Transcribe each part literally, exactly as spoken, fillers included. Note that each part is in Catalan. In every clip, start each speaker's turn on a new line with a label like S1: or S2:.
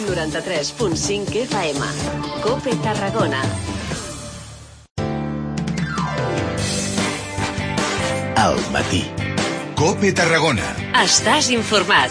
S1: noranta-tres punt cinc F M. COPE Tarragona.
S2: Al matí. COPE Tarragona.
S1: Estàs informat.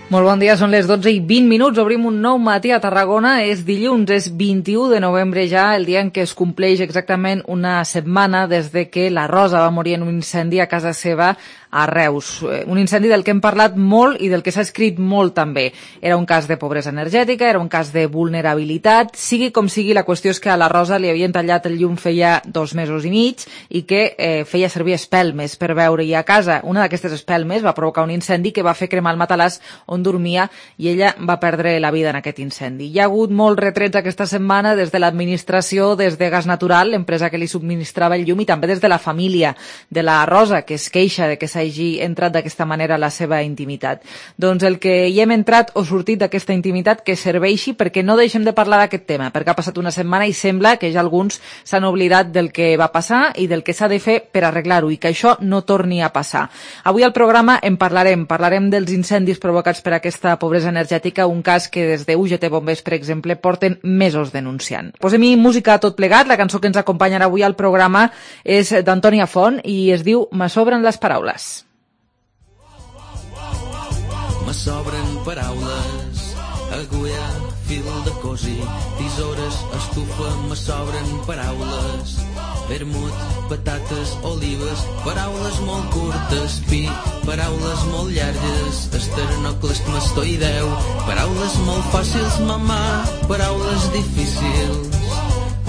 S3: Molt bon dia, són les dotze i vint minuts, obrim un nou matí a Tarragona, és dilluns, és vint-i-u de novembre ja, el dia en què es compleix exactament una setmana des de que la Rosa va morir en un incendi a casa seva a Reus. Un incendi del que hem parlat molt i del que s'ha escrit molt també. Era un cas de pobresa energètica, era un cas de vulnerabilitat, sigui com sigui, la qüestió és que a la Rosa li havien tallat el llum feia dos mesos i mig i que eh, feia servir espelmes per veure-hi a casa. Una d'aquestes espelmes va provocar un incendi que va fer cremar el matalàs on dormia i ella va perdre la vida en aquest incendi. Hi ha hagut molts retrets aquesta setmana des de l'administració, des de Gas Natural, l'empresa que li subministrava el llum, i també des de la família de la Rosa, que es queixa de que s'hagi entrat d'aquesta manera a la seva intimitat. Doncs el que hi hem entrat o sortit d'aquesta intimitat que serveixi perquè no deixem de parlar d'aquest tema, perquè ha passat una setmana i sembla que ja alguns s'han oblidat del que va passar i del que s'ha de fer per arreglar-ho i que això no torni a passar. Avui al programa en parlarem, parlarem dels incendis provocats per aquesta pobresa energètica, un cas que des de U G T Bombers, per exemple, porten mesos denunciant. Posem-hi música a tot plegat, la cançó que ens acompanyarà avui al programa és d'Antònia Font i es diu Me sobren les paraules.
S4: Me sobren paraules, agulla, fil de cosir, tisores, estufa, me sobren paraules, vermut, patates, olives, paraules molt curtes, pi, paraules molt llargues, esternocleidomastoideu, paraules molt fàcils, mamà, paraules difícils,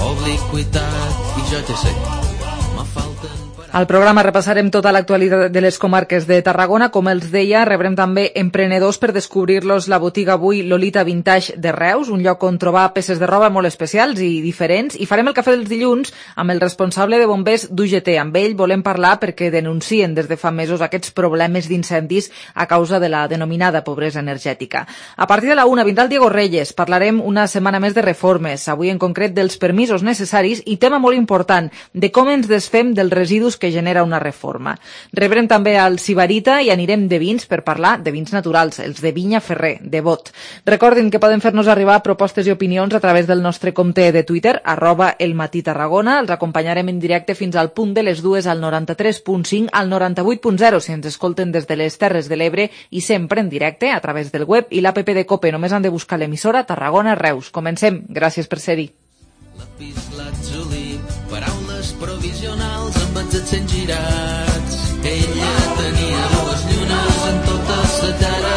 S4: obliquitat, i jo ja sé, me falten...
S3: Al programa repassarem tota l'actualitat de les comarques de Tarragona. Com els deia, rebrem també emprenedors per descobrir-los la botiga avui Lolita Vintage de Reus, un lloc on trobar peces de roba molt especials i diferents. I farem el cafè dels dilluns amb el responsable de bombers d'U G T. Amb ell volem parlar perquè denuncien des de fa mesos aquests problemes d'incendis a causa de la denominada pobresa energètica. A partir de la una vindrà el Diego Reyes. Parlarem una setmana més de reformes, avui en concret dels permisos necessaris i tema molt important, de com ens desfem dels residus que genera una reforma. Rebrem també al Sibarita i anirem de vins per parlar de vins naturals, els de Vinya Ferrer, de Bot. Recordin que poden fer-nos arribar propostes i opinions a través del nostre compte de Twitter, arroba elmatí-tarragona. Els acompanyarem en directe fins al punt de les dues al noranta-tres punt cinc, al noranta-vuit punt zero, si ens escolten des de les Terres de l'Ebre, i sempre en directe a través del web i l'app de COPE. Només han de buscar l'emissora Tarragona Reus. Comencem. Gràcies per ser-hi.
S4: Paraules provisionals amb els accents girats. Ella tenia dues llunes en tota sa cara.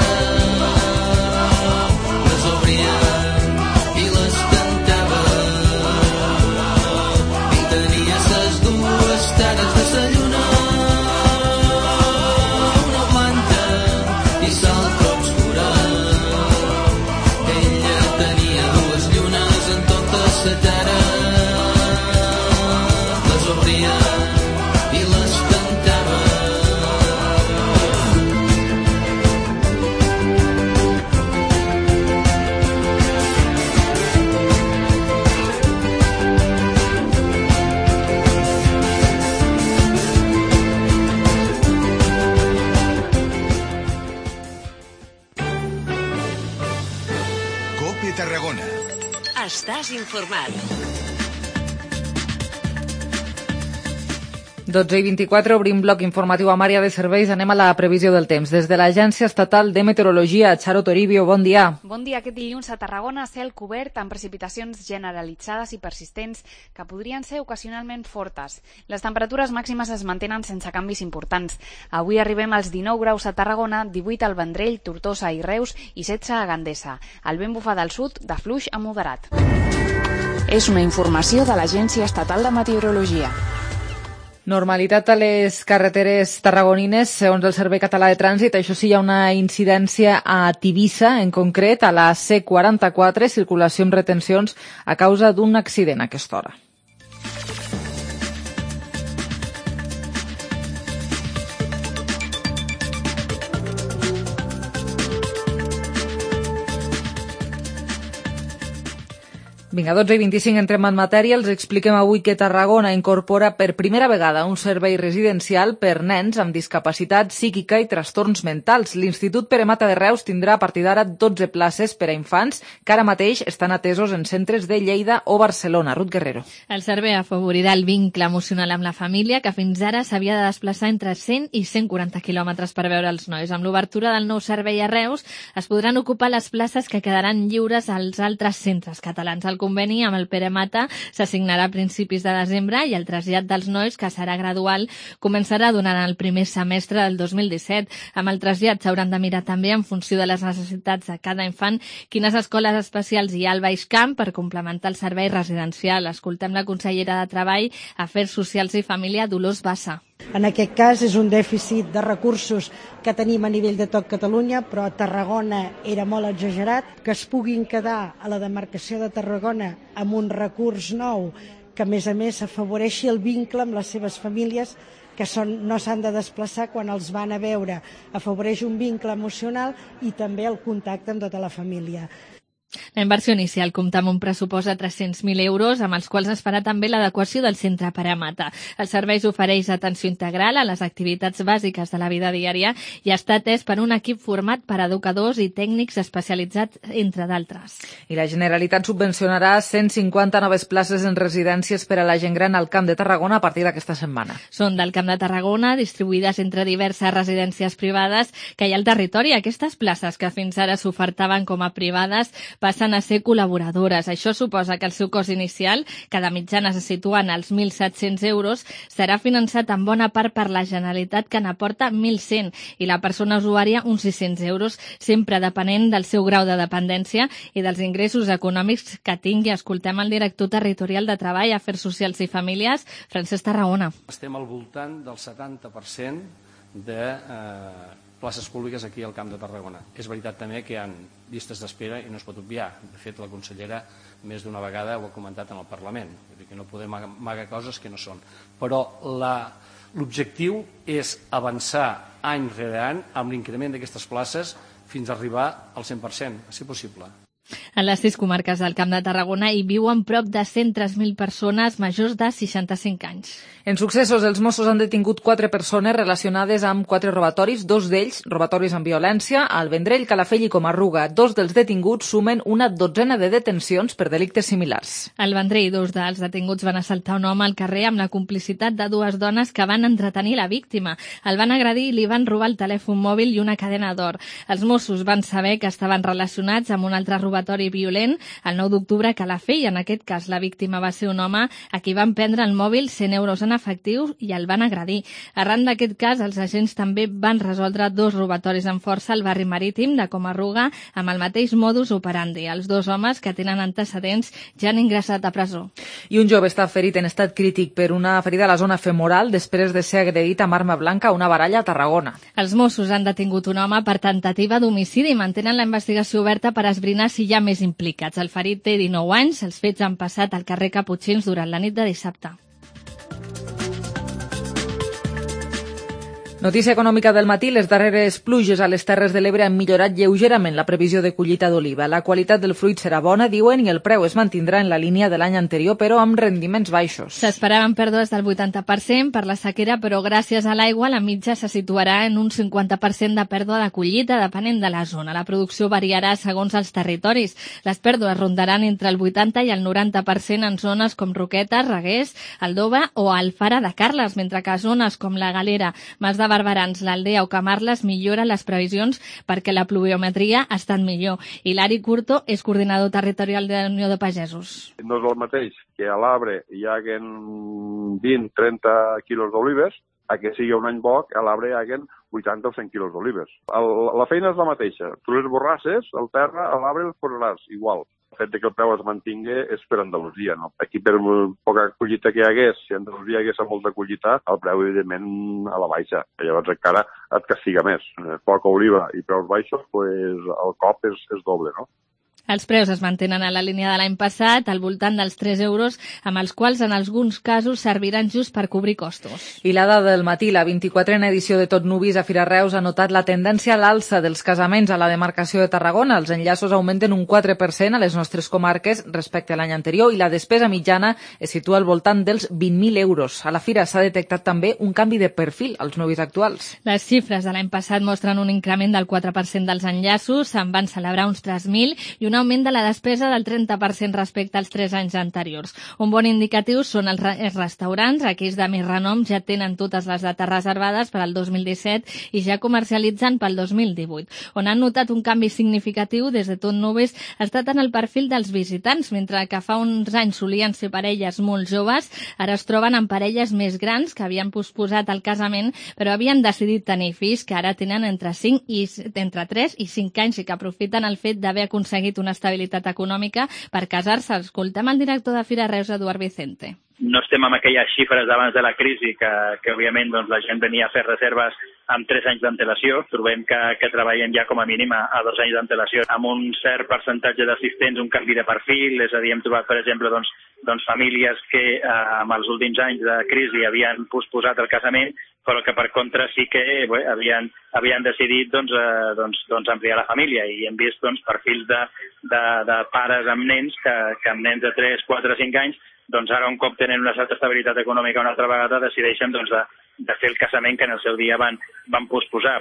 S4: Les obria i les cantava. I tenia ses dues cares de sa lluna, una blanca i l'altra obscura. Ella tenia dues llunes en tota sa cara. I les cantava.
S2: COPE Tarragona.
S1: Estàs informat.
S3: dotze i vint-i-quatre, obrim bloc informatiu amb àrea de serveis. Anem a la previsió del temps. Des de l'Agència Estatal de Meteorologia, Charo Toribio, bon dia.
S5: Bon dia. Aquest dilluns a Tarragona, cel cobert amb precipitacions generalitzades i persistents que podrien ser ocasionalment fortes. Les temperatures màximes es mantenen sense canvis importants. Avui arribem als dinou graus a Tarragona, divuit al Vendrell, Tortosa i Reus i setze a Gandesa. El vent bufa del sud de fluix a moderat.
S6: És una informació de l'Agència Estatal de Meteorologia.
S3: Normalitat a les carreteres tarragonines, segons el Servei Català de Trànsit. Això sí, hi ha una incidència a Tivissa, en concret, a la C quaranta-quatre, circulació amb retencions a causa d'un accident a aquesta hora. Vinga, dotze i vint-i-cinc, entrem en matèria. Els expliquem avui que Tarragona incorpora per primera vegada un servei residencial per nens amb discapacitat psíquica i trastorns mentals. L'Institut Pere Mata de Reus tindrà a partir d'ara dotze places per a infants que ara mateix estan atesos en centres de Lleida o Barcelona. Ruth Guerrero.
S7: El servei afavorirà el vincle emocional amb la família, que fins ara s'havia de desplaçar entre cent i cent quaranta quilòmetres per veure els nois. Amb l'obertura del nou servei a Reus es podran ocupar les places que quedaran lliures als altres centres catalans. El conveni amb el Pere Mata s'assignarà a principis de desembre i el trasllat dels nois, que serà gradual, començarà durant el primer semestre del dos mil disset. Amb el trasllat s'hauran de mirar també, en funció de les necessitats de cada infant, quines escoles especials hi ha al Baix Camp per complementar el servei residencial. Escoltem la consellera de Treball, Afers Socials i Família, Dolors Bassa.
S8: En aquest cas és un dèficit de recursos que tenim a nivell de tot Catalunya, però a Tarragona era molt exagerat. Que es puguin quedar a la demarcació de Tarragona amb un recurs nou que, a més a més, afavoreixi el vincle amb les seves famílies, que són, no s'han de desplaçar quan els van a veure. Afavoreix un vincle emocional i també el contacte amb tota la família.
S7: La inversió inicial compta amb un pressupost de tres-cents mil euros, amb els quals es farà també l'adequació del centre Pere Mata. El servei ofereix atenció integral a les activitats bàsiques de la vida diària i està atès per un equip format per educadors i tècnics especialitzats, entre d'altres.
S3: I la Generalitat subvencionarà cent cinquanta noves places en residències per a la gent gran al Camp de Tarragona a partir d'aquesta setmana.
S7: Són del Camp de Tarragona, distribuïdes entre diverses residències privades que hi ha al territori. Aquestes places, que fins ara s'ofertaven com a privades, passen a ser col·laboradores. Això suposa que el seu cost inicial, que de mitjana se situa en els mil set-cents euros, serà finançat en bona part per la Generalitat, que n'aporta mil cent, i la persona usuària uns sis-cents euros, sempre depenent del seu grau de dependència i dels ingressos econòmics que tingui. Escoltem el director territorial de Treball, Afers Socials i Famílies, Francesc Tarragona.
S9: Estem al voltant del setanta per cent de eh, places públiques aquí al Camp de Tarragona. És veritat també que hi ha llistes d'espera i no es pot obviar. De fet, la consellera més d'una vegada ho ha comentat en el Parlament. Vull dir que no podem amagar coses que no són. Però l'objectiu és avançar any rere any amb l'increment d'aquestes places fins a arribar al cent per cent, si possible.
S7: En les sis comarques del Camp de Tarragona hi viuen prop de cent tres mil persones majors de seixanta-cinc anys.
S3: En successos, els Mossos han detingut quatre persones relacionades amb quatre robatoris, dos d'ells robatoris amb violència, al Vendrell, Calafell i Comarruga. Dos dels detinguts sumen una dotzena de detencions per delictes similars.
S7: Al Vendrell, dos dels detinguts van assaltar un home al carrer amb la complicitat de dues dones que van entretenir la víctima. El van agredir i li van robar el telèfon mòbil i una cadena d'or. Els Mossos van saber que estaven relacionats amb un altre robatori violent el nou d'octubre a Calafell. En aquest cas, la víctima va ser un home a qui van prendre el mòbil, cent euros en efectius, i el van agredir. Arran d'aquest cas, els agents també van resoldre dos robatoris amb força al barri marítim de Comarruga amb el mateix modus operandi. Els dos homes, que tenen antecedents, ja han ingressat a presó.
S3: I un jove està ferit en estat crític per una ferida a la zona femoral després de ser agredit amb arma blanca a una baralla a Tarragona.
S7: Els Mossos han detingut un home per tentativa d'homicidi i mantenen la investigació oberta per esbrinar si hi ha més implicats. El ferit té dinou anys, els fets han passat al carrer Caputxins durant la nit de dissabte.
S3: Notícia econòmica del matí. Les darreres pluges a les Terres de l'Ebre han millorat lleugerament la previsió de collita d'oliva. La qualitat del fruit serà bona, diuen, i el preu es mantindrà en la línia de l'any anterior, però amb rendiments baixos.
S7: S'esperaven pèrdues del vuitanta per cent per la sequera, però gràcies a l'aigua la mitja se situarà en un cinquanta per cent de pèrdua de collita, depenent de la zona. La producció variarà segons els territoris. Les pèrdues rondaran entre el vuitanta i el noranta per cent en zones com Roquetes, Reguers, Aldova o Alfara de Carles, mentre que a zones com la Galera, Mas de Barberans, l'Aldea o Camarles milloren les previsions perquè la pluviometria ha estat millor. Hilari Curto és coordinador territorial de la Unió de Pagesos.
S10: No és el mateix que a l'Arbre hi haguen vint a trenta quilos d'olives, a que sigui un any bo, a l'Arbre hi haguen vuitanta o cent quilos d'olives. La feina és la mateixa. Tu les borrasses, al terra, a l'Arbre els posaràs igual. El fet que el preu es mantingui és per Andalusia, no? Aquí, per poca collita que hi hagués, si a Andalusia hi hagués molta collita, el preu, evidentment, a la baixa. Llavors, encara et castiga més. Poca oliva i preus baixos, pues, el cop és, és doble, no?
S7: Els preus es mantenen a la línia de l'any passat, al voltant dels tres euros, amb els quals en alguns casos serviran just per cobrir costos.
S3: I la dada del matí, la vint-i-quatrena edició de Tot Nuvis a Fira Reus ha notat la tendència a l'alça dels casaments a la demarcació de Tarragona. Els enllaços augmenten un quatre per cent a les nostres comarques respecte a l'any anterior i la despesa mitjana es situa al voltant dels vint mil euros. A la fira s'ha detectat també un canvi de perfil als nuvis actuals.
S7: Les xifres de l'any passat mostren un increment del quatre per cent dels enllaços, se'n van celebrar uns tres mil i un augment de la despesa del trenta per cent respecte als tres anys anteriors. Un bon indicatiu són els, re els restaurants, aquells de més renom ja tenen totes les dates reservades per al dos mil disset i ja comercialitzen pel dos mil divuit. On han notat un canvi significatiu des de Tot Nuvis ha estat en el perfil dels visitants, mentre que fa uns anys solien ser parelles molt joves, ara es troben en parelles més grans que havien posposat el casament però havien decidit tenir fills, que ara tenen entre cinc i entre tres i cinc anys i que aprofiten el fet d'haver aconseguit una estabilitat econòmica per casar-se. Escoltem el director de Fira Reus, Eduard Vicente.
S11: No estem amb aquelles xifres d'abans de la crisi que, que òbviament doncs, la gent venia a fer reserves amb tres anys d'antelació. Trobem que, que treballem ja com a mínim a, a dos anys d'antelació. Amb un cert percentatge d'assistents, un canvi de perfil, és a dir, hem trobat, per exemple, doncs, doncs famílies que eh, amb els últims anys de crisi havien posposat el casament, però que per contra sí que bé, havien, havien decidit doncs, eh, doncs, doncs ampliar la família i hem vist doncs, perfils de, de, de pares amb nens que, que amb nens de tres, quatre, cinc anys doncs ara un cop tenen una certa estabilitat econòmica una altra vegada decideixen doncs, de, de fer el casament que en el seu dia van, van posposar.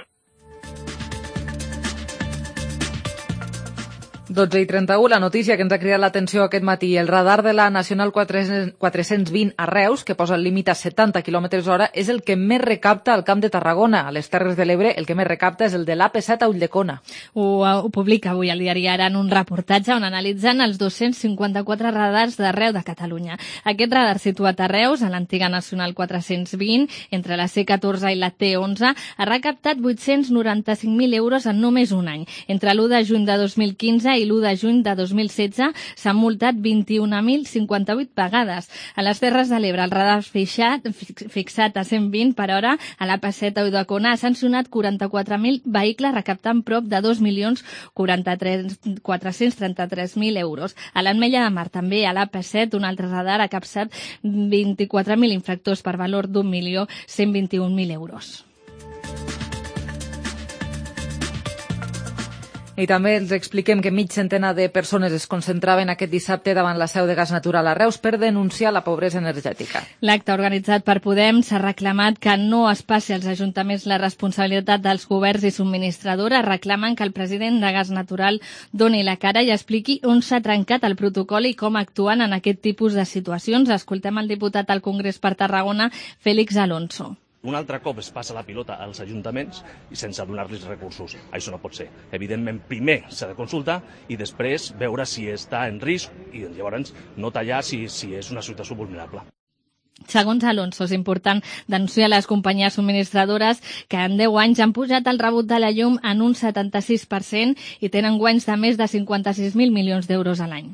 S3: dotze i trenta-u, la notícia que ens ha cridat l'atenció aquest matí. El radar de la Nacional quatre-cents vint a Reus, que posa el límit a setanta quilòmetres hora, és el que més recapta al Camp de Tarragona. A les Terres de l'Ebre, el que més recapta és el de l'A P set a Ulldecona.
S7: Ho, ho publica avui el diari Ara en un reportatge on analitzen els dos-cents cinquanta-quatre radars d'arreu de Catalunya. Aquest radar situat a Reus, a l'antiga Nacional quatre-cents vint, entre la C catorze i la T onze, ha recaptat vuit-cents noranta-cinc mil euros en només un any. Entre l'u de juny de dos mil quinze i l'u de juny de dos mil setze s'han multat vint-i-un mil cinquanta-vuit vegades. A les Terres de l'Ebre, el radar fixat, fixat a cent vint per hora a l'A P set a Ulldecona ha sancionat quaranta-quatre mil vehicles recaptant prop de dos milions quatre-cents trenta-tres mil euros. A l'Ametlla de Mar, també a l'A P set, un altre radar ha capçat vint-i-quatre mil infractors per valor d'un milió cent vint-i-un mil euros.
S3: I també els expliquem que mig centena de persones es concentraven aquest dissabte davant la seu de Gas Natural a Reus per denunciar la pobresa energètica.
S7: L'acte organitzat per Podem s'ha reclamat que no es passi als ajuntaments la responsabilitat dels governs i subministradores. Reclamen que el president de Gas Natural doni la cara i expliqui on s'ha trencat el protocol i com actuen en aquest tipus de situacions. Escoltem el diputat al Congrés per Tarragona, Félix Alonso.
S12: Un altre cop es passa la pilota als ajuntaments i sense donar-los recursos. Això no pot ser. Evidentment, primer s'ha de consultar i després veure si està en risc i llavors no tallar si, si és una situació vulnerable.
S7: Segons Alonso, és important denunciar les companyies subministradores que en deu anys han pujat el rebut de la llum en un setanta-sis per cent i tenen guanys de més de cinquanta-sis mil milions d'euros a l'any.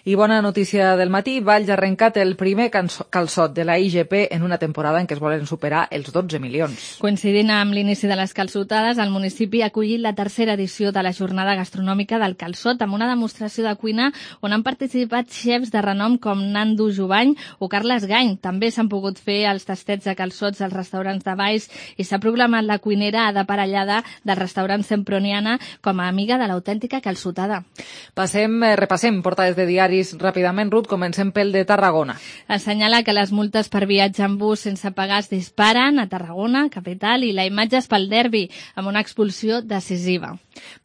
S3: I bona notícia del matí, Valls ha arrencat el primer calçot de la I G P en una temporada en què es volen superar els dotze milions.
S7: Coincidint amb l'inici de les calçotades, el municipi ha acollit la tercera edició de la jornada gastronòmica del calçot amb una demostració de cuina on han participat xefs de renom com Nando Jubany o Carles Gany. També s'han pogut fer els tastets de calçots als restaurants de Valls i s'ha proclamat la cuinera Ada Parellada del restaurant Semproniana com a amiga de l'autèntica calçotada.
S3: Passem, eh, repassem portades de diaris ràpidament, Ruth. Comencem pel de Tarragona.
S7: Assenyala que les multes per viatge en bus sense pagar es disparen a Tarragona, capital, i la imatge és pel derbi, amb una expulsió decisiva.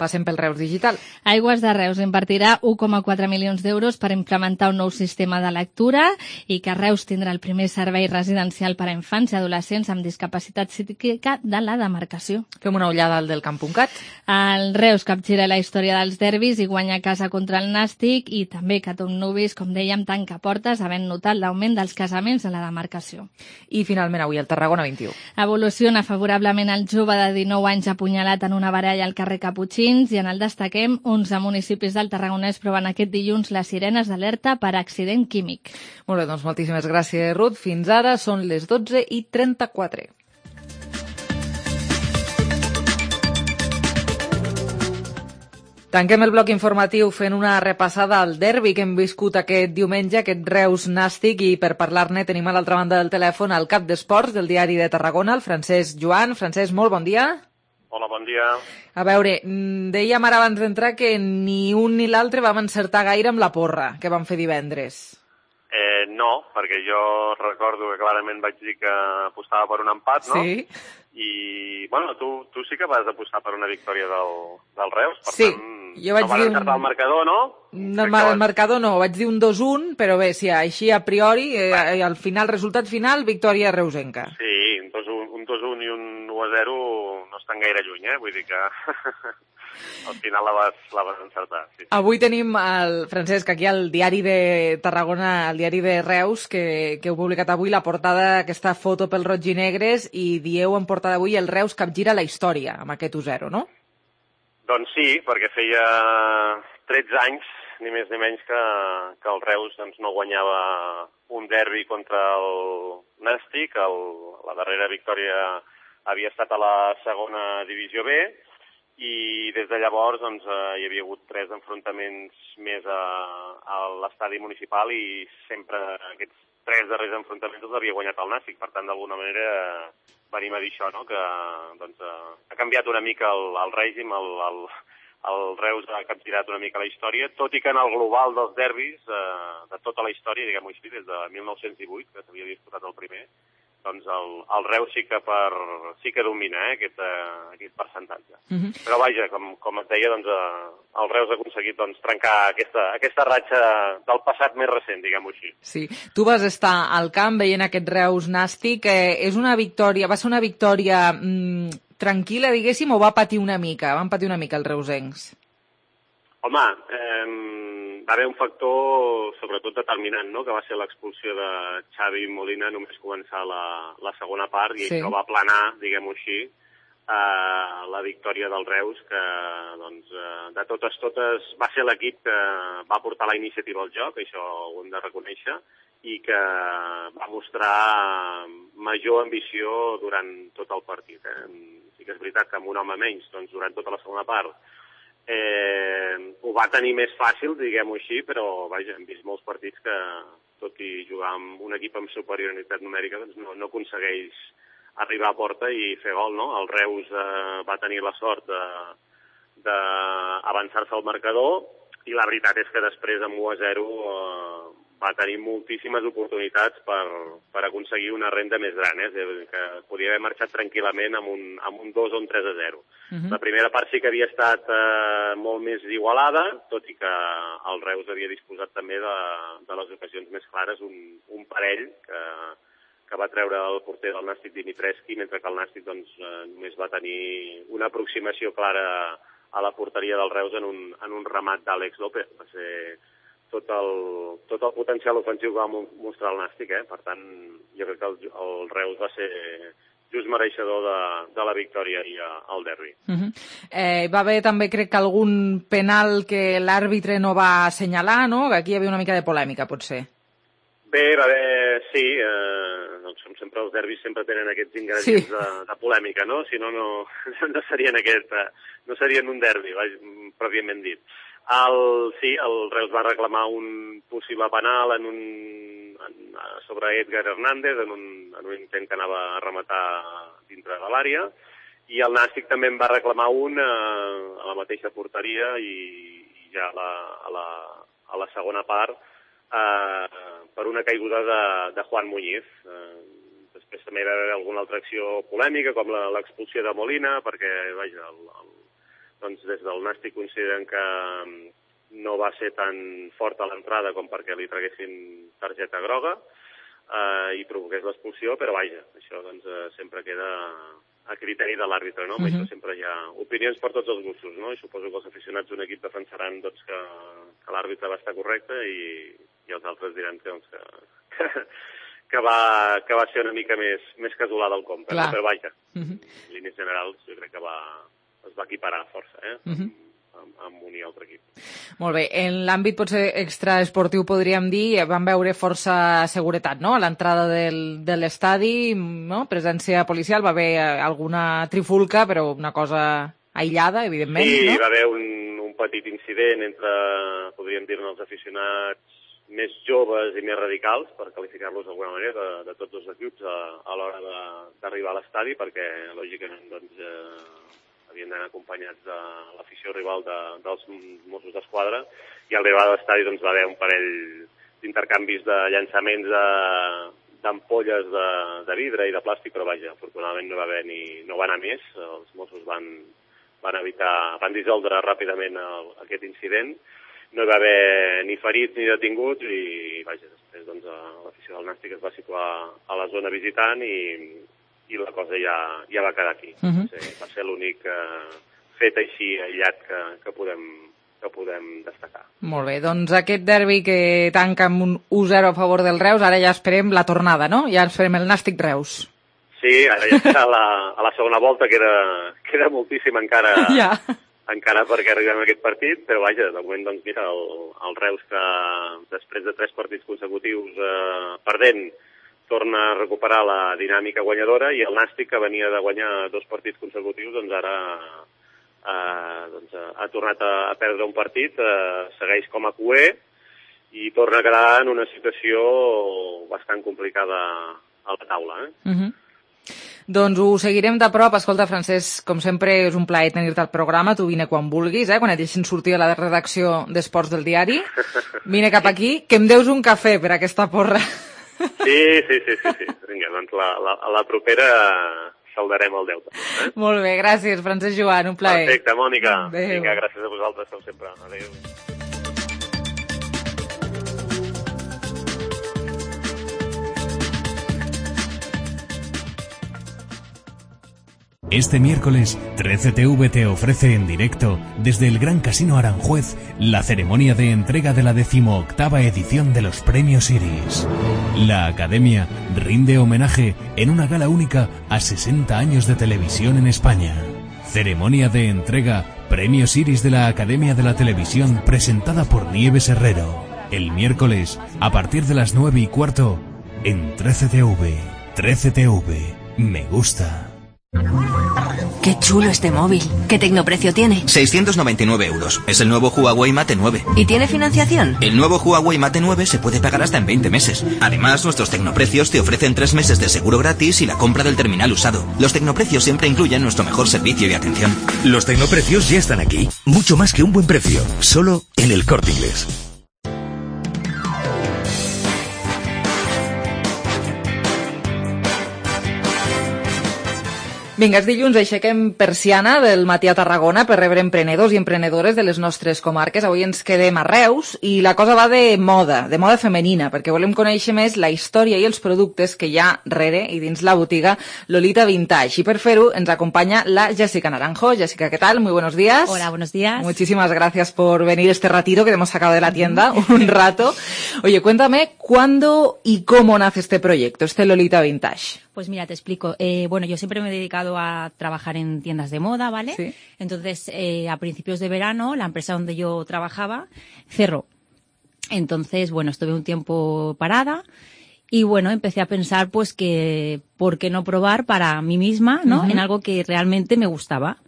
S3: Passem pel Reus Digital.
S7: Aigües de Reus invertirà un coma quatre milions d'euros per implementar un nou sistema de lectura i que Reus tindrà el primer servei residencial per a infants i adolescents amb discapacitat psíquica de la demarcació.
S3: Fem una ullada al del camp punt cat.
S7: El Reus capgira la història dels derbis i guanya a casa contra el Nàstic i també que Tot Nuvis, com dèiem, tanca portes havent notat l'augment dels casaments a la demarcació.
S3: I finalment avui el Tarragona vint i u.
S7: Evoluciona favorablement el jove de dinou anys apunyalat en una baralla al carrer Caputxins i en el destaquem onze municipis del Tarragonès proven aquest dilluns les sirenes d'alerta per accident químic.
S3: Molt bé, doncs moltíssimes gràcies, Ruth. Fins ara són les dotze i trenta-quatre. Tanquem el bloc informatiu fent una repassada al derbi que hem viscut aquest diumenge, aquest Reus Nàstic, i per parlar-ne tenim a l'altra banda del telèfon el cap d'esports del Diari de Tarragona, el Francesc Joan. Francesc, molt bon dia.
S13: Hola, bon dia.
S3: A veure, dèiem ara abans d'entrar que ni un ni l'altre vam encertar gaire amb la porra que vam fer divendres.
S13: Eh, no, perquè jo recordo que clarament vaig dir que apostava per un empat, no?
S3: Sí.
S13: I, bueno, tu, tu sí que vas apostar per una victòria del, del Reus, per
S3: sí,
S13: tant,
S3: jo vaig
S13: no vas
S3: dir
S13: encertar
S3: un...
S13: el marcador, no?
S3: No, el vas... marcador no, vaig dir un dos un, però bé, sí, així a priori, eh, al final, resultat final, victòria reusenca.
S13: Sí, un dos un i un u a zero no estan gaire lluny, eh? Vull dir que al final la vas, la vas encertar. Sí.
S3: Avui tenim, el Francesc, aquí al Diari de Tarragona, al Diari de Reus, que, que heu publicat avui la portada, aquesta foto pel roig i negres, i dieu en portada avui el Reus capgira la història amb aquest u zero, no?
S13: Doncs sí, perquè feia tretze anys, ni més ni menys, que, que el Reus doncs, no guanyava un derbi contra el Nàstic. El, la darrera victòria havia estat a la segona divisió B, i des de llavors doncs, eh, hi havia hagut tres enfrontaments més a, a l'estadi municipal i sempre aquests tres darrers enfrontaments els havia guanyat el Nàstic. Per tant, d'alguna manera eh, venim a dir això, no? Que doncs, eh, ha canviat una mica el, el règim, el, el, el Reus ha capgirat una mica la història, tot i que en el global dels derbis, eh, de tota la història, diguem-ho així, des de mil nou-cents divuit, que s'havia disputat el primer, doncs el, el Reus sí que, per, sí que domina eh, aquest, eh, aquest percentatge. Uh-huh. Però vaja, com, com et deia, doncs, eh, el Reus ha aconseguit doncs, trencar aquesta, aquesta ratxa del passat més recent, diguem-ho així.
S3: Sí, tu vas estar al camp veient aquest Reus Nàstic. Eh, és una victòria, va ser una victòria mm, tranquil·la, diguéssim, o va patir una mica? Van patir una mica els reusencs?
S13: Home, eh, va haver un factor sobretot determinant, no?, que va ser l'expulsió de Xavi Molina només començar la, la segona part, i sí. Això va aplanar, diguem-ho així, eh, la victòria del Reus, que doncs, eh, de totes totes va ser l'equip que va portar la iniciativa al joc, això ho hem de reconèixer, i que va mostrar major ambició durant tot el partit. Eh? Sí que és veritat que amb un home menys, doncs, durant tota la segona part, Eh, ho va tenir més fàcil, diguem-ho així, però vaja, hem vist molts partits que, tot i jugar amb un equip amb superioritat numèrica, doncs no, no aconsegueix arribar a porta i fer gol, no? El Reus eh, va tenir la sort d'avançar-se al marcador, i la veritat és que després amb u a zero eh, va tenir moltíssimes oportunitats per, per aconseguir una renda més gran, eh? Que podia haver marxat tranquil·lament amb un, amb un dos o un tres a zero. Uh-huh. La primera part sí que havia estat eh, molt més igualada, tot i que el Reus havia disposat també de, de les ocasions més clares, un, un parell que, que va treure el porter del Nàstic, Dimitrescu, mentre que el Nàstic doncs, eh, només va tenir una aproximació clara a la porteria del Reus en un, en un remat d'Àlex López. Va ser tot el, tot el potencial ofensiu que va mostrar el Nàstic, eh? Per tant, jo crec que el, el Reus va ser just mereixedor de, de la victòria i al derbi. Uh-huh.
S3: eh, va haver també, crec que algun penal que l'àrbitre no va assenyalar, no? Que aquí hi havia una mica de polèmica, potser.
S13: Bé, va haver, sí, eh, doncs com sempre els derbis sempre tenen aquests ingredients sí. de, de polèmica, no? Si no, no, no serien aquest, no serien un derbi, pròpiament dit. El, sí, el Reus va reclamar un possible penal en un, en, sobre Edgar Hernández en un, en un intent que anava a rematar dintre de l'àrea, i el Nàstic també en va reclamar un eh, a la mateixa porteria, i, i ja a la, a, la, a la segona part eh, per una caiguda de, de Juan Muñiz. Eh, després també va haver alguna altra acció polèmica, com l'expulsió de Molina, perquè vaja, el, el doncs des del Nàstic consideren que no va ser tan fort a l'entrada com perquè li traguessin targeta groga eh, i provoqués l'expulsió, però vaja, això doncs, eh, sempre queda a criteri de l'àrbitre, no? Uh-huh. Això sempre hi ha opinions per tots els gustos, no? I suposo que els aficionats d'un equip defensaran doncs, que, que l'àrbitre va estar correcte, i, i els altres diran que, doncs, que, que, que, va, que va ser una mica més, més casolada al compte, no? Però vaja, uh-huh. En línies generals jo crec que va... es va equiparar força, eh? Uh-huh. amb, amb un i altre equip.
S3: Molt bé. En l'àmbit potser extraesportiu podríem dir, vam veure força seguretat, no?, a l'entrada del, de l'estadi, no?, presència policial, va haver alguna trifulca, però una cosa aïllada, evidentment,
S13: sí,
S3: no?
S13: Sí, va haver un, un petit incident entre, podríem dir-ne, els aficionats més joves i més radicals, per qualificar-los d'alguna manera, de, de tots els equips a, a l'hora d'arribar a l'estadi, perquè, lògicament, doncs, eh, havien d'anar acompanyats de l'afició rival de, dels Mossos d'Esquadra, i al arribar a l'estadi doncs, va haver un parell d'intercanvis de llançaments de, d'ampolles de, de vidre i de plàstic, però vaja, afortunadament no va haver ni, no va anar més, els Mossos van, van evitar, van dissoldre ràpidament el, aquest incident. No hi va haver ni ferits ni detinguts i, vaja, després doncs, l'afició del Nàstic es va situar a la zona visitant i, i la cosa ja, ja va quedar aquí. Uh-huh. Va ser, va ser l'únic eh, fet així aïllat que, que, podem, que podem destacar.
S3: Molt bé, doncs aquest derbi que tanca amb un u zero a favor del Reus, ara ja esperem la tornada, no? Ja esperem el Nàstic-Reus.
S13: Sí, ara ja està a la, a la segona volta, queda, queda moltíssim encara...
S3: Ja.
S13: encara perquè arribem a aquest partit, però vaja, de moment, doncs, mira, el, el Reus que després de tres partits consecutius eh, perdent torna a recuperar la dinàmica guanyadora i el Nàstic, que venia de guanyar dos partits consecutius, doncs ara eh, doncs, ha tornat a, a perdre un partit, eh, segueix com a cuer i torna a quedar en una situació bastant complicada a la taula. Eh?
S3: Uh-huh. Doncs ho seguirem de prop. Escolta, Francesc, com sempre és un plaer tenir-te al programa. Tu vine quan vulguis, eh? Quan et deixin sortir a la redacció d'Esports del diari. Vine cap aquí, que em deus un cafè per aquesta porra.
S13: Sí, sí, sí, sí. sí. Vinga, doncs la, la, a la propera saldarem el deute. Eh?
S3: Molt bé, gràcies, Francesc Joan, un plaer.
S13: Perfecte, Mònica.
S3: Adéu.
S13: Vinga, gràcies a vosaltres, com sempre. Adéu.
S14: Este miércoles, trece T V te ofrece en directo, desde el Gran Casino Aranjuez, la ceremonia de entrega de la decimoctava edición de los Premios Iris. La Academia rinde homenaje en una gala única a sesenta años de televisión en España. Ceremonia de entrega Premios Iris de la Academia de la Televisión presentada por Nieves Herrero. El miércoles, a partir de las nueve y cuarto, en trece T V. trece T V. Me gusta.
S15: Qué chulo este móvil. ¿Qué tecnoprecio tiene?
S16: seiscientos noventa y nueve euros. Es el nuevo Huawei Mate nueve.
S15: ¿Y tiene financiación?
S16: El nuevo Huawei Mate nueve se puede pagar hasta en veinte meses. Además, nuestros tecnoprecios te ofrecen tres meses de seguro gratis y la compra del terminal usado. Los tecnoprecios siempre incluyen nuestro mejor servicio y atención.
S17: Los tecnoprecios ya están aquí. Mucho más que un buen precio. Solo en El Corte Inglés.
S3: Vinga, és dilluns, aixequem persiana del matí a Tarragona per rebre emprenedors i emprenedores de les nostres comarques. Avui ens quedem a Reus i la cosa va de moda, de moda femenina, perquè volem conèixer més la història i els productes que hi ha rere i dins la botiga Lolita Vintage. Y per fer-ho ens acompaña la Jessica Naranjo. Jessica, ¿qué tal? Muy buenos días.
S18: Hola, buenos días.
S3: Muchísimas gracias por venir este ratito que te hemos sacado de la tienda, un rato. Oye, cuéntame, ¿cuándo y cómo nace este proyecto, este Lolita Vintage?
S18: Pues mira, te explico. Eh, bueno, yo siempre me he dedicado a trabajar en tiendas de moda, ¿vale?
S3: Sí.
S18: Entonces, eh, a principios de verano, la empresa donde yo trabajaba cerró. Entonces, bueno, estuve un tiempo parada y, bueno, empecé a pensar, pues, que por qué no probar para mí misma, ¿no? Uh-huh. En algo que realmente me gustaba.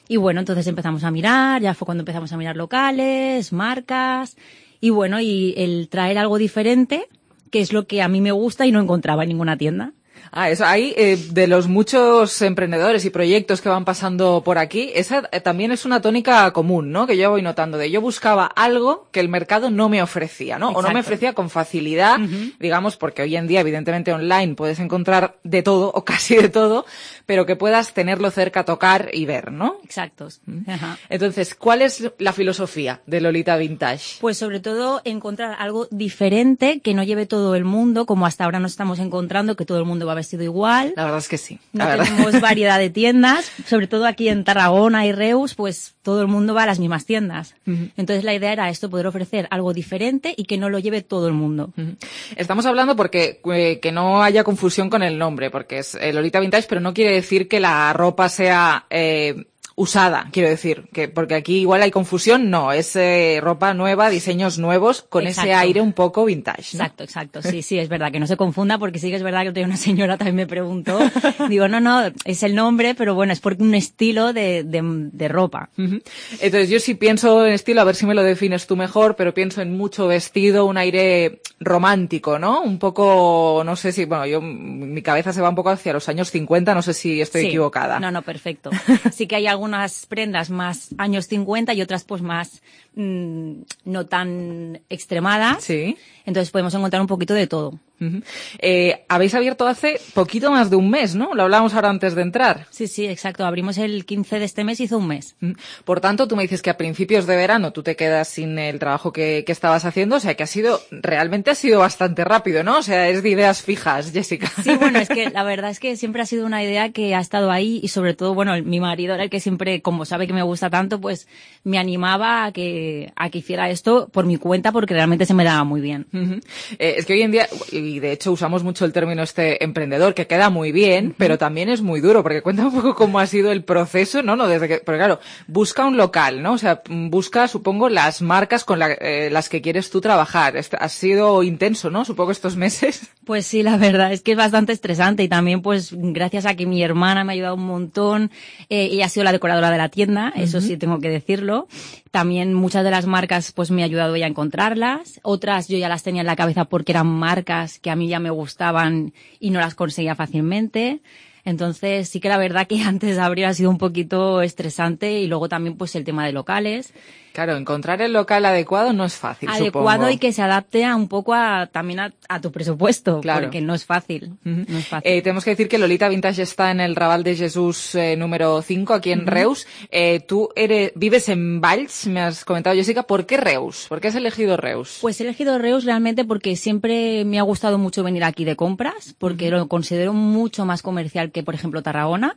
S18: Y, bueno, entonces empezamos a mirar, ya fue cuando empezamos a mirar locales, marcas y, bueno, y el traer algo diferente, que es lo que a mí me gusta y no encontraba en ninguna tienda.
S3: Ah, eso ahí, eh, de los muchos emprendedores y proyectos que van pasando por aquí, esa eh, también es una tónica común, ¿no? Que yo voy notando de yo buscaba algo que el mercado no me ofrecía, ¿no?
S18: Exacto.
S3: O no me ofrecía con facilidad, uh-huh. digamos, porque hoy en día, evidentemente, online puedes encontrar de todo, o casi de todo, pero que puedas tenerlo cerca, tocar y ver, ¿no?
S18: Exacto.
S3: Uh-huh. Entonces, ¿cuál es la filosofía de Lolita Vintage?
S18: Pues sobre todo encontrar algo diferente que no lleve todo el mundo, como hasta ahora nos estamos encontrando, que todo el mundo va vestido igual.
S3: La verdad es que sí.
S18: No
S3: verdad.
S18: tenemos variedad de tiendas, sobre todo aquí en Tarragona y Reus, pues todo el mundo va a las mismas tiendas. Uh-huh. Entonces la idea era esto, poder ofrecer algo diferente y que no lo lleve todo el mundo.
S3: Uh-huh. Estamos hablando porque eh, que no haya confusión con el nombre, porque es eh, Lolita Vintage, pero no quiere decir que la ropa sea... Eh, usada, quiero decir, que porque aquí igual hay confusión, no, es eh, ropa nueva, diseños nuevos, con exacto. ese aire un poco vintage, ¿no?
S18: Exacto, exacto, sí, sí, es verdad, que no se confunda, porque sí que es verdad que una señora también me preguntó, digo, no, no, es el nombre, pero bueno, es porque un estilo de, de, de ropa.
S3: Uh-huh. Entonces yo sí pienso en estilo, a ver si me lo defines tú mejor, pero pienso en mucho vestido, un aire romántico, ¿no? Un poco, no sé si, bueno, yo, mi cabeza se va un poco hacia los años cincuenta, no sé si estoy
S18: sí.
S3: equivocada.
S18: No, no, perfecto. Sí que hay algunas prendas más años cincuenta y otras pues más mmm, no tan extremadas.
S3: Sí.
S18: Entonces podemos encontrar un poquito de todo.
S3: Uh-huh. Eh, habéis abierto hace poquito más de un mes, ¿no? Lo hablábamos ahora antes de entrar.
S18: Sí, sí, exacto. Abrimos el quince de este mes, hizo un mes.
S3: Uh-huh. Por tanto, tú me dices que a principios de verano tú te quedas sin el trabajo que, que estabas haciendo, o sea que ha sido, realmente ha sido bastante rápido, ¿no? O sea, es de ideas fijas, Jessica.
S18: Sí, bueno, es que la verdad es que siempre ha sido una idea que ha estado ahí y sobre todo, bueno, mi marido era el que siempre, como sabe que me gusta tanto, pues me animaba a que, a que hiciera esto por mi cuenta porque realmente se me daba muy bien.
S3: Uh-huh. Eh, es que hoy en día, y de hecho usamos mucho el término este emprendedor, que queda muy bien, uh-huh. pero también es muy duro, porque cuenta un poco cómo ha sido el proceso, ¿no? no desde que, porque claro, busca un local, ¿no? O sea, busca, supongo, las marcas con la, eh, las que quieres tú trabajar. Este, ha sido intenso, ¿no? Supongo estos meses.
S18: Pues sí, la verdad es que es bastante estresante y también pues gracias a que mi hermana me ha ayudado un montón, eh, ella ha sido la decoradora de la tienda, uh-huh. eso sí tengo que decirlo. También muchas de las marcas pues me ha ayudado ella a encontrarlas, otras yo ya las tenía en la cabeza porque eran marcas que a mí ya me gustaban y no las conseguía fácilmente. Entonces sí que la verdad que antes de abrir ha sido un poquito estresante y luego también pues el tema de locales.
S3: Claro, encontrar el local adecuado no es fácil,
S18: adecuado
S3: supongo.
S18: Y que se adapte a un poco a, también a, a tu presupuesto,
S3: claro.
S18: porque no es fácil. Uh-huh. No es fácil.
S3: Eh, tenemos que decir que Lolita Vintage está en el Raval de Jesús eh, número cinco, aquí en uh-huh. Reus. Eh, tú eres, vives en Valls, me has comentado, Jessica. ¿Por qué Reus? ¿Por qué has elegido Reus?
S18: Pues he elegido Reus realmente porque siempre me ha gustado mucho venir aquí de compras, porque uh-huh. lo considero mucho más comercial que, por ejemplo, Tarragona.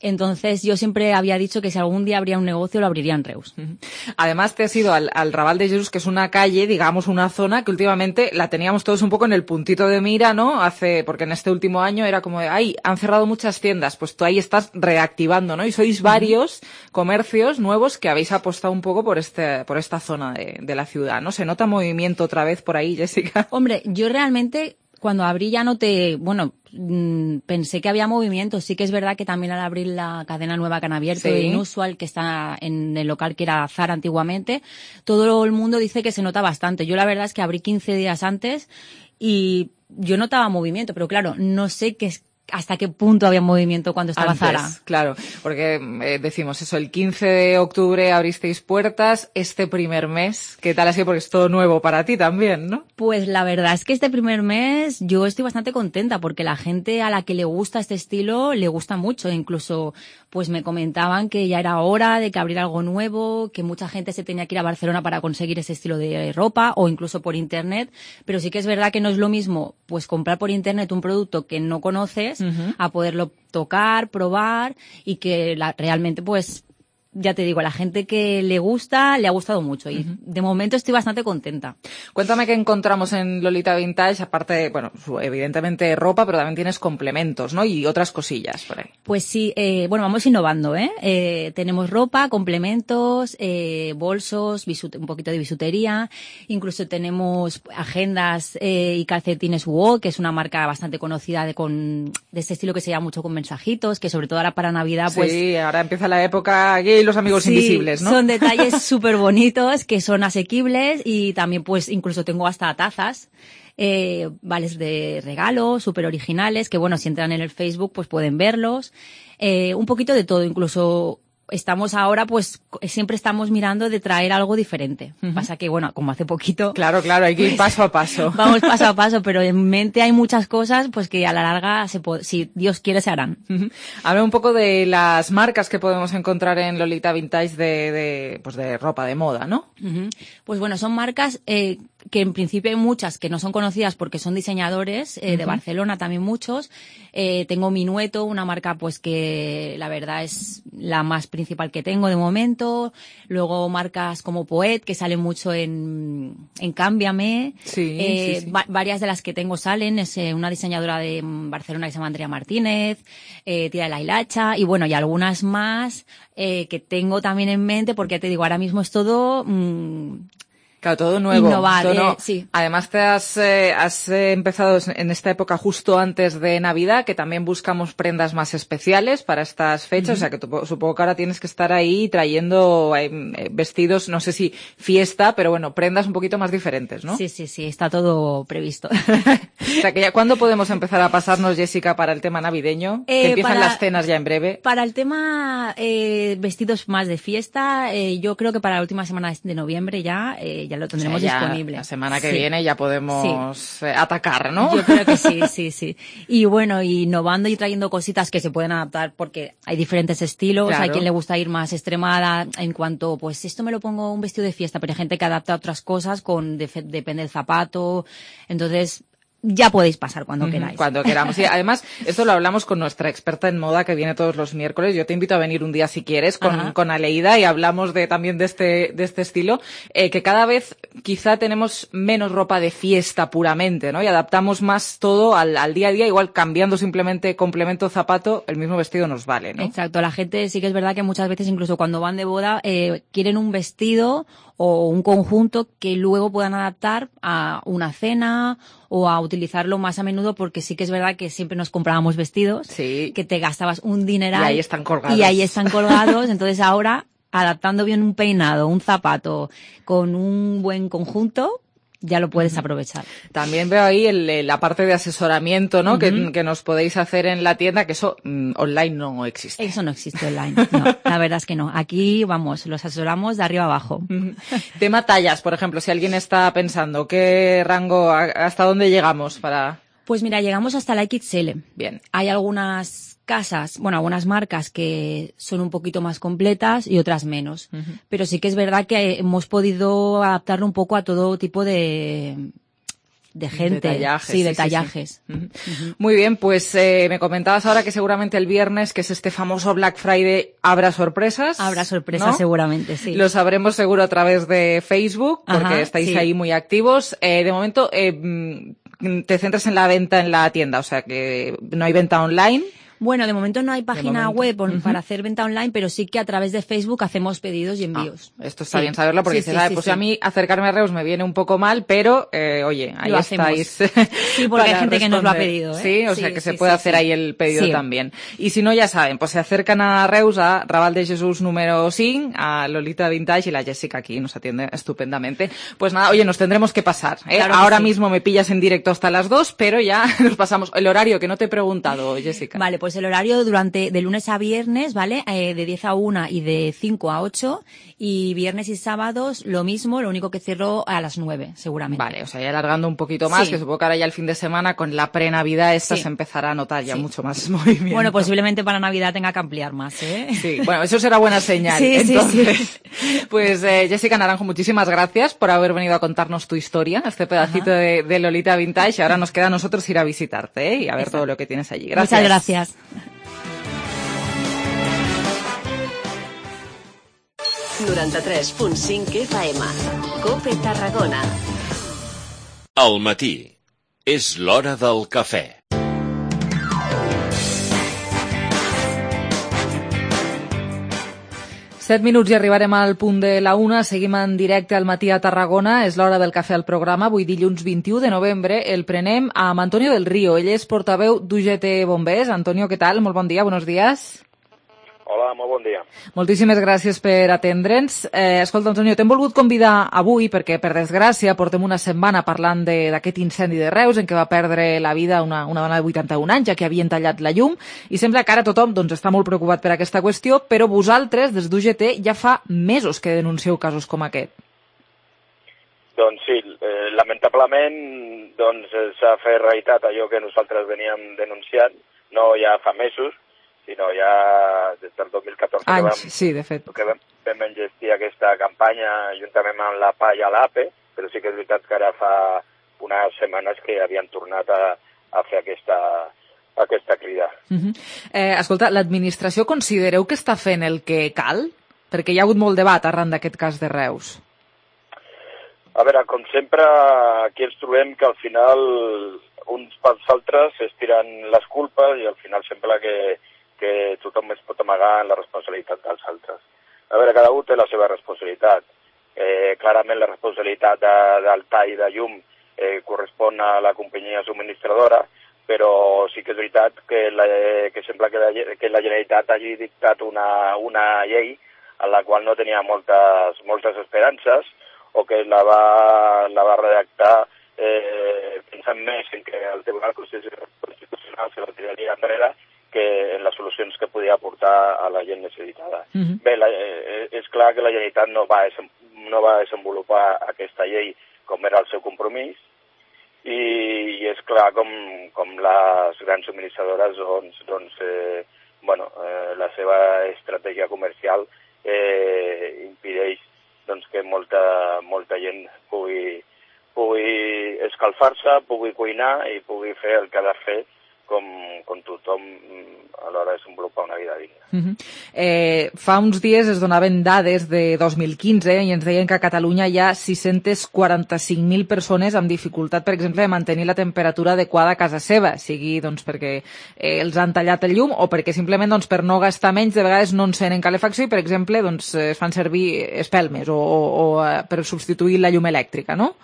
S18: Entonces yo siempre había dicho que si algún día habría un negocio lo abriría en Reus.
S3: Además te has ido al, al Raval de Jesús, que es una calle, digamos una zona que últimamente la teníamos todos un poco en el puntito de mira, ¿no? Hace, porque en este último año era como de, ay, han cerrado muchas tiendas, pues tú ahí estás reactivando, ¿no? Y sois varios uh-huh. comercios nuevos que habéis apostado un poco por este, por esta zona de, de la ciudad, ¿no? ¿Se nota movimiento otra vez por ahí, Jessica?
S18: Hombre, yo realmente cuando abrí ya no te, bueno, mmm, pensé que había movimiento. Sí que es verdad que también al abrir la cadena nueva que han abierto, sí. Inusual, que está en el local que era Zara antiguamente, todo el mundo dice que se nota bastante. Yo la verdad es que abrí quince días antes y yo notaba movimiento, pero claro, no sé qué es, hasta qué punto había movimiento cuando estaba
S3: Antes,
S18: Zara.
S3: Claro, porque eh, decimos eso, el quince de octubre abristeis puertas, este primer mes, ¿qué tal ha sido? Porque es todo nuevo para ti también, ¿no?
S18: Pues la verdad es que este primer mes yo estoy bastante contenta porque la gente a la que le gusta este estilo le gusta mucho, incluso pues me comentaban que ya era hora de que abriera algo nuevo, que mucha gente se tenía que ir a Barcelona para conseguir ese estilo de ropa o incluso por internet, pero sí que es verdad que no es lo mismo pues comprar por internet un producto que no conoces uh-huh. a poderlo tocar, probar y que la, realmente pues ya te digo, a la gente que le gusta, le ha gustado mucho y uh-huh. de momento estoy bastante contenta.
S3: Cuéntame qué encontramos en Lolita Vintage, aparte de, bueno, evidentemente ropa, pero también tienes complementos, ¿no? Y otras cosillas por ahí.
S18: Pues sí, eh, bueno, vamos innovando, ¿eh? eh tenemos ropa, complementos, eh, bolsos, bisute- un poquito de bisutería, incluso tenemos agendas eh, y calcetines WOW, que es una marca bastante conocida de, con, de este estilo que se llama mucho con mensajitos, que sobre todo ahora para Navidad, pues...
S3: Sí, ahora empieza la época gay, los amigos
S18: sí,
S3: invisibles, ¿no?
S18: Son detalles súper bonitos, que son asequibles y también pues incluso tengo hasta tazas, eh, vales de regalo, súper originales, que bueno, si entran en el Facebook pues pueden verlos, eh, un poquito de todo, incluso estamos ahora pues siempre estamos mirando de traer algo diferente. Uh-huh. Pasa que bueno, como hace poquito...
S3: Claro, claro, hay que ir paso a paso.
S18: Vamos paso a paso, pero en mente hay muchas cosas pues que a la larga, se po- si Dios quiere, se harán.
S3: Uh-huh. Habla un poco de las marcas que podemos encontrar en Lolita Vintage de, de, pues de ropa de moda, ¿no?
S18: Uh-huh. Pues bueno, son marcas... Eh, que en principio hay muchas que no son conocidas porque son diseñadores eh, uh-huh. de Barcelona, también muchos. Eh, tengo Minueto, una marca pues que la verdad es la más principal que tengo de momento. Luego marcas como Poet, que salen mucho en, en Cámbiame.
S3: Sí,
S18: eh,
S3: sí, sí.
S18: Va- varias de las que tengo salen, es eh, una diseñadora de Barcelona que se llama Andrea Martínez, eh, Tira de la Hilacha, y bueno, y algunas más eh, que tengo también en mente, porque te digo, ahora mismo es todo... Mmm,
S3: Claro, todo nuevo.
S18: Innovar,
S3: todo no-
S18: eh, sí.
S3: Además te has, eh, has eh, empezado en esta época justo antes de Navidad, que también buscamos prendas más especiales para estas fechas,
S18: Ujú.
S3: o sea que tu- supongo que ahora tienes que estar ahí trayendo eh, eh, vestidos, no sé si fiesta, pero bueno, prendas un poquito más diferentes, ¿no?
S18: Sí, sí, sí, está todo previsto.
S3: O sea que ya, ¿cuándo podemos empezar a pasarnos, Jessica, para el tema navideño?
S18: Eh,
S3: que empiezan
S18: para-
S3: las cenas ya en breve.
S18: Para el tema eh, vestidos más de fiesta, eh, yo creo que para la última semana de noviembre ya, eh, ya lo tendremos
S3: O sea, ya
S18: disponible.
S3: La semana que
S18: Sí.
S3: viene ya podemos eh, atacar, ¿no?
S18: Yo creo que sí, sí, sí. Y bueno, innovando y trayendo cositas que se pueden adaptar porque hay diferentes estilos.
S3: Claro.
S18: Hay quien le gusta ir más extremada en cuanto, pues esto me lo pongo un vestido de fiesta, pero hay gente que adapta a otras cosas con def- depende del zapato. Entonces, ya podéis pasar cuando
S3: Ujú,
S18: queráis.
S3: Cuando queramos. Sí, además, esto lo hablamos con nuestra experta en moda que viene todos los miércoles. Yo te invito a venir un día si quieres con,
S18: Ajá.
S3: con Aleida y hablamos de también de este, de este estilo, eh, que cada vez quizá tenemos menos ropa de fiesta puramente, ¿no? Y adaptamos más todo al, al día a día, igual cambiando simplemente complemento zapato, el mismo vestido nos vale, ¿no?
S18: Exacto, la gente sí que es verdad que muchas veces incluso cuando van de boda eh, quieren un vestido o un conjunto que luego puedan adaptar a una cena o a utilizarlo más a menudo, porque sí que es verdad que siempre nos comprábamos vestidos que te gastabas un dineral
S3: Y ahí están colgados.
S18: y ahí están colgados. Entonces ahora, adaptando bien un peinado, un zapato con un buen conjunto, ya lo puedes aprovechar.
S3: También veo ahí el, el- la parte de asesoramiento, ¿no?
S18: Ujú.
S3: que, que nos podéis hacer en la tienda, que eso mm, online no existe.
S18: Eso no existe online, no, la verdad es que no. Aquí, vamos, los asesoramos de arriba abajo.
S3: Tema tallas, por ejemplo, si alguien está pensando qué rango, a- hasta dónde llegamos para...
S18: Pues mira, llegamos hasta la equis ele.
S3: Bien.
S18: Hay algunas casas, bueno, algunas marcas que son un poquito más completas y otras menos.
S3: Ujú.
S18: Pero sí que es verdad que hemos podido adaptarlo un poco a todo tipo de, de gente.
S3: De tallajes,
S18: sí, de
S3: sí, sí,
S18: tallajes.
S3: sí. Ujú. Muy bien, pues eh, me comentabas ahora que seguramente el viernes, que es este famoso Black Friday, habrá sorpresas.
S18: Habrá sorpresas
S3: ¿no?
S18: seguramente, sí.
S3: Lo sabremos seguro a través de Facebook, porque
S18: Ajá,
S3: estáis
S18: sí.
S3: ahí muy activos. Eh, de momento, eh, mm, te centras en la venta en la tienda, o sea que no hay venta online.
S18: Bueno, de momento no hay página
S3: momento.
S18: web on-
S3: Ujú.
S18: para hacer venta online, pero sí que a través de Facebook hacemos pedidos y envíos.
S3: Esto está
S18: Sí.
S3: bien saberlo porque
S18: Sí,
S3: dices,
S18: sí,
S3: "Ah,
S18: sí,
S3: pues
S18: sí.
S3: a mí acercarme a Reus me viene un poco mal, pero eh, oye, ahí
S18: Lo hacemos.
S3: estáis.
S18: Sí, porque hay
S3: para
S18: gente que nos lo ha
S3: responder.
S18: pedido, ¿eh?
S3: Sí, o
S18: Sí,
S3: sea que
S18: sí,
S3: se
S18: sí,
S3: puede
S18: sí.
S3: hacer ahí el pedido
S18: Sí.
S3: también. Y si no, ya saben, pues se acercan a Reus, a Raval de Jesús número cinco, a Lolita Vintage y la Jessica aquí nos atiende estupendamente. Pues nada, oye, nos tendremos que pasar. ¿eh?
S18: Claro que
S3: Ahora
S18: sí.
S3: mismo me pillas en directo hasta las dos, pero ya nos pasamos. El horario que no te he preguntado, Jessica.
S18: Vale, pues el horario durante de lunes a viernes, ¿vale? Eh, de diez a una y de cinco a ocho. Y viernes y sábados lo mismo, lo único que cierro a las nueve, seguramente.
S3: Vale, o sea, ya alargando un poquito más,
S18: Sí.
S3: que supongo que ahora ya el fin de semana con la pre-Navidad esta
S18: Sí.
S3: se empezará a notar ya
S18: Sí.
S3: mucho más movimiento.
S18: Bueno, posiblemente para Navidad tenga que ampliar más, ¿eh?
S3: Sí, bueno, eso será buena señal.
S18: Sí, sí,
S3: Entonces, pues eh, Jessica Naranjo, muchísimas gracias por haber venido a contarnos tu historia, este pedacito de, de Lolita Vintage. Ahora nos queda a nosotros ir a visitarte, ¿eh? Y a ver
S18: Exacto.
S3: todo lo que tienes allí. Gracias.
S18: Muchas gracias.
S1: noranta-tres punt cinc F M. Cope Tarragona.
S19: Al matí. És l'hora del cafè.
S3: Set minuts i arribarem al punt de la una. Seguim en directe al matí a Tarragona. És l'hora del cafè al programa. Avui dilluns vint-i-u de novembre el prenem amb Antonio del Río. Ell és portaveu d'U G T Bombers. Antonio, què tal? Molt bon dia, buenos días.
S20: Hola, molt bon dia.
S3: Moltíssimes gràcies per atendre'ns. Eh, escolta, Antonio, t'hem volgut convidar avui perquè, per desgràcia, portem una setmana parlant de- d'aquest incendi de Reus en què va perdre la vida una, una dona de vuitanta-un anys, ja que havien tallat la llum, i sembla que ara tothom doncs, està molt preocupat per aquesta qüestió, però vosaltres, des d'U G T, ja fa mesos que denuncieu casos com aquest.
S20: Doncs sí, eh, lamentablement doncs, eh, s'ha fet realitat allò que nosaltres veníem denunciant, no ja fa mesos, sinó ja des del dos mil catorze que
S3: Anys,
S20: vam,
S3: sí, de fet.
S20: que vam, vam engestir aquesta campanya juntament amb la P A i l'A P E, però sí que és veritat que ara fa unes setmanes que havien tornat a, a fer aquesta, aquesta crida.
S3: Uh -huh. eh, escolta, l'administració considereu que està fent el que cal? Perquè hi ha hagut molt debat arran d'aquest cas de Reus.
S20: A veure, com sempre, aquí ens trobem que al final uns pels altres es tiren les culpes i al final sembla que, que tothom es pot amagar en la responsabilitat dels altres. A veure, cada un té la seva responsabilitat. Eh, clarament la responsabilitat de, del tall de llum eh, correspon a la companyia subministradora, però sí que és veritat que, la, que sembla que la, que la Generalitat hagi dictat una, una llei en la qual no tenia moltes, moltes esperances, o que la va, la va redactar eh, pensant més en que el Tribunal Constitucional se la tiraria enrere que en les solucions que podia aportar a la gent necessitada. Uh-huh. Bé, la, eh, és clar que la Generalitat no va, no va desenvolupar aquesta llei com era el seu compromís, i, i és clar com, com les grans subministradores doncs, doncs eh, bueno, eh, la seva estratègia comercial eh, impedeix doncs, que molta, molta gent pugui, pugui escalfar-se, pugui cuinar i pugui fer el que ha de fer com, com tothom a l'hora de desenvolupar una vida digna.
S3: Uh -huh. eh, fa uns dies es donaven dades de dos mil quinze i ens deien que a Catalunya hi ha sis-cents quaranta-cinc mil persones amb dificultat, per exemple, de mantenir la temperatura adequada a casa seva, sigui doncs, perquè eh, els han tallat el llum o perquè simplement doncs, per no gastar menys de vegades no encenen calefacció i, per exemple, doncs, es fan servir espelmes o, o, o eh, per substituir la llum elèctrica, no?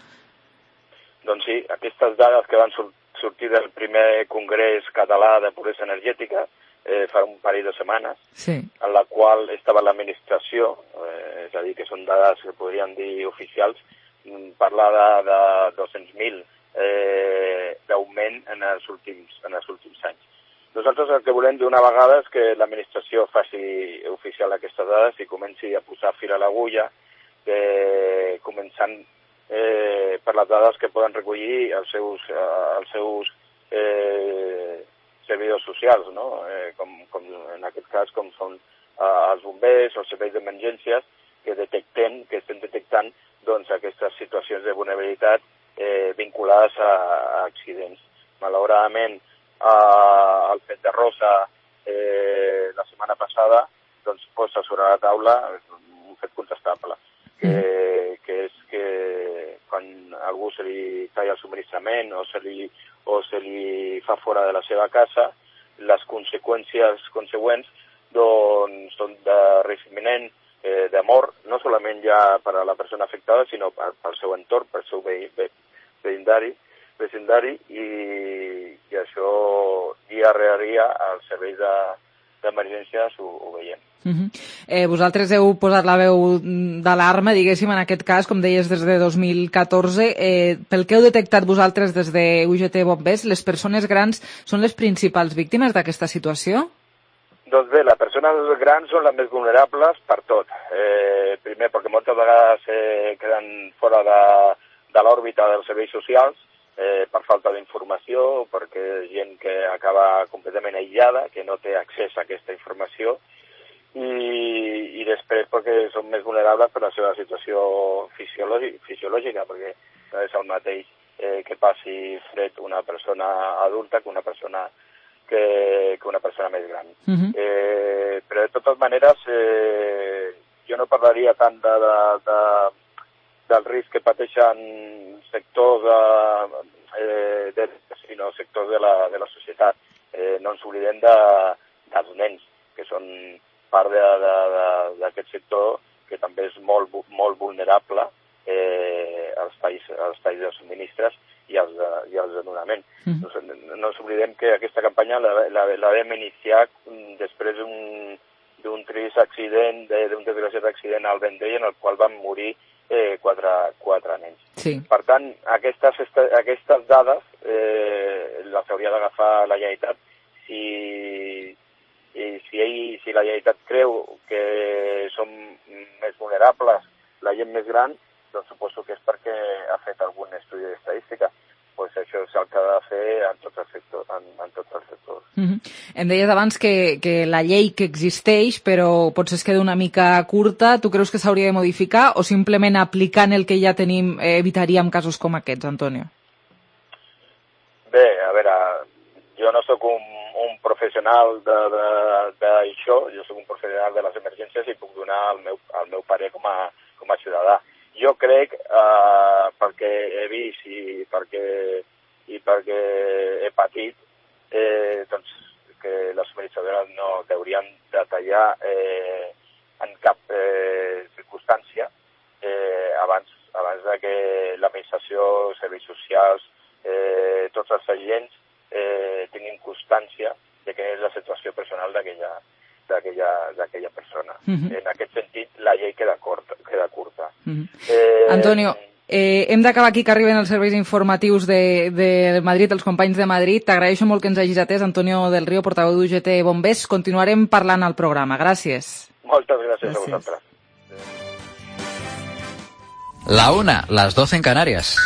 S20: Doncs sí, aquestes dades que van sortir sortir del primer congrés català de pobresa energètica eh, fa un parell de setmanes, sí. En la qual estava l'administració, eh, és a dir, que són dades que podríem dir oficials, parlar de, de dos-cents mil eh, d'augment en, els últims, en els últims anys. Nosaltres el que volem d'una vegada és que l'administració faci oficial aquestes dades i comenci a posar fil a l'agulla, eh, començant Eh, per les dades que poden recollir els seus, eh, els seus eh, servidors socials, no? eh, com, com en aquest cas com són eh, els bombers, els serveis d'emergències, que detecten, que estem detectant doncs, aquestes situacions de vulnerabilitat eh, vinculades a, a accidents. Malauradament, eh, el fet de Rosa eh, la setmana passada doncs, posa sobre la taula un fet contestable, que, que és que quan a algú se li talla el subministrament o se li, o se li fa fora de la seva casa, les conseqüències consegüents doncs, són de risc imminent, eh, de mort, no solament ja per a la persona afectada, sinó pel seu entorn, pel seu veïndari, vecindari, i, i això dia rere dia als serveis de, d'emergències ho, ho veiem.
S3: Uh -huh. eh, vosaltres heu posat la veu d'alarma, diguéssim, en aquest cas, com deies, des de dos mil catorze. Eh, pel que heu detectat vosaltres des de U G T Bombers, les persones grans són les principals víctimes d'aquesta situació?
S20: Doncs bé, les persones grans són les més vulnerables per tot. Eh, primer, perquè moltes vegades eh, queden fora de, de l'òrbita dels serveis socials, eh, per falta d'informació, perquè és gent que acaba completament aïllada, que no té accés a aquesta informació, i, i després perquè són més vulnerables per la seva situació fisiològica, perquè no és el mateix eh, que passi fred una persona adulta que una persona que, que una persona més gran. Uh-huh. eh, però de totes maneres eh, jo no parlaria tant de, de, de, del risc que pateixen sectors de, eh, de, sinó sectors de la, de la societat. Eh, no ens oblidem de, dels nens, que són part d'aquest sector que també és molt, molt vulnerable eh, als, talls, als talls de subministres i als de, i als de donament. Mm. No, no ens oblidem que aquesta campanya la, la, la vam iniciar després d'un trist accident, d'un desgraciat accident al Vendrell, en el qual van morir eh, quatre, quatre nens. Sí. Per tant, aquestes, aquestes dades eh, les hauria d'agafar la Generalitat si... i si, ell, si la Generalitat creu que som més vulnerables, la gent més gran, doncs suposo que és perquè ha fet algun estudi d'estadística. pues això és el que ha de fer en tots els sectors. En, en tots els sectors.
S3: Mm-hmm. Em deies abans que, que la llei que existeix, però potser es queda una mica curta. Tu creus que s'hauria de modificar o simplement aplicant el que ja tenim eh, evitaríem casos com aquests, Antonio?
S20: Bé, a veure, jo no sóc un, un professional d'això, jo sóc un professional de les emergències i puc donar el meu, el meu parer com a, com a ciutadà. Jo crec, eh, perquè he vist i perquè, i perquè he patit, eh, doncs, que les subministradores no haurien de tallar eh, en cap eh, circumstància eh, abans, abans de que l'administració, serveis socials, eh, tots els agents eh, tinguin constància de què és la situació personal d'aquella d'aquella persona. Mm-hmm. En aquest sentit, la llei queda curta. Queda curta. Mm-hmm. eh,
S3: Antonio, eh, hem d'acabar aquí que arriben els serveis informatius de, de Madrid, els companys de Madrid. T'agraeixo molt que ens hagis atès, Antonio del Río, portaveu d'U G T Bombers. Continuarem parlant al programa. Gràcies.
S20: Moltes gràcies, gràcies. a vosaltres.
S21: La una, las doce en Canarias.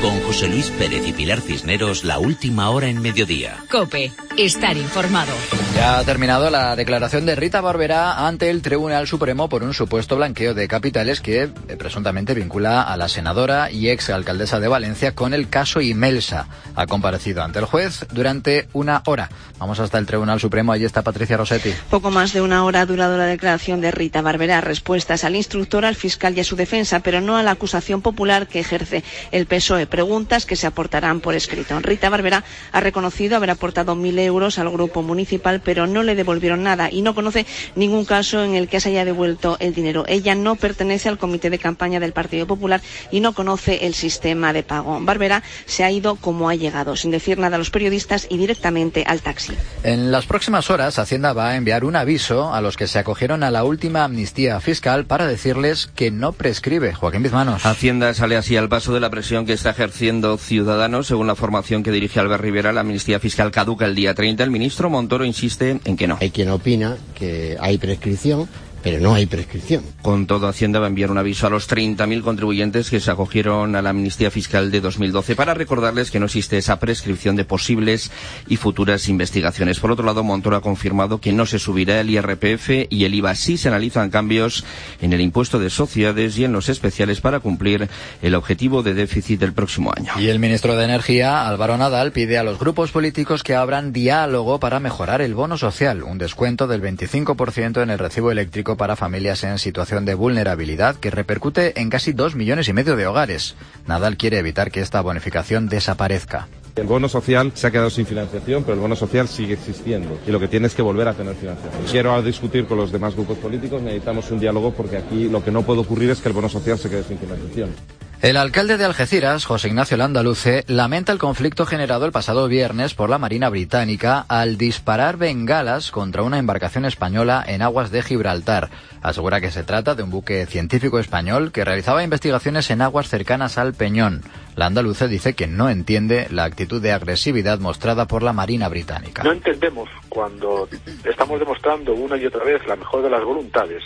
S19: Con José Luis Pérez y Pilar Cisneros, la última hora en mediodía.
S1: COPE, estar informado.
S21: Ya ha terminado la declaración de Rita Barberá ante el Tribunal Supremo por un supuesto blanqueo de capitales que eh, presuntamente vincula a la senadora y ex alcaldesa de Valencia con el caso Imelsa. Ha comparecido ante el juez durante una hora. Vamos hasta el Tribunal Supremo, allí está Patricia Rossetti.
S22: Poco más de una hora ha durado la declaración de Rita Barberá, respuestas al instructor, al fiscal y a su defensa, pero no a la acusación popular que ejerce el P S O E. Preguntas que se aportarán por escrito. Rita Barberá ha reconocido haber aportado mil euros al grupo municipal, pero no le devolvieron nada y no conoce ningún caso en el que se haya devuelto el dinero. Ella no pertenece al comité de campaña del Partido Popular y no conoce el sistema de pago. Barberá se ha ido como ha llegado, sin decir nada a los periodistas y directamente al taxi.
S21: En las próximas horas, Hacienda va a enviar un aviso a los que se acogieron a la última amnistía fiscal para decirles que no prescribe. Joaquín Bizmanos.
S23: Hacienda sale así al paso de la presión que está ejerciendo Ciudadanos. Según la formación que dirige Albert Rivera, la amnistía fiscal caduca el día treinta. El ministro Montoro insiste en que no.
S24: Hay quien opina que hay prescripción, pero no hay prescripción.
S23: Con todo, Hacienda va a enviar un aviso a los treinta mil contribuyentes que se acogieron a la amnistía fiscal de dos mil doce para recordarles que no existe esa prescripción de posibles y futuras investigaciones. Por otro lado, Montoro ha confirmado que no se subirá el I R P F y el I V A. Sí se analizan cambios en el impuesto de sociedades y en los especiales para cumplir el objetivo de déficit del próximo año.
S21: Y el ministro de Energía, Álvaro Nadal, pide a los grupos políticos que abran diálogo para mejorar el bono social, un descuento del veinticinco por ciento en el recibo eléctrico para familias en situación de vulnerabilidad que repercute en casi dos millones y medio de hogares. Nadal quiere evitar que esta bonificación desaparezca.
S25: El bono social se ha quedado sin financiación, pero el bono social sigue existiendo y lo que tiene es que volver a tener financiación. Quiero discutir con los demás grupos políticos, necesitamos un diálogo porque aquí lo que no puede ocurrir es que el bono social se quede sin financiación.
S21: El alcalde de Algeciras, José Ignacio Landaluce, lamenta el conflicto generado el pasado viernes por la Marina Británica al disparar bengalas contra una embarcación española en aguas de Gibraltar. Asegura que se trata de un buque científico español que realizaba investigaciones en aguas cercanas al Peñón. Landaluce dice que no entiende la actitud de agresividad mostrada por la Marina Británica.
S26: No entendemos cuando estamos demostrando una y otra vez la mejor de las voluntades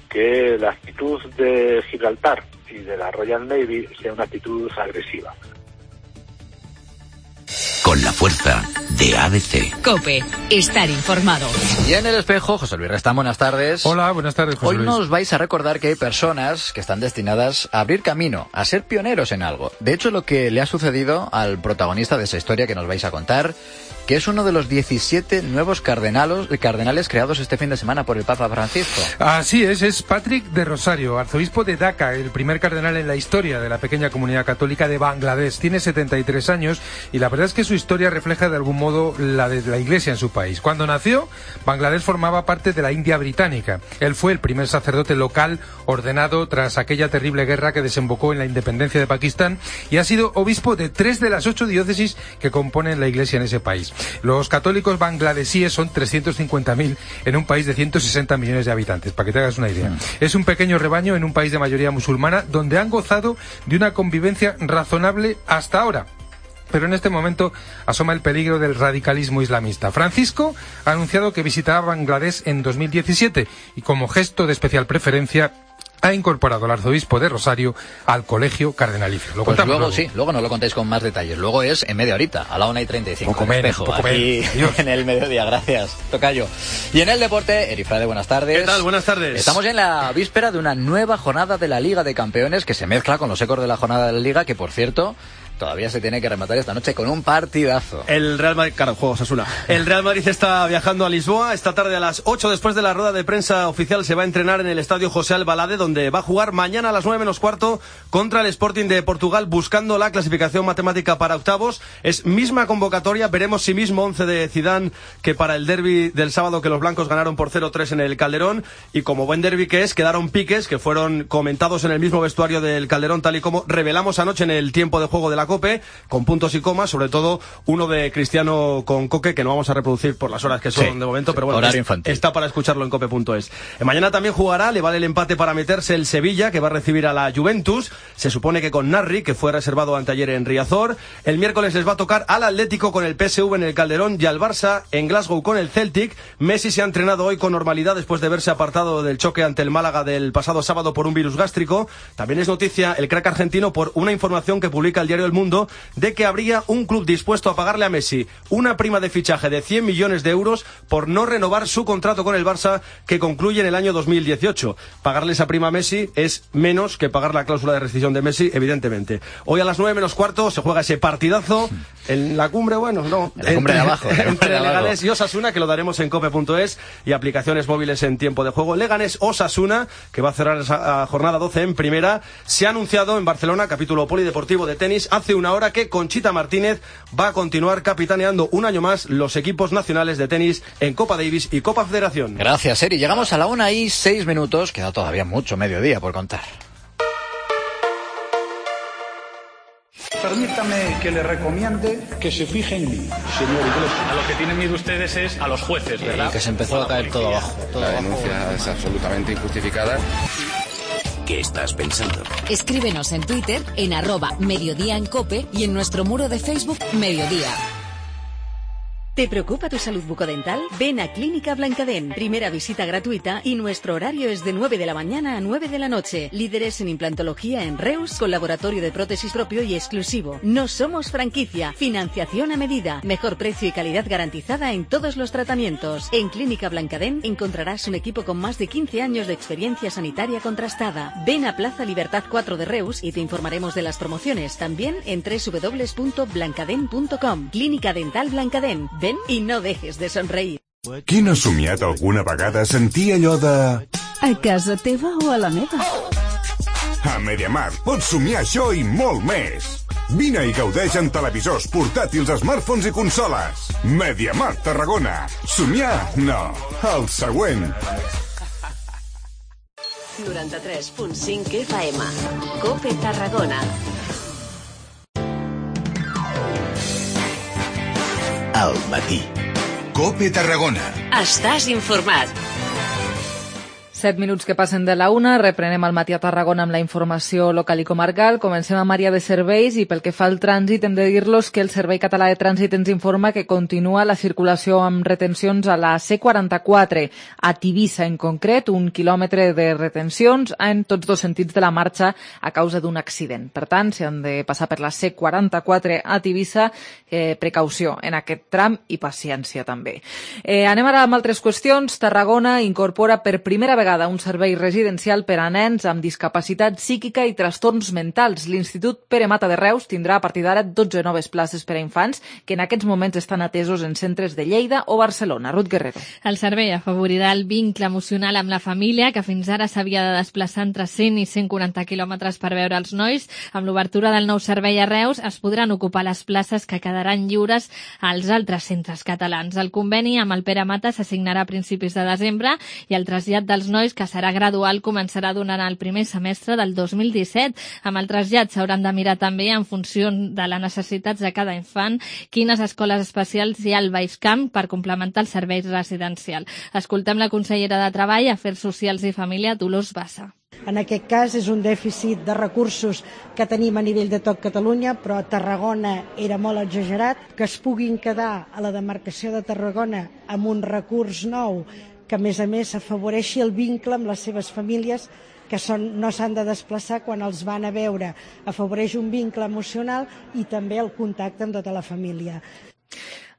S26: que la actitud de Gibraltar y de la Royal Navy sea una actitud agresiva.
S19: Con la fuerza de A B C.
S1: COPE, estar informado.
S21: Y en el espejo, José Luis Restán, buenas tardes.
S27: Hola, buenas tardes, José
S21: Hoy
S27: Luis.
S21: nos vais a recordar que hay personas que están destinadas a abrir camino, a ser pioneros en algo. De hecho, lo que le ha sucedido al protagonista de esa historia que nos vais a contar, que es uno de los diecisiete nuevos cardenales, cardenales creados este fin de semana por el Papa Francisco.
S27: Así es, es Patrick de Rosario, arzobispo de Dhaka, el primer cardenal en la historia de la pequeña comunidad católica de Bangladesh. Tiene setenta y tres años y la verdad es que su historia refleja de algún modo la de la Iglesia en su país. Cuando nació, Bangladesh formaba parte de la India británica. Él fue el primer sacerdote local ordenado tras aquella terrible guerra que desembocó en la independencia de Pakistán y ha sido obispo de tres de las ocho diócesis que componen la Iglesia en ese país. Los católicos bangladesíes son trescientos cincuenta mil en un país de ciento sesenta millones de habitantes, para que te hagas una idea. Mm. Es un pequeño rebaño en un país de mayoría musulmana donde han gozado de una convivencia razonable hasta ahora. pero en este momento asoma el peligro del radicalismo islamista. Francisco ha anunciado que visitará Bangladesh en dos mil diecisiete y como gesto de especial preferencia ha incorporado al arzobispo de Rosario al colegio cardenalicio. Lo
S21: pues luego,
S27: luego
S21: sí, luego nos lo contáis con más detalles. Luego es en media horita, a la una y treinta y cinco.
S27: Poco menos,
S21: espejo,
S27: poco
S21: aquí
S27: menos.
S21: En el mediodía, gracias, tocayo. Y en el deporte, Erifrade, buenas tardes.
S2: ¿Qué tal? Buenas tardes.
S21: Estamos en la víspera de una nueva jornada de la Liga de Campeones que se mezcla con los ecos de la jornada de la Liga, que por cierto todavía se tiene que rematar esta noche con un partidazo.
S2: El Real Madrid, claro, juego Osasuna. El Real Madrid está viajando a Lisboa. Esta tarde a las ocho, después de la rueda de prensa oficial, se va a entrenar en el estadio José Albalade, donde va a jugar mañana a las nueve menos cuarto contra el Sporting de Portugal, buscando la clasificación matemática para octavos. Es misma convocatoria, veremos si mismo once de Zidane que para el derbi del sábado, que los blancos ganaron por cero tres en el Calderón, y como buen derbi que es, quedaron piques que fueron comentados en el mismo vestuario del Calderón, tal y como revelamos anoche en el tiempo de juego de la COPE, con puntos y comas, sobre todo uno de Cristiano con Coque, que no vamos a reproducir por las horas que son sí, de momento, pero bueno, es, está para escucharlo en cope punto es. Mañana también jugará, le vale el empate para meterse el Sevilla, que va a recibir a la Juventus, se supone que con Narri, que fue reservado anteayer en Riazor. El miércoles les va a tocar al Atlético con el P S V en el Calderón y al Barça en Glasgow con el Celtic. Messi se ha entrenado hoy con normalidad después de verse apartado del choque ante el Málaga del pasado sábado por un virus gástrico. También es noticia el crack argentino por una información que publica el diario El Mundo de que habría un club dispuesto a pagarle a Messi una prima de fichaje de cien millones de euros por no renovar su contrato con el Barça, que concluye en el año dos mil dieciocho. Pagarle esa prima a Messi es menos que pagar la cláusula de rescisión de Messi, evidentemente. Hoy a las nueve menos cuarto se juega ese partidazo en la cumbre, bueno, no,
S21: en la cumbre entre, de abajo, la
S2: entre
S21: de
S2: Leganés
S21: abajo.
S2: y Osasuna, que lo daremos en cope punto es y aplicaciones móviles en tiempo de juego. Leganés-Osasuna, que va a cerrar esa jornada doce en primera. Se ha anunciado en Barcelona, capítulo polideportivo de tenis, hace una hora que Conchita Martínez va a continuar capitaneando un año más los equipos nacionales de tenis en Copa Davis y Copa Federación.
S21: Gracias, Eri. Llegamos a la una y seis minutos. Queda todavía mucho mediodía por contar.
S4: Permítame que le recomiende que se fije en mí, señor Iglesias.
S5: A lo que tienen miedo ustedes es a los jueces, ¿verdad?
S21: Y que se empezó a caer todo abajo. Todo
S6: la
S21: abajo.
S6: denuncia es absolutamente injustificada.
S19: ¿Qué estás pensando?
S8: Escríbenos en Twitter, en arroba Mediodía en Cope y en nuestro muro de Facebook Mediodía. ¿Te preocupa tu salud bucodental? Ven a Clínica Blancadén. Primera visita gratuita y nuestro horario es de nueve de la mañana a nueve de la noche. Líderes en implantología en Reus, con laboratorio de prótesis propio y exclusivo. No somos franquicia. Financiación a medida. Mejor precio y calidad garantizada en todos los tratamientos. En Clínica Blancadén encontrarás un equipo con más de quince años de experiencia sanitaria contrastada. Ven a Plaza Libertad cuatro de Reus y te informaremos de las promociones. También en doble u doble u doble u punto blancadén punto com. Clínica Dental Blancadén. Ven i no dejes de somreir.
S9: Qui no ha somiat alguna vegada sentir allò de...
S10: A casa teva o a la meva?
S9: A MediaMarkt pots somiar això i molt més. Vine i gaudeix en televisors, portàtils, smartphones i consoles. MediaMarkt Tarragona. Somiar? No. El següent.
S1: noranta-tres punt cinc F M. Cope Tarragona.
S17: Al matí. Cope Tarragona.
S1: Estàs informat.
S3: Set minuts que passen de la una, reprenem el matí a Tarragona amb la informació local i comarcal. Comencem a Maria de Serveis i pel que fa al trànsit hem de dir-los que el Servei Català de Trànsit ens informa que continua la circulació amb retencions a la C quaranta-quatre, a Tivissa en concret, un quilòmetre de retencions en tots dos sentits de la marxa a causa d'un accident. Per tant, si han de passar per la C quaranta-quatre a Tivissa, eh, precaució en aquest tram i paciència també. Eh, anem ara amb altres qüestions. Tarragona incorpora per primera vegada un servei residencial per a nens amb discapacitat psíquica i trastorns mentals. L'Institut Pere Mata de Reus tindrà a partir d'ara dotze noves places per a infants que en aquests moments estan atesos en centres de Lleida o Barcelona. Ruth Guerrero.
S7: El servei afavorirà el vincle emocional amb la família, que fins ara s'havia de desplaçar entre cent i cent quaranta quilòmetres per veure els nois. Amb l'obertura del nou servei a Reus es podran ocupar les places que quedaran lliures als altres centres catalans. El conveni amb el Pere Mata s'assignarà a principis de desembre i el trasllat dels nois, que serà gradual, començarà durant el primer semestre del dos mil disset. Amb el trasllat s'hauran de mirar també, en funció de les necessitats de cada infant, quines escoles especials hi ha al Baix Camp per complementar el servei residencial. Escoltem la consellera de Treball, Afers Socials i Família, Dolors Bassa.
S11: En aquest cas és un dèficit de recursos que tenim a nivell de tot Catalunya, però a Tarragona era molt exagerat. Que es puguin quedar a la demarcació de Tarragona amb un recurs nou que, a més a més, afavoreixi el vincle amb les seves famílies, que són, no s'han de desplaçar quan els van a veure. Afavoreix un vincle emocional i també el contacte amb tota la família.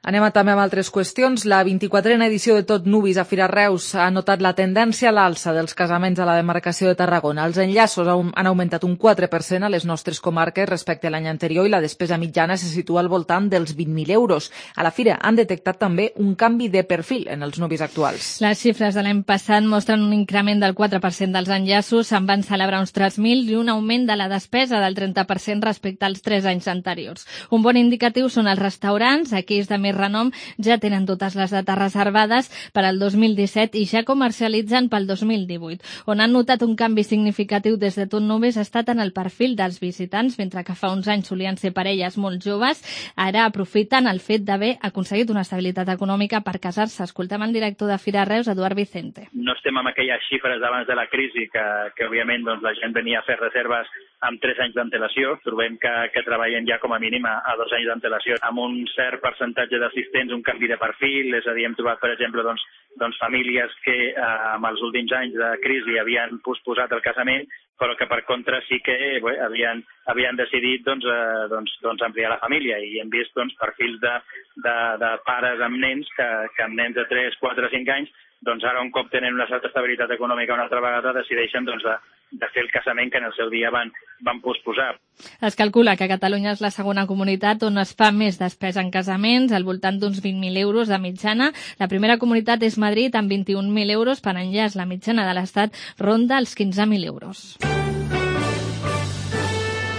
S3: Anem a, també amb altres qüestions. La vint-i-quatrena edició de Tot Nuvis a Fira Reus ha notat la tendència a l'alça dels casaments a la demarcació de Tarragona. Els enllaços han augmentat un quatre per cent a les nostres comarques respecte a l'any anterior i la despesa mitjana se situa al voltant dels vint mil euros. A la fira han detectat també un canvi de perfil en els nuvis actuals.
S7: Les xifres de l'any passat mostren un increment del quatre per cent dels enllaços, se'n van celebrar uns tres mil i un augment de la despesa del trenta per cent respecte als tres anys anteriors. Un bon indicatiu són els restaurants, aquells de més renom ja tenen totes les dates reservades per al dos mil disset i ja comercialitzen pel dos mil divuit. On han notat un canvi significatiu des de Tot Nuvis ha estat en el perfil dels visitants, mentre que fa uns anys solien ser parelles molt joves, ara aprofiten el fet d'haver aconseguit una estabilitat econòmica per casar-se. Escoltem el director de Fira Reus, Eduard Vicente.
S12: No estem amb aquelles xifres d'abans de la crisi que, que òbviament doncs, la gent venia a fer reserves amb tres anys d'antelació. Trobem que, que treballen ja com a mínim a, a dos anys d'antelació, amb un cert percentatge d'assistents, un canvi de perfil, és a dir, hem trobat, per exemple, doncs, doncs famílies que eh, amb els últims anys de crisi havien posposat el casament, però que per contra sí que bé, havien, havien decidit doncs, eh, doncs, doncs ampliar la família, i hem vist doncs, perfils de, de, de pares amb nens que, que amb nens de tres, quatre, cinc anys, doncs ara un cop tenen una certa estabilitat econòmica una altra vegada decideixen doncs, de, de fer el casament que en el seu dia van, van posposar.
S7: Es calcula que Catalunya és la segona comunitat on es fa més despesa en casaments, al voltant d'uns vint mil euros de mitjana. La primera comunitat és Madrid, amb vint-i-un mil euros per enllaç. La mitjana de l'Estat ronda els quinze mil euros.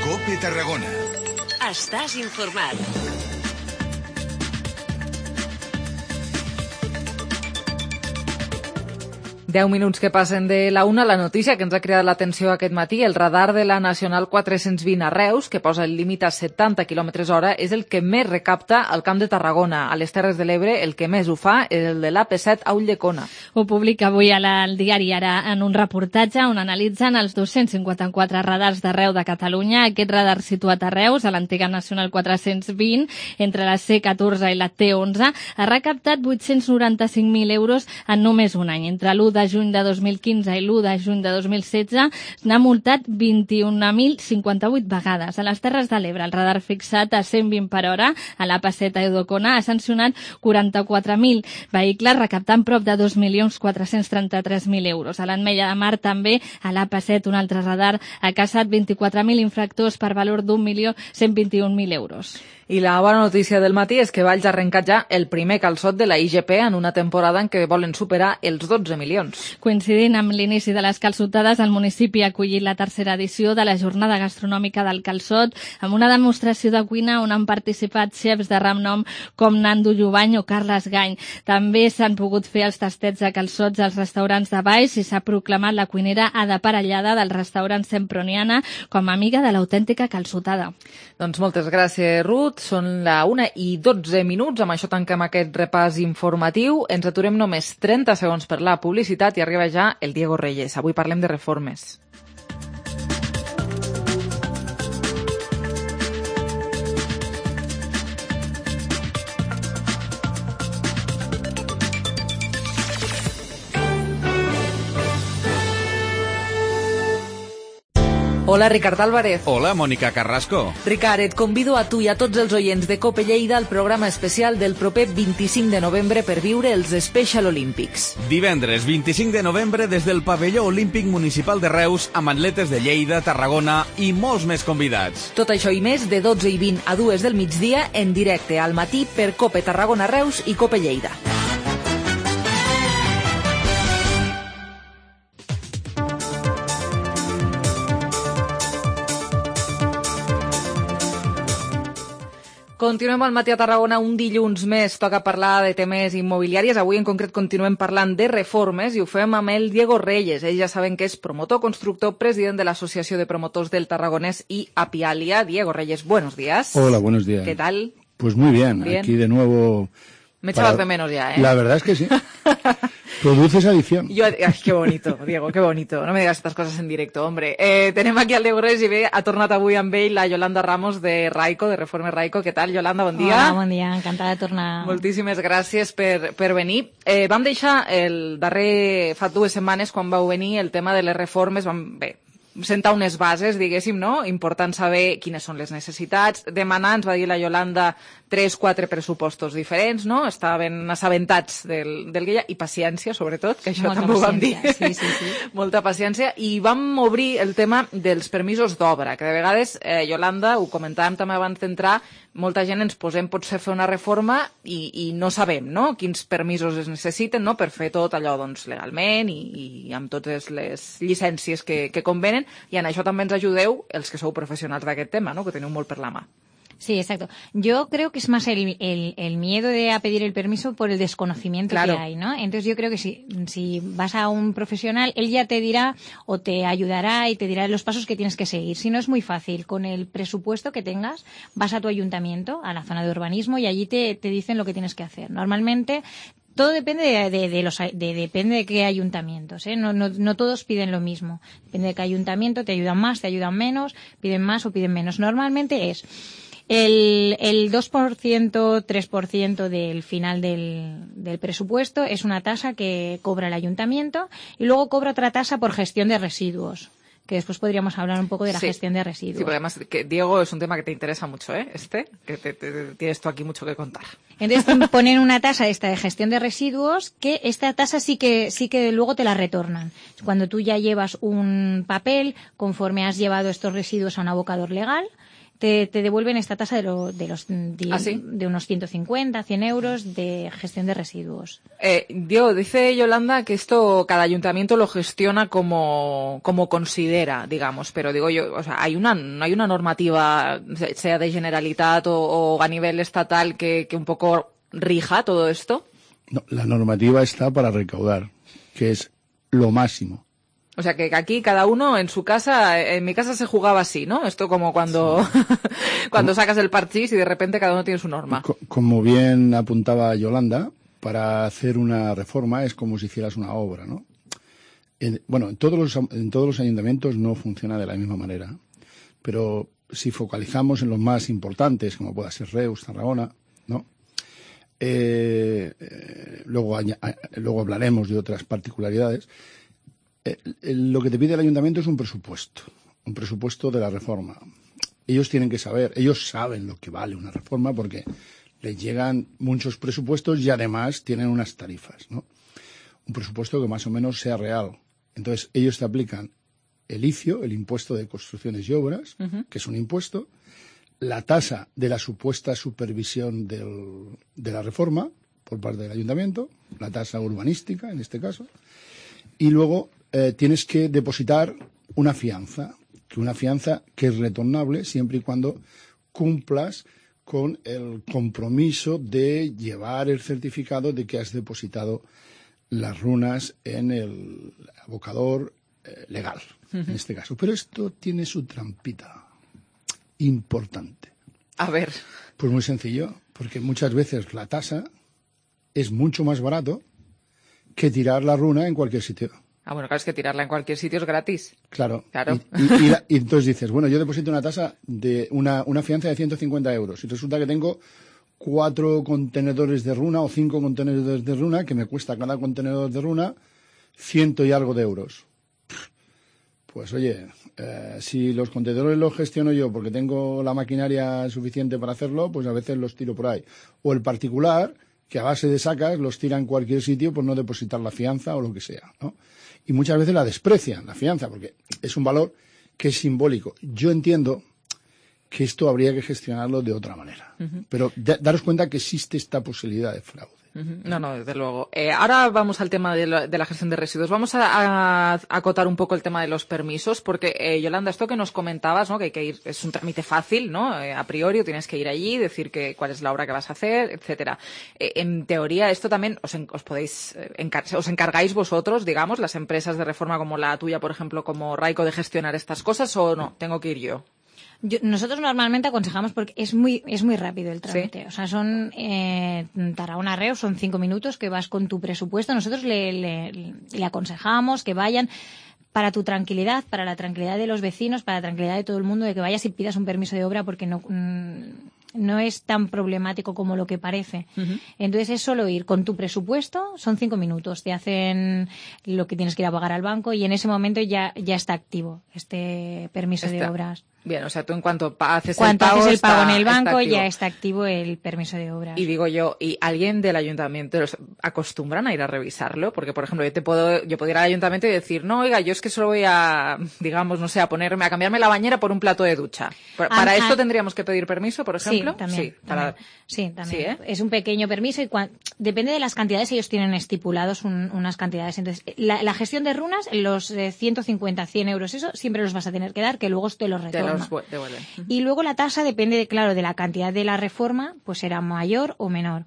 S9: COPE Tarragona.
S1: Estàs informat.
S3: Deu minuts que passen de la una. La notícia que ens ha cridat l'atenció aquest matí, el radar de la Nacional quatre-cents vint a Reus, que posa el límit a setanta quilòmetres hora, és el que més recapta al Camp de Tarragona. A les Terres de l'Ebre, el que més ho fa és el de l'A P set a Ulldecona.
S7: Ho publica avui al diari Ara en un reportatge on analitzen els dos-cents cinquanta-quatre radars d'arreu de Catalunya. Aquest radar situat a Reus, a l'antiga Nacional quatre-cents vint, entre la C catorze i la T onze, ha recaptat vuit-cents noranta-cinc mil euros en només un any. Entre l'u de juny de dos mil quinze i l'u de juny de dos mil setze n'ha multat vint-i-un mil cinquanta-vuit vegades. A les Terres de l'Ebre, el radar fixat a cent vint per hora a l'A P set a Ulldecona ha sancionat quaranta-quatre mil vehicles, recaptant prop de dos milions quatre-cents trenta-tres mil euros. A l'Ametlla de Mar, també, a l'A P set, un altre radar ha caçat vint-i-quatre mil infractors per valor d'un milió cent vint-i-un mil euros.
S3: I la bona notícia del matí és que Valls ha arrencat ja el primer calçot de la I G P en una temporada en què volen superar els dotze milions.
S7: Coincidint amb l'inici de les calçotades, el municipi ha acollit la tercera edició de la jornada gastronòmica del calçot, amb una demostració de cuina on han participat xefs de renom com Nando Jubany o Carles Gany. També s'han pogut fer els tastets de calçots als restaurants de Baix i s'ha proclamat la cuinera Ada Parellada del restaurant Semproniana com a amiga de l'autèntica calçotada.
S3: Doncs moltes gràcies, Ruth. Són la una i dotze minuts. Amb això tanquem aquest repàs informatiu. Ens aturem només trenta segons per la publicitat i arriba ja el Diego Reyes. Avui parlem de reformes. Hola, Ricard Álvarez.
S13: Hola, Mònica Carrasco.
S3: Ricard, et convido a tu i a tots els oients de COPE Lleida al programa especial del proper vint-i-cinc de novembre per viure els Special Olympics.
S13: Divendres vint-i-cinc de novembre des del pavelló olímpic municipal de Reus amb atletes de Lleida, Tarragona i molts més convidats.
S3: Tot això i més de dotze i vint a dues del migdia en directe al matí per COPE Tarragona Reus i COPE Lleida. Continuem al matí a Tarragona, un dilluns més. Toca parlar de temes immobiliaris. Avui en concret continuem parlant de reformes i ho fem amb el Diego Reyes. Ells ja saben que és promotor, constructor, president de l'Associació de Promotors del Tarragonés i Apialia. Diego Reyes, buenos días.
S14: Hola, buenos días.
S3: ¿Qué tal?
S14: Pues muy bien.
S3: bien.
S14: Aquí de nuevo
S3: Me echabas de menos ya, ¿eh?
S14: La verdad es que sí. Produces adicción.
S3: Yo, ay, qué bonito, Diego, qué bonito. No me digas estas cosas en directo, hombre. Eh, tenem aquí al Diego Reyes i bé, ha tornat avui amb ell la Yolanda Ramos de Raico, de Reforme Raico. Què tal, Yolanda? Bon dia.
S15: Hola, bon dia, encantada de tornar.
S3: Moltíssimes gràcies per, per venir. Eh, vam deixar el darrer, fa dues setmanes, quan vau venir, el tema de les reformes, vam, bé, sentar unes bases, diguéssim, no? Important saber quines són les necessitats. Demanar, ens va dir la Yolanda, tres, quatre pressupostos diferents, no? Estaven assabentats del, del que hi ha, i paciència, sobretot, que això
S15: Molta
S3: també ho vam dir.
S15: Sí, sí, sí.
S3: Molta paciència. I vam obrir el tema dels permisos d'obra, que de vegades, eh, Yolanda, ho comentàvem també abans d'entrar, molta gent ens posem potser a fer una reforma i, i no sabem, no?, quins permisos es necessiten, no?, per fer tot allò, doncs, legalment i, i amb totes les llicències que, que convenen, i en això també ens ajudeu els que sou professionals d'aquest tema, no?, que teniu molt per la mà.
S15: Sí, exacto. Yo creo que es más el, el, el miedo de a pedir el permiso por el desconocimiento claro. que hay, ¿no? Entonces yo creo que si, si vas a un profesional, él ya te dirá o te ayudará y te dirá los pasos que tienes que seguir. Si no, es muy fácil. Con el presupuesto que tengas, vas a tu ayuntamiento, a la zona de urbanismo, y allí te, te dicen lo que tienes que hacer. Normalmente todo depende de, de, de los de, depende de qué ayuntamientos, ¿eh? No, no, no todos piden lo mismo. Depende de qué ayuntamiento, te ayudan más, te ayudan menos, piden más o piden menos. Normalmente es el, el dos por ciento, tres por ciento del final del, del presupuesto es una tasa que cobra el ayuntamiento y luego cobra otra tasa por gestión de residuos, que después podríamos hablar un poco de la sí. gestión de residuos. Sí, porque
S3: además, que, Diego, es un tema que te interesa mucho, ¿eh? Este, que te, te, te, tienes tú aquí mucho que contar.
S15: Entonces ponen una tasa esta de gestión de residuos, que esta tasa sí que sí que luego te la retornan. Cuando tú ya llevas un papel, conforme has llevado estos residuos a un abocador legal, Te, te devuelven esta tasa de, lo, de los de,
S3: ¿Ah, sí?
S15: de unos ciento cincuenta, cien euros de gestión de residuos.
S3: Eh, Diego, dice Yolanda que esto cada ayuntamiento lo gestiona como, como considera, digamos, pero digo yo, o sea, hay una, no hay una normativa, sea de Generalitat o, o a nivel estatal, que, que un poco rija todo esto.
S14: No, la normativa está para recaudar, que es lo máximo.
S3: O sea, que aquí cada uno en su casa, en mi casa se jugaba así, ¿no? Esto como cuando, sí. cuando sacas el parchís y de repente cada uno tiene su norma.
S14: Como bien apuntaba Yolanda, para hacer una reforma es como si hicieras una obra, ¿no? En, bueno, en todos los, en todos los ayuntamientos no funciona de la misma manera, pero si focalizamos en los más importantes, como pueda ser Reus, Tarragona, ¿no? Eh, eh, luego, luego hablaremos de otras particularidades. Eh, lo que te pide el ayuntamiento es un presupuesto, un presupuesto de la reforma. Ellos tienen que saber, ellos saben lo que vale una reforma porque les llegan muchos presupuestos y además tienen unas tarifas, ¿no? Un presupuesto que más o menos sea real. Entonces, ellos te aplican el I C I O, el impuesto de construcciones y obras, uh-huh. que es un impuesto, la tasa de la supuesta supervisión del, de la reforma por parte del ayuntamiento, la tasa urbanística en este caso, y luego eh, tienes que depositar una fianza, que una fianza que es retornable siempre y cuando cumplas con el compromiso de llevar el certificado de que has depositado las runas en el abocador eh, legal, uh-huh. en este caso. Pero esto tiene su trampita importante.
S3: A ver.
S14: Pues muy sencillo, porque muchas veces la tasa es mucho más barato que tirar la runa en cualquier sitio.
S3: Ah, bueno, claro, es que tirarla en cualquier sitio es gratis.
S14: Claro.
S3: Claro.
S14: Y, y, y, la, y entonces dices, bueno, yo deposito una tasa de una, una fianza de ciento cincuenta euros y resulta que tengo cuatro contenedores de runa o cinco contenedores de runa que me cuesta cada contenedor de runa ciento y algo de euros. Pues oye, eh, si los contenedores los gestiono yo porque tengo la maquinaria suficiente para hacerlo, pues a veces los tiro por ahí. O el particular, que a base de sacas los tira en cualquier sitio por no depositar la fianza o lo que sea, ¿no? Y muchas veces la desprecian, la fianza, porque es un valor que es simbólico. Yo entiendo que esto habría que gestionarlo de otra manera. Uh-huh. Pero da, daros cuenta que existe esta posibilidad de fraude.
S3: Uh-huh. No, no, desde luego. Eh, ahora vamos al tema de la, de la gestión de residuos. Vamos a, a, a acotar un poco el tema de los permisos, porque, eh, Yolanda, esto que nos comentabas, ¿no? Que hay que ir, es un trámite fácil, ¿no? Eh, a priori tienes que ir allí, decir que cuál es la obra que vas a hacer, etcétera. Eh, en teoría, esto también os, en, os podéis, encar- os encargáis vosotros, digamos, las empresas de reforma como la tuya, por ejemplo, como Raico, de gestionar estas cosas, o no, tengo que ir yo.
S15: Yo, nosotros normalmente aconsejamos porque es muy es muy rápido el trámite.
S3: ¿Sí?
S15: O sea, son eh, Tarragona-Reus, son cinco minutos que vas con tu presupuesto. Nosotros le, le, le aconsejamos que vayan para tu tranquilidad, para la tranquilidad de los vecinos, para la tranquilidad de todo el mundo, de que vayas y pidas un permiso de obra porque no... Mm, no es tan problemático como lo que parece. Uh-huh. Entonces es solo ir con tu presupuesto, son cinco minutos, te hacen lo que tienes que ir a pagar al banco y en ese momento ya, ya está activo este permiso está. de obras.
S3: Bien, o sea, tú en cuanto haces
S15: Cuanto
S3: el pago,
S15: haces el pago
S3: está,
S15: en el banco
S3: está
S15: ya está activo el permiso de obras.
S3: Y digo yo, ¿y alguien del ayuntamiento los acostumbran a ir a revisarlo? Porque, por ejemplo, yo te puedo, yo puedo ir al ayuntamiento y decir, no, oiga, yo es que solo voy a, digamos, no sé, a ponerme, a cambiarme la bañera por un plato de ducha. ¿Para ah, esto ah, tendríamos que pedir permiso, por ejemplo?
S15: Sí, también. Sí,
S3: para...
S15: también. Sí, también.
S3: Sí, ¿eh?
S15: Es un pequeño permiso y cuan... depende de las cantidades, ellos tienen estipulados un, unas cantidades. Entonces, la, la gestión de runas, los eh, ciento cincuenta, cien euros, eso siempre los vas a tener que dar, que luego te los retorna.
S3: Te los devuelven.
S15: Y luego la tasa depende, de, claro, de la cantidad de la reforma, pues será mayor o menor.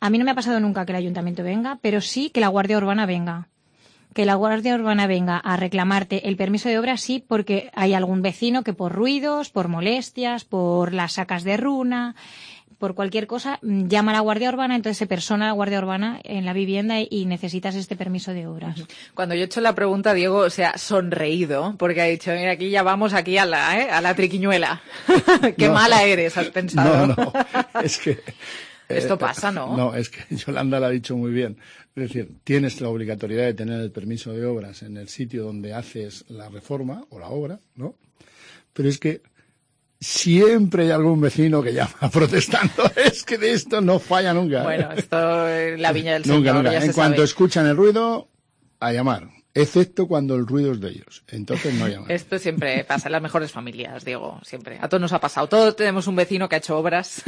S15: A mí no me ha pasado nunca que el ayuntamiento venga, pero sí que la Guardia Urbana venga. Que la Guardia Urbana venga a reclamarte el permiso de obra, sí, porque hay algún vecino que por ruidos, por molestias, por las sacas de runa, por cualquier cosa, llama a la Guardia Urbana, entonces se persona la Guardia Urbana en la vivienda y necesitas este permiso de obras.
S3: Cuando yo he hecho la pregunta, Diego se ha sonreído, porque ha dicho, mira, aquí ya vamos aquí a la, ¿eh? a la triquiñuela. Qué no, mala eres, has pensado.
S14: No, no, es que...
S3: Esto eh, pasa, ¿no?
S14: No, es que Yolanda lo ha dicho muy bien. Es decir, tienes la obligatoriedad de tener el permiso de obras en el sitio donde haces la reforma o la obra, ¿no? Pero es que siempre hay algún vecino que llama protestando. Es que de esto no falla nunca.
S3: Bueno, esto es la viña del Señor.
S14: Nunca, nunca.
S3: Ya
S14: en
S3: se
S14: cuanto
S3: sabe.
S14: escuchan el ruido, a llamar. Excepto cuando el ruido es de ellos. Entonces no llaman.
S3: Esto siempre pasa en las mejores familias, Diego. Siempre. A todos nos ha pasado. Todos tenemos un vecino que ha hecho obras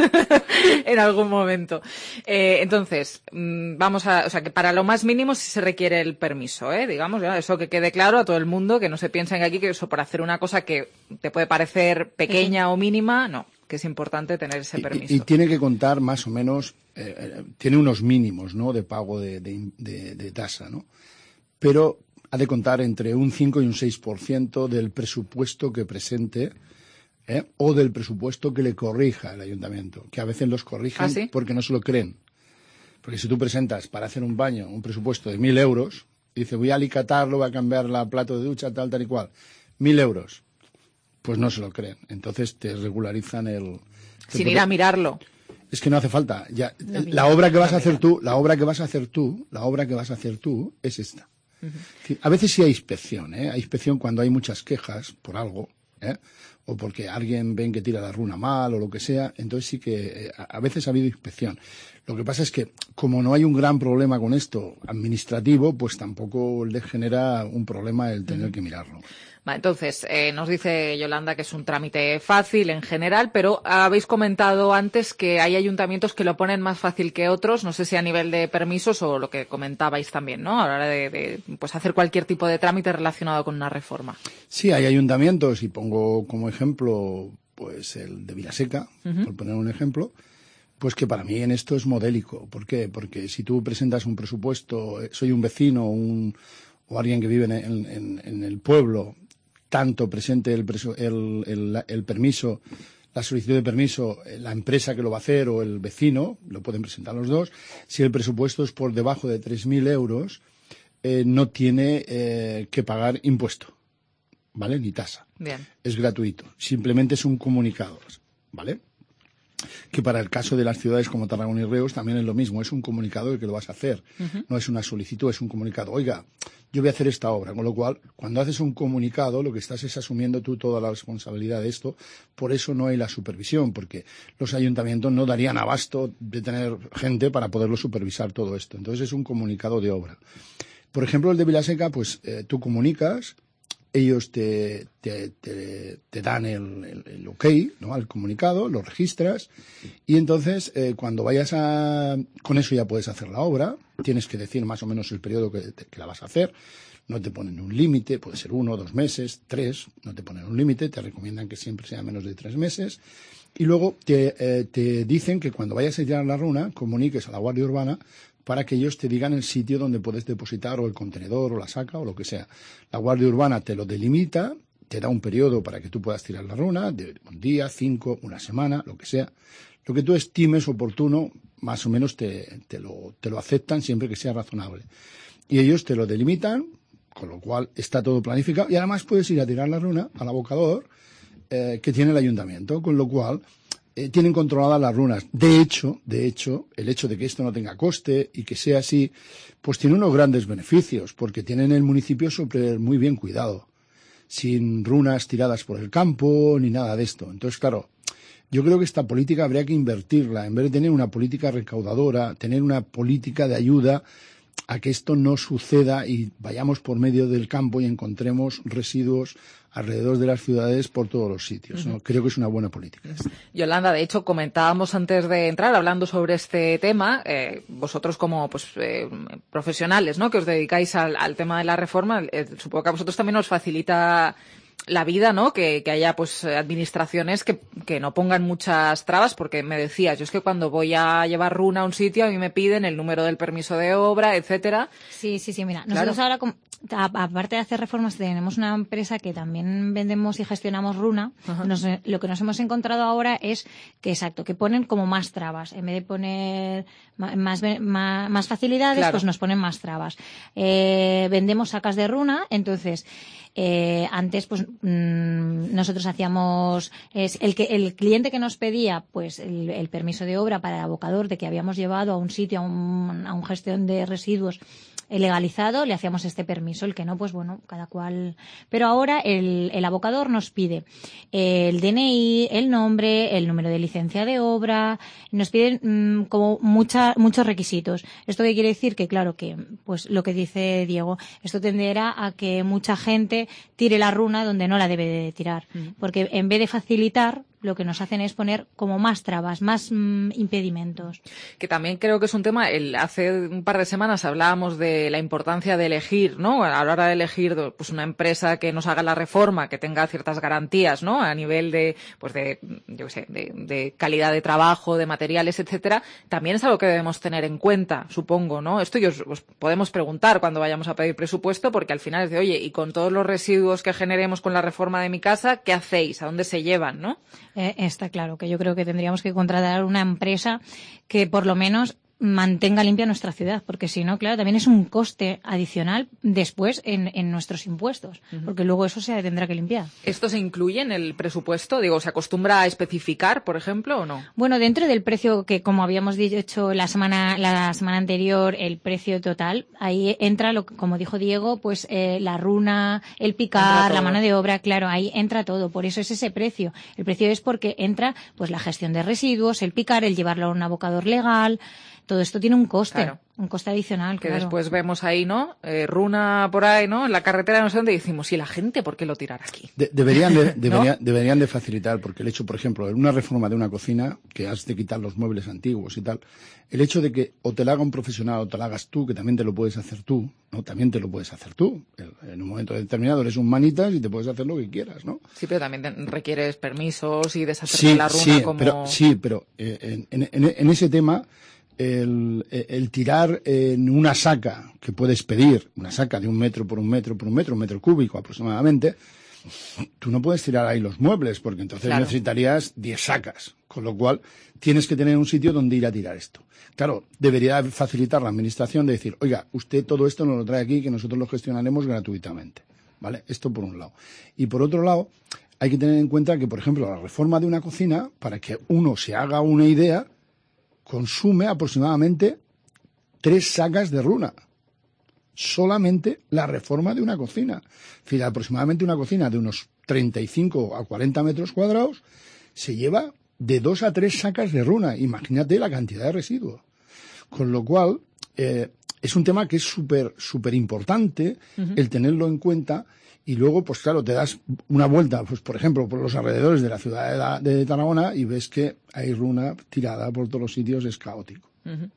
S3: en algún momento. Eh, entonces, vamos a... O sea, que para lo más mínimo sí se requiere el permiso, ¿eh? Digamos, ¿no? Eso que quede claro a todo el mundo, que no se piensen aquí que eso por hacer una cosa que te puede parecer pequeña sí. o mínima, no. Que es importante tener ese permiso.
S14: Y, y tiene que contar más o menos... Eh, tiene unos mínimos, ¿no? De pago de, de, de, de tasa, ¿no? Pero... ha de contar entre un cinco y un seis por ciento del presupuesto que presente ¿eh? o del presupuesto que le corrija el ayuntamiento, que a veces los corrigen
S3: ¿Ah, sí?
S14: porque no se lo creen. Porque si tú presentas para hacer un baño un presupuesto de mil euros, y dices voy a alicatarlo, voy a cambiar la plato de ducha, tal, tal y cual, mil euros, pues no se lo creen. Entonces te regularizan el...
S3: Sin ir a mirarlo.
S14: Es que no hace falta. Ya, no, la obra que vas a hacer tú, la obra que vas a hacer tú, la obra que vas a hacer tú es esta. Uh-huh. A veces sí hay inspección, ¿eh? Hay inspección cuando hay muchas quejas por algo, ¿eh? O porque alguien ven que tira la runa mal o lo que sea, entonces sí que eh, a veces ha habido inspección. Lo que pasa es que como no hay un gran problema con esto administrativo, pues tampoco le genera un problema el tener uh-huh. que mirarlo.
S3: Entonces, eh, nos dice Yolanda que es un trámite fácil en general, pero habéis comentado antes que hay ayuntamientos que lo ponen más fácil que otros, no sé si a nivel de permisos o lo que comentabais también, ¿no? A la hora de, de pues hacer cualquier tipo de trámite relacionado con una reforma.
S14: Sí, hay ayuntamientos, y pongo como ejemplo pues el de Vilaseca, uh-huh. por poner un ejemplo, pues que para mí en esto es modélico. ¿Por qué? Porque si tú presentas un presupuesto, soy un vecino un, o alguien que vive en, en, en el pueblo, tanto presente el, el, el, el permiso, la solicitud de permiso, la empresa que lo va a hacer o el vecino, lo pueden presentar los dos. Si el presupuesto es por debajo de tres mil euros, eh, no tiene eh, que pagar impuesto, ¿vale? Ni tasa.
S3: Bien.
S14: Es gratuito. Simplemente es un comunicado, ¿vale? Que para el caso de las ciudades como Tarragona y Reus también es lo mismo, es un comunicado de que lo vas a hacer, uh-huh. no es una solicitud, es un comunicado. Oiga, yo voy a hacer esta obra, con lo cual, cuando haces un comunicado, lo que estás es asumiendo tú toda la responsabilidad de esto, por eso no hay la supervisión, porque los ayuntamientos no darían abasto de tener gente para poderlo supervisar todo esto. Entonces es un comunicado de obra. Por ejemplo, el de Vilaseca, pues eh, tú comunicas, ellos te, te, te, te dan el, el, el ok, ¿no? Al comunicado, lo registras y entonces eh, cuando vayas a... Con eso ya puedes hacer la obra, tienes que decir más o menos el periodo que, te, que la vas a hacer, no te ponen un límite, puede ser uno, dos meses, tres, no te ponen un límite, te recomiendan que siempre sea menos de tres meses y luego te, eh, te dicen que cuando vayas a llenar la runa comuniques a la Guardia Urbana para que ellos te digan el sitio donde puedes depositar o el contenedor o la saca o lo que sea. La Guardia Urbana te lo delimita, te da un periodo para que tú puedas tirar la runa, de un día, cinco, una semana, lo que sea. Lo que tú estimes oportuno, más o menos te, te, lo, te lo aceptan siempre que sea razonable. Y ellos te lo delimitan, con lo cual está todo planificado, y además puedes ir a tirar la runa al abocador eh, que tiene el ayuntamiento, con lo cual eh, tienen controladas las runas. De hecho, de hecho, el hecho de que esto no tenga coste y que sea así, pues tiene unos grandes beneficios, porque tienen el municipio súper muy bien cuidado, sin runas tiradas por el campo ni nada de esto. Entonces, claro, yo creo que esta política habría que invertirla, en vez de tener una política recaudadora, tener una política de ayuda a que esto no suceda y vayamos por medio del campo y encontremos residuos alrededor de las ciudades por todos los sitios, ¿no? Uh-huh. Creo que es una buena política.
S3: Yolanda, de hecho, comentábamos antes de entrar, hablando sobre este tema, eh, vosotros como pues eh, profesionales, ¿no?, que os dedicáis al, al tema de la reforma, eh, supongo que a vosotros también os facilita la vida, ¿no?, que, que haya pues administraciones que, que no pongan muchas trabas, porque me decías, yo es que cuando voy a llevar runa a un sitio a mí me piden el número del permiso de obra, etcétera.
S15: Sí, sí, sí, mira, nosotros claro. ahora, aparte de hacer reformas, tenemos una empresa que también vendemos y gestionamos runa. Nos, lo que nos hemos encontrado ahora es que, exacto, que ponen como más trabas. En vez de poner más, más, más facilidades, claro, pues nos ponen más trabas. Eh, vendemos sacas de runa, entonces Eh, antes, pues mmm, nosotros hacíamos es el que el cliente que nos pedía, pues el, el permiso de obra para el abocador de que habíamos llevado a un sitio a un, a un gestión de residuos legalizado, le hacíamos este permiso. El que no, pues bueno, cada cual. Pero ahora el, el abocador nos pide el D N I, el nombre, el número de licencia de obra, nos piden mmm, como mucha, muchos requisitos. ¿Esto qué quiere decir? Que claro que, pues lo que dice Diego, esto tenderá a que mucha gente tire la runa donde no la debe de tirar. Mm. Porque en vez de facilitar, lo que nos hacen es poner como más trabas, más mmm, impedimentos.
S3: Que también creo que es un tema, el, hace un par de semanas hablábamos de la importancia de elegir, ¿no?, a la hora de elegir pues una empresa que nos haga la reforma, que tenga ciertas garantías, ¿no?, a nivel de, pues de, yo qué sé, de, de calidad de trabajo, de materiales, etcétera. También es algo que debemos tener en cuenta, supongo, ¿no? Esto os, os podemos preguntar cuando vayamos a pedir presupuesto, porque al final es de, oye, y con todos los residuos que generemos con la reforma de mi casa, ¿qué hacéis? ¿A dónde se llevan, no?
S15: Eh, está claro que yo creo que tendríamos que contratar una empresa que por lo menos mantenga limpia nuestra ciudad, porque si no, claro, también es un coste adicional después en, en nuestros impuestos, uh-huh, porque luego eso se tendrá que limpiar.
S3: ¿Esto se incluye en el presupuesto? Digo, ¿se acostumbra a especificar, por ejemplo, o no?
S15: Bueno, dentro del precio que, como habíamos dicho la semana la semana anterior, el precio total, ahí entra, lo como dijo Diego, pues eh, la runa, el picar, la mano de obra, claro, ahí entra todo, por eso es ese precio. El precio es porque entra pues la gestión de residuos, el picar, el llevarlo a un abocador legal. Todo esto tiene un coste, claro, un coste adicional,
S3: que
S15: claro.
S3: Después vemos ahí, ¿no? Eh, runa por ahí, ¿no? En la carretera, no sé dónde, y decimos, ¿y la gente por qué lo tirará aquí?
S14: De, deberían, de, debería, ¿no? deberían de facilitar, porque el hecho, por ejemplo, en una reforma de una cocina, que has de quitar los muebles antiguos y tal, el hecho de que o te la haga un profesional o te la hagas tú, que también te lo puedes hacer tú, ¿no? También te lo puedes hacer tú. En un momento determinado eres un manitas y te puedes hacer lo que quieras, ¿no?
S3: Sí, pero también te requieres permisos y deshacer
S14: sí,
S3: la runa
S14: sí,
S3: como...
S14: Pero, sí, pero eh, en, en, en ese tema... El, el tirar en una saca que puedes pedir, una saca de un metro por un metro por un metro, un metro cúbico aproximadamente, tú no puedes tirar ahí los muebles, porque entonces claro, necesitarías diez sacas, con lo cual tienes que tener un sitio donde ir a tirar esto. Claro, debería facilitar la administración de decir, oiga, usted todo esto nos lo trae aquí, que nosotros lo gestionaremos gratuitamente, ¿vale? Esto por un lado. Y por otro lado, hay que tener en cuenta que, por ejemplo, la reforma de una cocina, para que uno se haga una idea, consume aproximadamente tres sacas de runa. Solamente la reforma de una cocina. Es decir, aproximadamente una cocina de unos treinta y cinco a cuarenta metros cuadrados se lleva de dos a tres sacas de runa. Imagínate la cantidad de residuos. Con lo cual, eh, es un tema que es súper, súper importante uh-huh, el tenerlo en cuenta. Y luego, pues claro, te das una vuelta, pues por ejemplo, por los alrededores de la ciudad de, la, de Tarragona y ves que hay runa tirada por todos los sitios, es caótico.
S3: Uh-huh.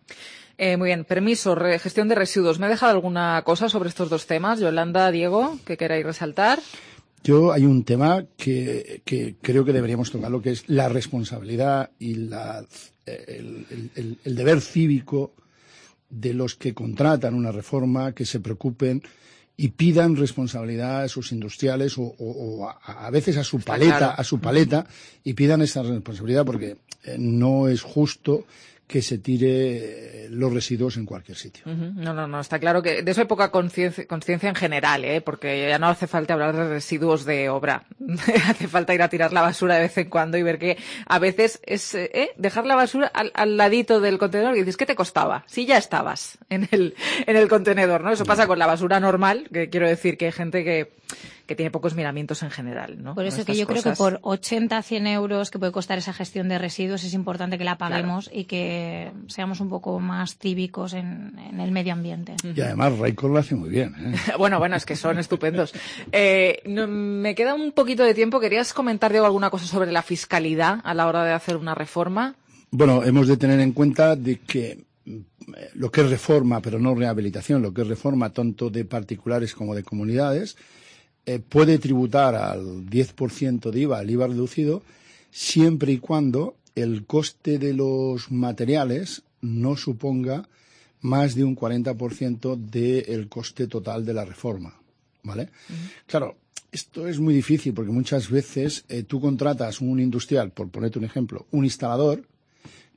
S3: Eh, muy bien, permiso, re, gestión de residuos. ¿Me he dejado alguna cosa sobre estos dos temas? Yolanda, Diego, ¿qué queráis resaltar?
S14: Yo hay un tema que, que creo que deberíamos tocar, lo que es la responsabilidad y la, el, el, el, el deber cívico de los que contratan una reforma, que se preocupen y pidan responsabilidad a sus industriales o, o, o a, a veces a su paleta, claro. a su paleta y pidan esa responsabilidad porque eh, no es justo que se tire los residuos en cualquier sitio.
S3: Uh-huh. No, no, no, está claro que de eso hay poca conciencia, conciencia en general, ¿eh? Porque ya no hace falta hablar de residuos de obra. Hace falta ir a tirar la basura de vez en cuando y ver que a veces es ¿eh? dejar la basura al, al ladito del contenedor y dices, ¿qué te costaba? Si ya estabas en el, en el contenedor, ¿no? Eso pasa con la basura normal, que quiero decir que hay gente que... que tiene pocos miramientos en general, ¿no?
S15: Por eso que yo cosas. creo que por ochenta, cien euros que puede costar esa gestión de residuos es importante que la paguemos claro. y que seamos un poco más cívicos en, en el medio ambiente.
S14: Y además Raikkonen lo hace muy bien, ¿eh?
S3: Bueno, bueno, es que son estupendos. Eh, no, me queda un poquito de tiempo. ¿Querías comentar, Diego, alguna cosa sobre la fiscalidad a la hora de hacer una reforma?
S14: Bueno, hemos de tener en cuenta de que lo que es reforma, pero no rehabilitación, lo que es reforma tanto de particulares como de comunidades, Eh, puede tributar al diez por ciento de I V A, el I V A reducido, siempre y cuando el coste de los materiales no suponga más de un cuarenta por ciento del coste total de la reforma, ¿vale? Uh-huh. Claro, esto es muy difícil porque muchas veces eh, tú contratas un industrial, por ponerte un ejemplo, un instalador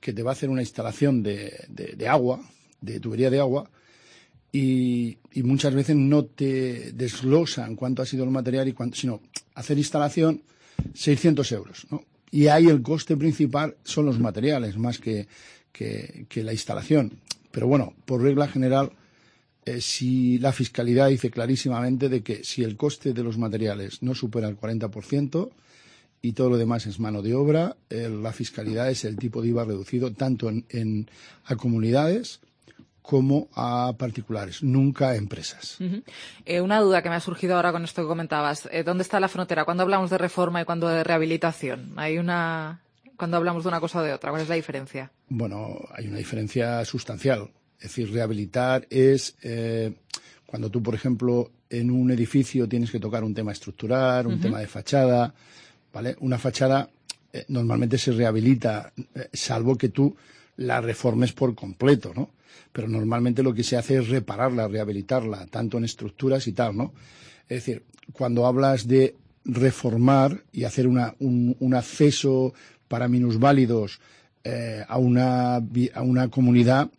S14: que te va a hacer una instalación de, de, de agua, de tubería de agua, Y, y muchas veces no te desglosan cuánto ha sido el material y cuánto, sino hacer instalación seiscientos euros, ¿no? Y ahí el coste principal son los materiales más que, que, que la instalación. Pero bueno, por regla general, eh, si la fiscalidad dice clarísimamente de que si el coste de los materiales no supera el cuarenta por ciento y todo lo demás es mano de obra, eh, la fiscalidad es el tipo de I V A reducido tanto en, en a comunidades como a particulares, nunca a empresas.
S3: Uh-huh. Eh, una duda que me ha surgido ahora con esto que comentabas. Eh, ¿Dónde está la frontera? ¿Cuándo hablamos de reforma y cuándo de rehabilitación? ¿Hay una... ¿Cuándo hablamos de una cosa o de otra? ¿Cuál es la diferencia?
S14: Bueno, hay una diferencia sustancial. Es decir, rehabilitar es eh, cuando tú, por ejemplo, en un edificio tienes que tocar un tema estructural, un uh-huh. tema de fachada, ¿vale? Una fachada eh, normalmente se rehabilita, eh, salvo que tú la reformes por completo, ¿no? Pero normalmente lo que se hace es repararla, rehabilitarla, tanto en estructuras y tal, ¿no? Es decir, cuando hablas de reformar y hacer una, un, un acceso para minusválidos eh, a, una, a una comunidad,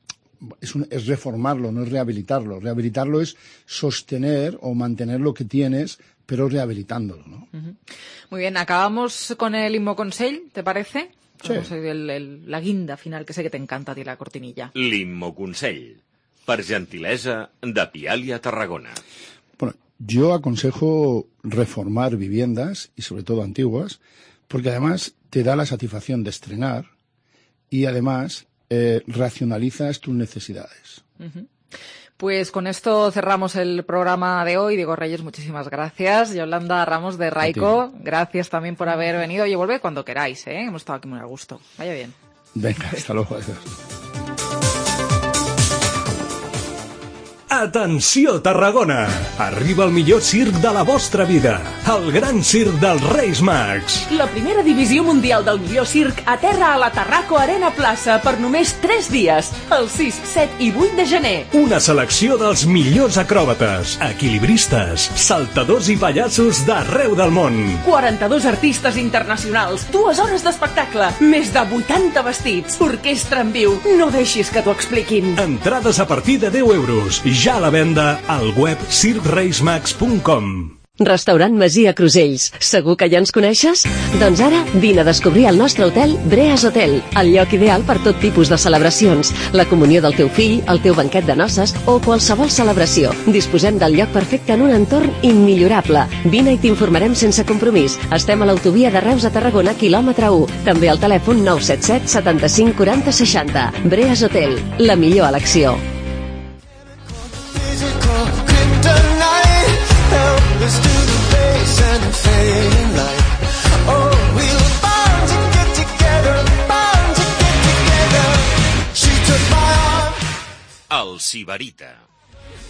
S14: es, un, es reformarlo, no es rehabilitarlo. Rehabilitarlo es sostener o mantener lo que tienes, pero rehabilitándolo, ¿no?
S3: Uh-huh. Muy bien, acabamos con el Immoconsell, ¿te parece?
S14: Sí.
S3: El, el, la guinda final, que sé que te encanta a ti la cortinilla.
S16: L'Immoconsell, per gentilesa de Pialia Tarragona.
S14: Bueno, yo aconsejo reformar viviendas, y sobre todo antiguas, porque además te da la satisfacción de estrenar y además eh, racionalizas tus necesidades.
S3: Uh-huh. Pues con esto cerramos el programa de hoy. Diego Reyes, muchísimas gracias. Yolanda Ramos de Raiko, gracias también por haber venido. Oye, volved cuando queráis, ¿eh? Hemos estado aquí muy a gusto. Vaya bien.
S14: Venga, hasta luego.
S18: Atenció, Tarragona! Arriba el millor circ de la vostra vida, el gran circ dels Reis Mags.
S20: La primera divisió mundial del millor circ aterra a la Tarraco Arena Plaça per només tres dies, el sis, set i vuit de gener.
S18: Una selecció dels millors acròbates, equilibristes, saltadors i pallassos d'arreu del món.
S20: quaranta-dos artistes internacionals, dues hores d'espectacle, més de vuitanta vestits, orquestra en viu. No deixis que t'ho expliquin.
S18: Entrades a partir de deu euros. Ja a la venda al web circ reis mags punt com.
S1: Restaurant Masia Crusells. Segur que ja ens coneixes? Doncs ara vine a descobrir el nostre hotel Breas Hotel, el lloc ideal per tot tipus de celebracions, la comunió del teu fill, el teu banquet de noces o qualsevol celebració. Disposem del lloc perfecte en un entorn immillorable. Vine i t'informarem sense compromís. Estem a l'autovia de Reus a Tarragona, quilòmetre u. També al telèfon nou set set setanta-cinc quaranta seixanta. Breas Hotel, la millor elecció.
S22: Let's do the bass and the fading light. Oh, we were bound to get together, bound to get together. She took my arm.
S16: El Sibarita.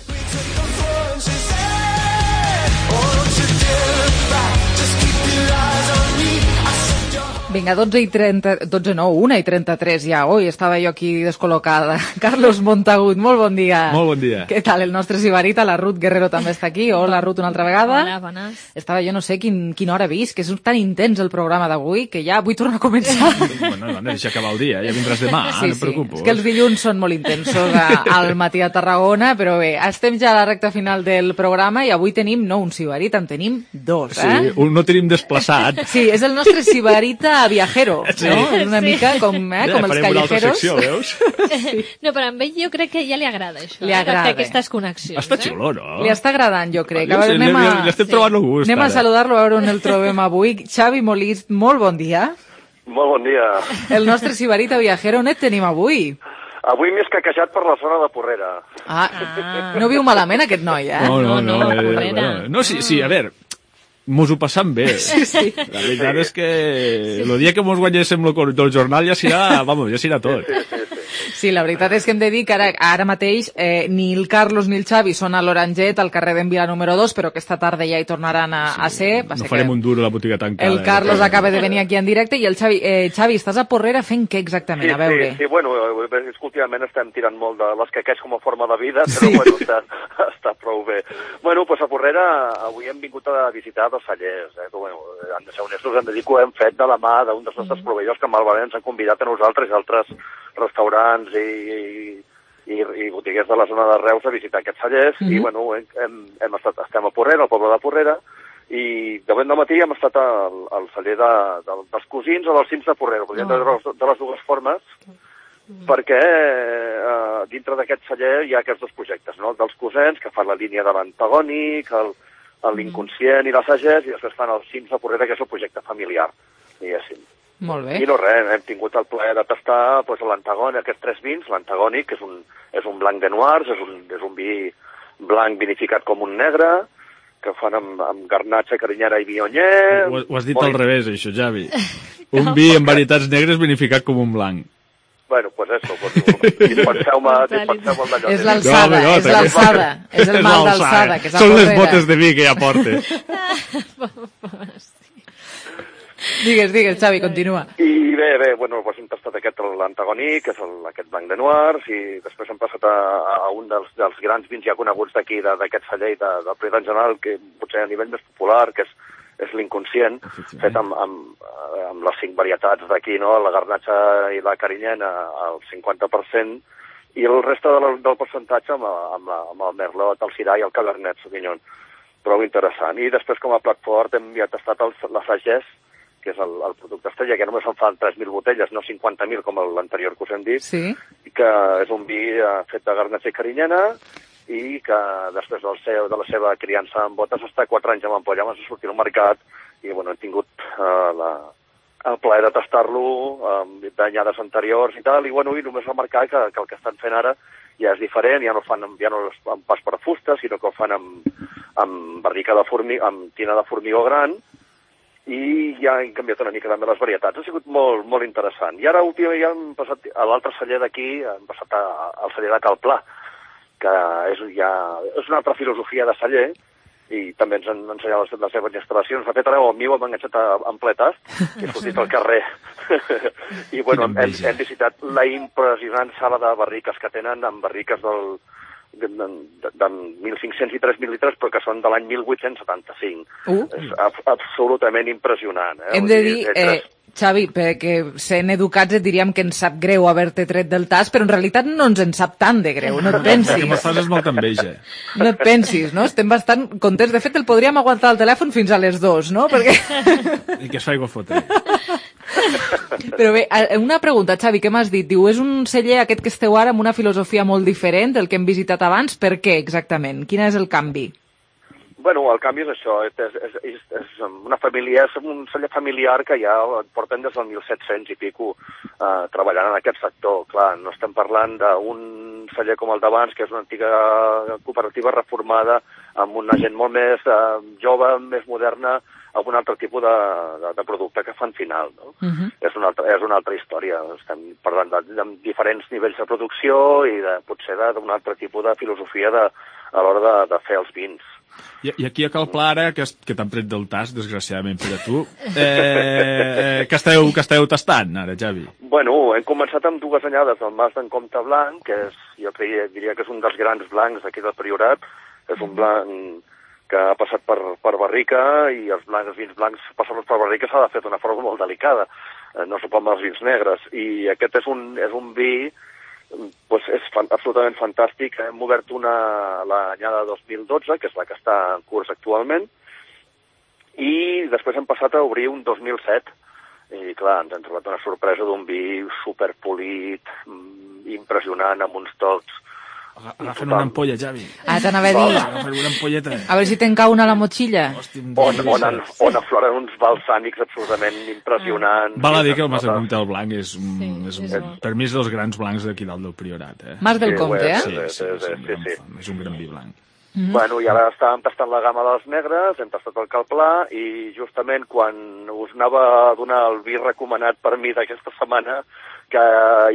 S22: We took the floor and she said, oh, don't you dare look back, just keep your eyes on me. I said,
S3: Vinga, dotze i trenta... dotze no, una i trenta-tres ja. Ui, estava jo aquí descol·locada. Carlos Montagut, molt bon dia.
S2: Molt bon dia.
S3: Què tal, el nostre sibarita? La Ruth Guerrero també està aquí. Hola, Ruth, una altra vegada.
S7: Hola, bones.
S3: Estava jo no sé quin, quina hora vist, que és tan intens el programa d'avui, que ja vull tornar a començar.
S2: Bueno, no, deixa acabar el dia, ja vindràs demà,
S3: sí,
S2: no et preocupes.
S3: És que els dilluns són molt intensos a, al matí a Tarragona, però bé, estem ja a la recta final del programa i avui tenim, no un sibarit, en tenim dos, eh?
S2: Sí, un no tenim desplaçat.
S3: Sí, és el nostre sibarita viajero.
S2: Sí.
S3: No? És una
S7: Sí.
S3: mica com, eh, com
S2: Ja,
S3: els
S2: farem una altra
S3: callejeros.
S2: secció, veus?
S3: Sí.
S7: No, però amb ell jo crec que ja li agrada això.
S3: Li
S7: eh,
S3: agrada.
S7: de fer aquestes connexions.
S2: Està
S7: eh?
S2: xulo, no?
S3: Li està agradant, jo crec.
S2: Jo
S3: A veure,
S2: sé,
S3: anem
S2: li-
S3: a...
S2: li estem trobant el gust,
S3: Anem a
S2: ara.
S3: saludar-lo, a veure on el trobem avui. Xavi Molist, molt bon dia.
S4: Molt bon dia.
S3: El nostre sibarita viajero, on et tenim avui?
S4: Avui m'he escaquejat per la zona de Porrera.
S3: Ah, no viu malament aquest noi, eh?
S2: No, no, no.
S3: no,
S2: eh,
S3: Porrera.
S2: bueno, no, sí, sí, a veure, mos ho passam bé.
S3: Sí, sí.
S2: La veritat és que el dia que mos guanyéssim el del jornal ja serà, vamos, ja serà tot.
S3: Sí, la veritat és que hem de dir que ara, ara mateix eh, ni el Carlos ni el Xavi són a l'Oranget, al carrer d'en Vila número dos, però aquesta tarda ja hi tornaran a, a ser. Va
S2: No
S3: ser
S2: farem
S3: que
S2: un duro a la botiga tancada.
S3: el Carlos acaba de venir aquí en directe i el Xavi... Eh, Xavi, estàs a Porrera fent què exactament?
S4: Sí,
S3: A veure.
S4: sí, sí, bueno, és que últimament estem tirant molt de l'escaqueig com a forma de vida, però sí. bueno, està, està prou bé. Bueno, doncs a Porrera avui hem vingut a visitar dos cellers, eh, que, bueno, han de ser honestos, hem de dir que ho hem fet de la mà d'un dels nostres proveïdors que malament ens han convidat a nosaltres i altres restaurants i, i, i botiguers de la zona de Reus a visitar aquests cellers, mm -hmm. i bueno, hem, hem estat, estem a Porrera, al poble de Porrera, i de ben de matí hem estat al, al celler de, de, dels cosins o dels cims de Porrera, podríem oh. de, les, de les dues formes, mm. perquè eh, dintre d'aquest celler hi ha aquests dos projectes, no? El dels cosins, que fan la línia de l'antagònic, l'inconscient i la sagès, i després fan els cims de Porrera, que és el projecte familiar, diguéssim.
S3: Molt bé.
S4: I no res, hem tingut el plaer de tastar doncs, l'antagònic, aquests tres vins, l'antagònic, que és un, és un blanc de noirs, és un, és un vi blanc vinificat com un negre, que fan amb, amb garnatxa, carinyera i vionyer...
S2: Ho, ho has dit al revés, això, Javi. Un vi amb varietats negres vinificat com un blanc.
S4: Bueno, pues eso, pues, dispenseu-me dispenseu d'allò.
S3: És l'alçada, no, no, és l'alçada, és el mal d'alçada, que és a
S2: Són les
S3: Porrera.
S2: botes de vi que ja porte.
S3: Digues, digues, Xavi, continua.
S4: I bé, bé, bueno, doncs hem tastat aquest, l'antagònic, que és el, aquest blanc de noirs, i després hem passat a, a un dels, dels grans vins ja coneguts d'aquí, d'aquest celler i de, del Prida en general, que potser a nivell més popular, que és, és l'inconscient, fet amb, amb, amb les cinc varietats d'aquí, no? La garnatxa i la carinyena al cinquanta per cent, i el reste de la, del percentatge amb, amb, la, amb el merlot, el syrah i el cabernet sauvignon. Prou interessant. I després, com a plat fort, hem ja tastat el, la sagès, que és el, el producte estrella, que només en fan tres mil botelles, no cinquanta mil com l'anterior que us hem dit,
S3: sí.
S4: i que és un vi eh, fet de garnatxa i carinyena, i que després del seu, de la seva criança en botes està quatre anys amb ampolla, abans de sortir al mercat, i bueno, hem tingut eh, la, el plaer de tastar-lo eh, d'anyades anteriors i tal, i bueno, i només remarcar que, que el que estan fent ara ja és diferent, ja no fan ja no amb pas per fusta, sinó que ho fan amb, amb barrica de formigó, amb tina de formigó gran, i ja hem canviat una mica també les varietats. Ha sigut molt, molt interessant. I ara últimament ja hem passat a l'altre celler d'aquí, hem passat a, al celler de Calplà, que és, ja, és una altra filosofia de celler, i també ens han ensenyat les, les seves instal·lacions. De fet, ara el meu m'ha enganxat en ple tast i he sortit al carrer. I bueno, hem, hem visitat la impressionant sala de barriques que tenen, amb barriques del de, de, de mil cinc-cents i tres mil litres, però que són de l'any mil vuit-cents setanta-cinc. Uh. És ab absolutament impressionant. Eh?
S3: Hem de dir, eh, Xavi, perquè sent educats et diríem que ens sap greu haver-te tret del tas, però en realitat no ens en sap tant de greu, no et pensis.
S2: El que me fas és molta enveja.
S3: No et pensis, no? Estem bastant contents. De fet, el podríem aguantar al telèfon fins a les dues, no? Perquè...
S2: I que es faig fotre.
S3: Però bé, una pregunta, Xavi, què m'has dit? Diu, és un celler aquest que esteu ara amb una filosofia molt diferent del que hem visitat abans. Per què, exactament? Quin és el canvi?
S4: Bueno, el canvi és això, és, és, és, és una família, és un celler familiar que ja porten des del mil set-cents i pico eh, treballant en aquest sector. Clar, no estem parlant d'un celler com el d'abans, que és una antiga cooperativa reformada, amb una gent molt més eh, jove, més moderna, amb un altre tipus de, de, de producte que fan final, no? Uh-huh. És una altra, és una altra història. Estem parlant de, de diferents nivells de producció i de, potser d'un altre tipus de filosofia de, a l'hora de, de fer els vins.
S2: I, I aquí a Cal Pla, ara, que, que t'han tret del tas, desgraciadament per a tu, eh, eh, que, esteu, que esteu tastant, ara, Javi?
S4: Bueno, hem començat amb dues anyades del Mas d'en Comte Blanc, que és, jo creia, diria que és un dels grans blancs d'aquí del Priorat. És un blanc que ha passat per, per barrica, i els blancs, els vins blancs passar-los per barrica s'ha de fer d'una forma molt delicada. Eh, no s'ho pot amb els vins negres. I aquest és un, és un vi... Pues és fan, absolutament fantàstic. Hem obert una l'anyada dos mil dotze, que és la que està en curs actualment, i després hem passat a obrir un dos mil set, i clar, ens hem trobat una sorpresa d'un vi superpolit, impressionant, amb uns tocs.
S2: Agafen una ampolla, Javi.
S3: Ah, t'anava a dir.
S2: Agafen una ampolleta.
S3: A veure si te'n cau una a la motxilla.
S4: On, on, on, on afloren uns balsàmics absolutament impressionants.
S2: Val a dir que el Mas de Comte del Blanc és, sí, és, és per mi és dels grans blancs d'aquí dalt del Priorat. Eh?
S3: Mas del Comte, eh?
S2: Sí, sí, sí, sí, sí. És un gran vi blanc.
S4: Mm-hmm. Bueno, i ara estàvem tastant la gamma dels negres, hem tastat el Cal Pla, i justament quan us anava a donar el vi recomanat per mi d'aquesta setmana, que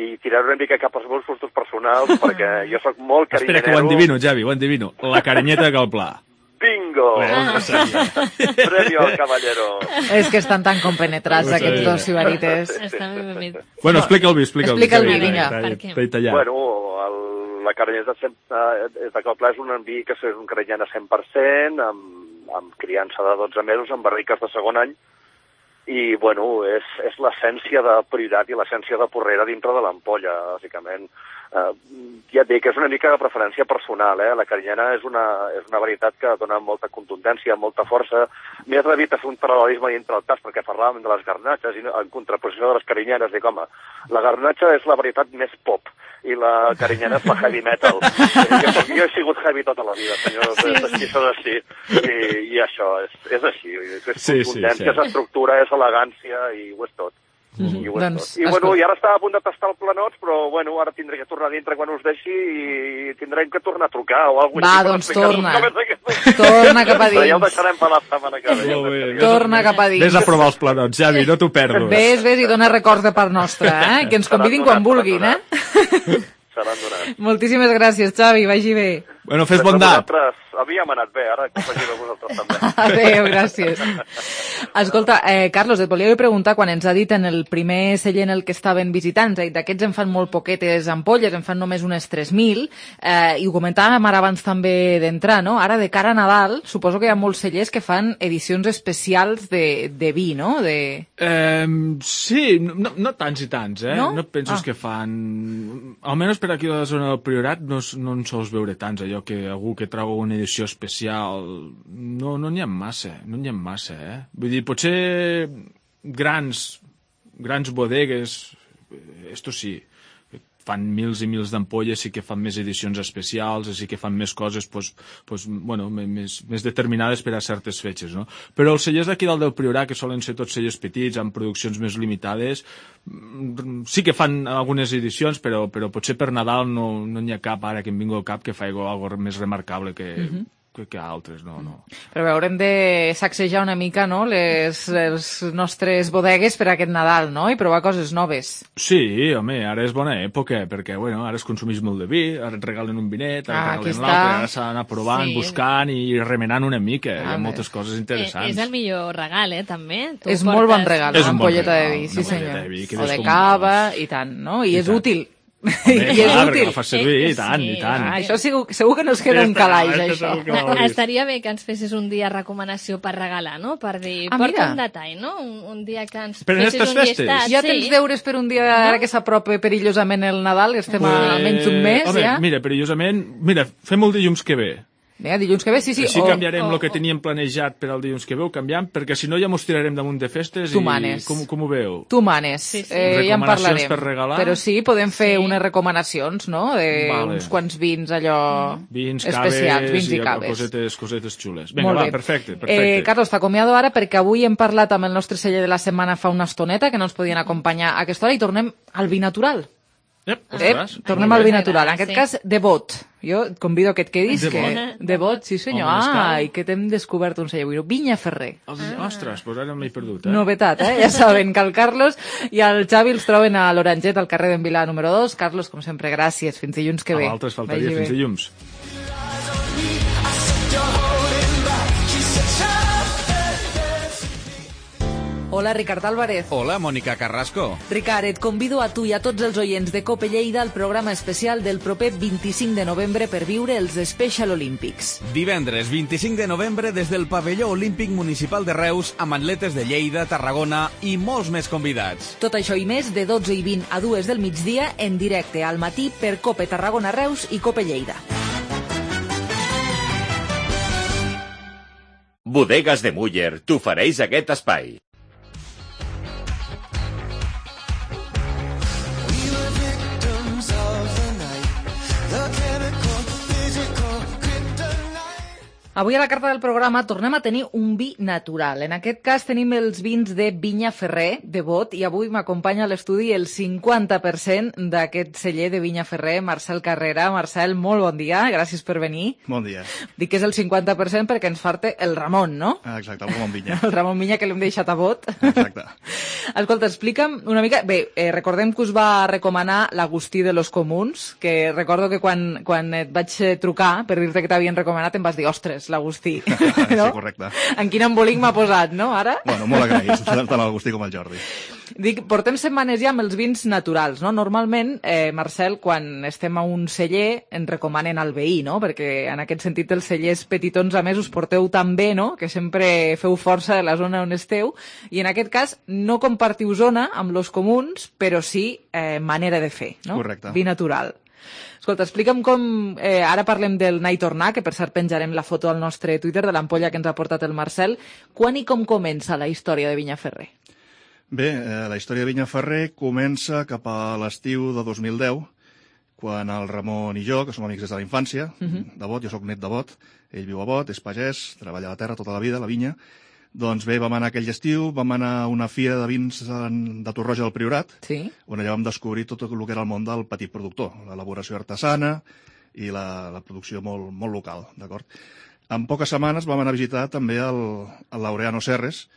S4: hi tiraré una mica cap als meus gustos personals, perquè jo sóc molt carinyanero.
S2: Espera, que ho endivino, Javi, ho endivino. La carinyeta de Cal Pla.
S4: Bingo!
S2: Ah.
S4: Premio al caballero.
S3: És que estan tan compenetrats aquests dos sibarites.
S7: Està ben ben.
S2: Bueno, explica el vi, explica el vi.
S3: Explica el vi, vinga.
S4: Bueno, el, la carinyeta de Cal Pla és un vi que és un carinyana cent per cent, amb, amb criança de dotze mesos, amb barriques de segon any, i, bueno, és, és l'essència de Priorat i l'essència de Porrera dintre de l'ampolla, bàsicament. Uh, ja et dic, és una mica de preferència personal, eh? La carinyana és una, és una varietat que dona molta contundència, molta força. M'he atrevit a fer un paral·lelisme dintre el tas, perquè parlàvem de les garnatxes, i en contraposició de les carinyanes, dic, home, la garnatxa és la varietat més pop, i la carinyana és la heavy metal. Jo, jo he sigut heavy tota la vida, senyor, sí, és així, és així, i, i això, és, és així, és contundència, sí, sí, sí. És estructura, és elegància, i ho és tot. Mm-hmm. I, ho és doncs, tot. I, bueno, i ara estava a punt de tastar el Planots, però bueno, ara tindré que tornar dintre quan us deixi i tindrem que tornar a trucar o alguna cosa.
S3: Va, doncs torna. Torna cap a dins.
S4: Però ja ho deixarem per la setmana que ve.
S3: Torna cap a dins.
S2: Vés a provar els Planots, Javi, no t'ho perdo.
S3: Ves, ves i dona records de part nostra, eh? Que ens convidin quan vulguin, eh?
S4: Seran donats.
S3: Moltíssimes gràcies, Xavi, vagi bé.
S2: Bueno, fes bondat.
S4: Havíem anat bé, ara que faci de vosaltres també.
S3: Adéu, gràcies. Escolta, eh, Carlos, et volia preguntar, quan ens ha dit en el primer celler en el que estaven visitant, d'aquests en fan molt poquetes ampolles, en fan només unes tres mil, eh, i ho comentàvem ara abans també d'entrar, no? Ara, de cara a Nadal, suposo que hi ha molts cellers que fan edicions especials de, de vi, no? De...
S2: Eh, sí, no, no tants i tants, eh?
S3: No?
S2: No et penses ah. que fan... Almenys per aquí a la zona del Priorat no, no en sols veure tants, allò que algú que trau una edició especial, no no n'hi ha massa, no n'hi ha massa, eh? Vull dir, potser grans, grans bodegues, esto sí, fan mils i mils d'ampolles, sí que fan més edicions especials, sí que fan més coses, pues, pues, bueno, més, més determinades per a certes fetges, no? Però els cellers d'aquí dalt del Priorat, que solen ser tots cellers petits, amb produccions més limitades, sí que fan algunes edicions, però, però potser per Nadal no no n'hi ha cap, ara que em vingui al cap, que faci alguna cosa més remarcable que... Uh-huh. que, que altres, no, no.
S3: Però haurem de sacsejar una mica, no?, les, les nostres bodegues per aquest Nadal, no?, i provar coses noves.
S2: Sí, home, ara és bona època, perquè, bueno, ara es consumeix molt de vi, ara et regalen un vinet, ara
S3: ah,
S2: et regalen l'altre, ara s'ha d'anar provant, sí, buscant i remenant una mica, ah, hi ha moltes coses interessants.
S7: És el millor regal, eh, també. Tu
S3: és
S7: portes...
S3: molt bon regal,
S2: és
S3: una
S2: un bon
S3: ampolleta
S2: regal,
S3: de vi, sí senyor.
S2: De vi,
S3: o de cava, i tant, no?, i, I és tant. útil.
S2: Home,
S3: I és
S2: clar,
S3: útil.
S2: La fa servir, eh, i tant, sí. i tant.
S3: Ah, això segur, segur que no es queda un calaix, això.
S7: Estaria bé que ens fessis un dia recomanació per regalar, no? Per dir, ah, porta un detall, no? Un, un dia que ens
S2: per
S7: fessis un
S2: festes.
S7: llistat.
S3: Ja tens sí. deures per un dia no? ara que s'apropa perillosament el Nadal, estem pues, a menys d'un mes,
S2: home,
S3: ja.
S2: Mira, perillosament, mira, fem el dilluns que ve.
S3: Vinga, dilluns que ve, sí, sí.
S2: Així o, canviarem el que teníem planejat per al dilluns que ve, ho canviam, perquè si no ja mos tirarem damunt de festes
S3: tu
S2: i
S3: manes.
S2: Com, com ho veu?
S3: Tu manes.
S2: Sí, sí.
S3: Eh, ja en parlarem.
S2: Per regalar?
S3: Però sí, podem fer sí. unes recomanacions, no?, de vale. uns quants vins allò
S2: vins,
S3: especials,
S2: caves,
S3: vins i caves.
S2: Cosetes, cosetes xules. Vinga, va, perfecte, perfecte.
S3: Eh, Carlos, t'acomiado ara perquè avui hem parlat amb el nostre celler de la setmana fa una estoneta, que no ens podien acompanyar a aquesta hora, i tornem al vi natural.
S2: Ep,
S3: Ep, tornem al vi natural, en aquest sí. cas, de bot. Jo et convido que et quedis.
S2: De
S3: que...
S2: bot?
S3: De bot, sí senyor. Ah, i que t'hem descobert un celler avui. Vinya Ferrer.
S2: Ah. Ostres, doncs ara m'he perdut, eh?
S3: Novetat, eh? Ja saben que el Carlos i el Xavi els troben a l'Oranget, al carrer d'en Vilà número dos. Carlos, com sempre, gràcies. Fins dilluns que ve.
S2: A l'altre es faltaria, fins dilluns.
S3: Hola, Ricard Álvarez.
S13: Hola, Mònica Carrasco.
S3: Ricard, et convido a tu i a tots els oients de Cope Lleida al programa especial del proper vint-i-cinc de novembre per viure els Special Olympics.
S13: Divendres vint-i-cinc de novembre des del pavelló olímpic municipal de Reus amb atletes de Lleida, Tarragona i molts més convidats.
S3: Tot això i més de dotze i vint a dues del migdia en directe al matí per Cope Tarragona Reus i Cope Lleida.
S16: Bodegas de Muller t'ofereix aquest espai.
S3: Avui a la carta del programa tornem a tenir un vi natural. En aquest cas tenim els vins de Vinya Ferrer, de Bot, i avui m'acompanya a l'estudi el cinquanta per cent d'aquest celler de Vinya Ferrer, Marcel Carrera. Marcel, molt bon dia, gràcies per venir.
S5: Bon dia.
S3: Dic que és el cinquanta per cent perquè ens falta el Ramon, no?
S5: Exacte, el Ramon Vinya.
S3: El Ramon Vinya, que l'hem deixat a Bot.
S5: Exacte.
S3: Escolta, explica'm una mica... Bé, eh, recordem que us va recomanar l'Agustí de los Comuns, que recordo que quan, quan et vaig trucar per dir-te que t'havien recomanat em vas dir, ostres, l'Agustí. No?
S5: Sí, correcte.
S3: En quin embolic m'ha posat, no, ara?
S5: Bueno, molt agraït, tant l'Agustí com el Jordi.
S3: Dic, portem setmanes ja amb els vins naturals, no? Normalment, eh, Marcel, quan estem a un celler, ens recomanen el veí, no? Perquè en aquest sentit els cellers petitons a més us porteu tan bé, no? Que sempre feu força de la zona on esteu. I en aquest cas no compartiu zona amb los comuns, però sí eh, manera de fer, no?
S5: Correcte.
S3: Vi natural. Escolta, explica'm com... Eh, ara parlem del anar i tornar, que per cert penjarem la foto al nostre Twitter de l'ampolla que ens ha portat el Marcel. Quan i com comença la història de Vinya Ferrer?
S5: Bé, eh, la història de Vinya Ferrer comença cap a l'estiu de dos mil deu, quan el Ramon i jo, que som amics des de la infància,
S3: Mhm.
S5: de Bot, jo sóc net de Bot, ell viu a Bot, és pagès, treballa a la terra tota la vida, a la vinya. Doncs bé, vam anar aquell estiu, vam anar a una fira de vins en- de Torroja del Priorat,
S3: Sí.
S5: on allà vam descobrir tot el que era el món del petit productor, l'elaboració artesana i la, la producció molt, molt local, d'acord? En poques setmanes vam anar a visitar també el, el Laureano Serres,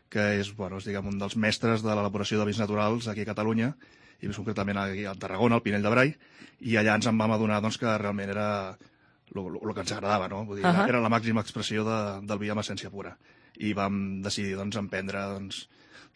S5: que és, bueno, és diguem, un dels mestres de l'elaboració de vins naturals aquí a Catalunya, i més concretament aquí a Tarragona, al Pinell de Brai, i allà ens en vam adonar doncs, que realment era el que ens agradava, no? Vull dir,
S3: Ahà.
S5: era la màxima expressió de, del vi amb essència pura. I vam decidir doncs, emprendre doncs,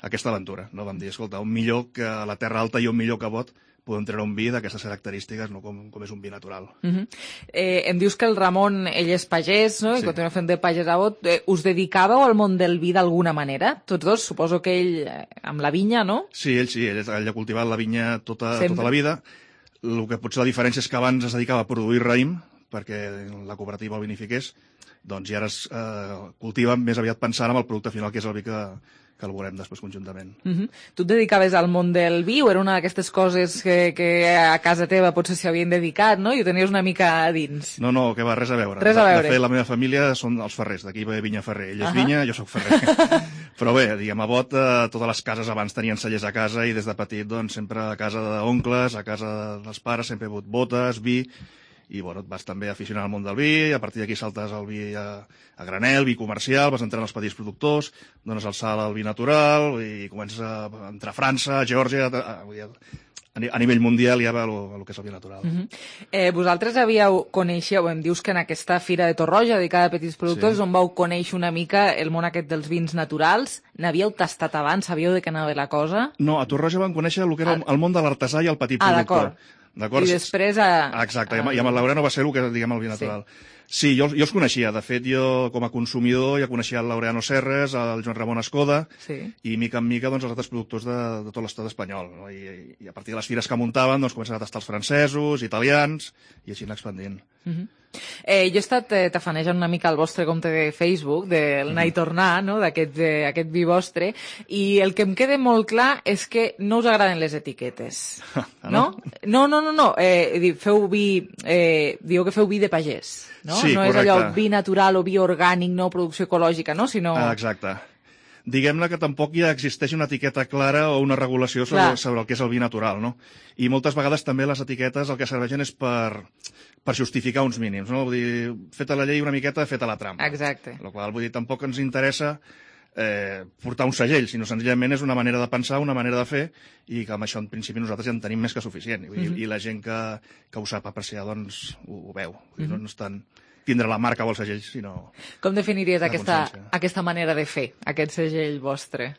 S5: aquesta aventura. No? Vam dir, escolta, un millor que a la Terra Alta i un millor que Bot podem treure un vi d'aquestes característiques, no? com, com és un vi natural.
S3: Mhm. eh, em dius que el Ramon, ell és pagès, no? I
S5: Sí.
S3: continua fent de pagès a Bot. Eh, us dedicàveu al món del vi d'alguna manera? Tots dos? Suposo que ell eh, amb la vinya, no?
S5: Sí, ell sí, ell, ell ha cultivat la vinya tota,
S3: Sempre.
S5: tota la vida. El que potser la diferència és que abans es dedicava a produir raïm, perquè la cooperativa el vinifiqués, doncs i ara es eh, cultiva més aviat pensant en el producte final, que és el vi que, que el veurem després conjuntament.
S3: Mhm. Tu et dedicaves al món del vi o era una d'aquestes coses que, que a casa teva potser s'hi havien dedicat, no? I ho tenies una mica a dins.
S5: No, no, que va, res a veure.
S3: Res a
S5: De-
S3: veure.
S5: De fet, la meva família són els ferrers, d'aquí ve Vinya Ferrer. Ell és
S3: Ahà.
S5: vinya, jo sóc ferrer. Però bé, diguem, a Bot, eh, totes les cases abans tenien cellers a casa i des de petit, doncs, sempre a casa d'oncles, a casa dels pares, sempre he hagut botes, vi, i bueno, et vas també aficionar al món del vi, a partir d'aquí saltes al vi a, a granel, vi comercial, vas entrant als petits productors, dones el salt al vi natural i comences a entrar a França, a Geòrgia, a, a, a, ni- a nivell mundial ja va el, el que és el vi natural.
S3: Mhm. eh, vosaltres havíeu, coneixeu, em dius que en aquesta fira de Torroja dedicada a petits productors,
S5: Sí.
S3: on vau conèixer una mica el món aquest dels vins naturals, n'havíeu tastat abans, sabíeu de què anava la cosa?
S5: No, a Torroja vam conèixer el que era el, el món de l'artesà i el petit
S3: Ah,
S5: productor.
S3: d'acord. I després a...
S5: Exacte, i amb, i amb el Laureano va ser el que, diguem, el vi natural. Sí, jo, jo els coneixia. De fet, jo, com a consumidor, ja coneixia el Laureano Serres, el Joan Ramon Escoda,
S3: Sí.
S5: i mica en mica, doncs, els altres productors de, de tot l'estat espanyol. No? I, I a partir de les fires que muntaven, doncs, començaven a tastar els francesos, italians, i així anar expandint.
S3: Mhm. Eh, jo he estat eh, tafanejant una mica el vostre compte de Facebook, del anar i tornar, no? d'aquest eh, aquest vi vostre, i el que em queda molt clar és que no us agraden les etiquetes. No? No, no, no, no. Eh, di- feu vi, eh, diu que feu vi de pagès, no?
S5: Sí,
S3: no és
S5: correcte.
S3: allò vi natural o vi orgànic, no producció ecològica, no? Sinó...
S5: Ah, exacte. Diguem-ne que tampoc ja existeix una etiqueta clara o una regulació sobre,
S3: Clar.
S5: sobre el que és el vi natural, no? I moltes vegades també les etiquetes el que serveixen és per, per justificar uns mínims, no? Vull dir, feta la llei una miqueta, feta la trampa.
S3: Exacte.
S5: La qual, vull dir, tampoc ens interessa eh, portar un segell, sinó senzillament és una manera de pensar, una manera de fer, i que amb això en principi nosaltres ja en tenim més que suficient. I,
S3: Mhm.
S5: i la gent que, que ho sap apreciar, doncs, ho, ho veu. Vull dir,
S3: Mhm.
S5: no, no és tant tindre la marca o el segell, sinó...
S3: Com definiries
S5: La
S3: aquesta,
S5: consciència.
S3: aquesta manera de fer, aquest segell vostre?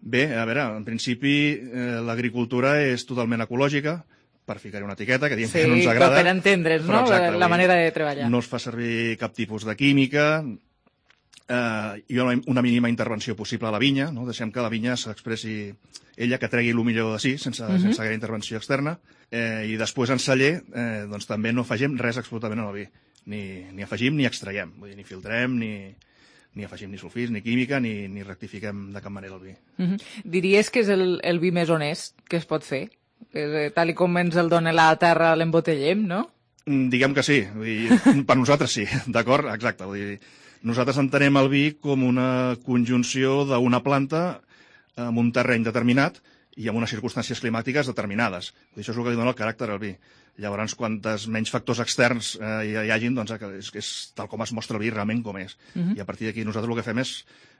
S5: Bé, a veure, en principi eh, l'agricultura és totalment ecològica, per ficar-hi una etiqueta, que diem
S3: sí,
S5: que no ens agrada.
S3: Sí, per entendre's, no?, exacte, la manera de treballar.
S5: No es fa servir cap tipus de química, eh, hi ha una mínima intervenció possible a la vinya, no? Deixem que la vinya s'expressi ella, que tregui el millor de si, sense, uh-huh. sense gaire intervenció externa, eh, i després en celler eh, doncs també no afegim res absolutament al vi, ni, ni afegim ni extraiem, vull dir, ni filtrem, ni... ni afegim ni sulfits, ni química, ni, ni rectifiquem de cap manera el vi.
S3: Uh-huh. Diries que és el, el vi més honest que es pot fer? Que, tal i com ens el dona la terra l'embotellem, no?
S5: Diguem que sí. Vull dir, per nosaltres sí, d'acord? Exacte. Vull dir, nosaltres entenem el vi com una conjunció d'una planta en un terreny determinat i amb unes circumstàncies climàtiques determinades. Vull dir, això és el que li dona el caràcter al vi. Llavors, quantes menys factors externs eh, hi, hi hagin, doncs és, és tal com es mostra el vi realment com és. Uh-huh. I a partir d'aquí nosaltres el que fem és,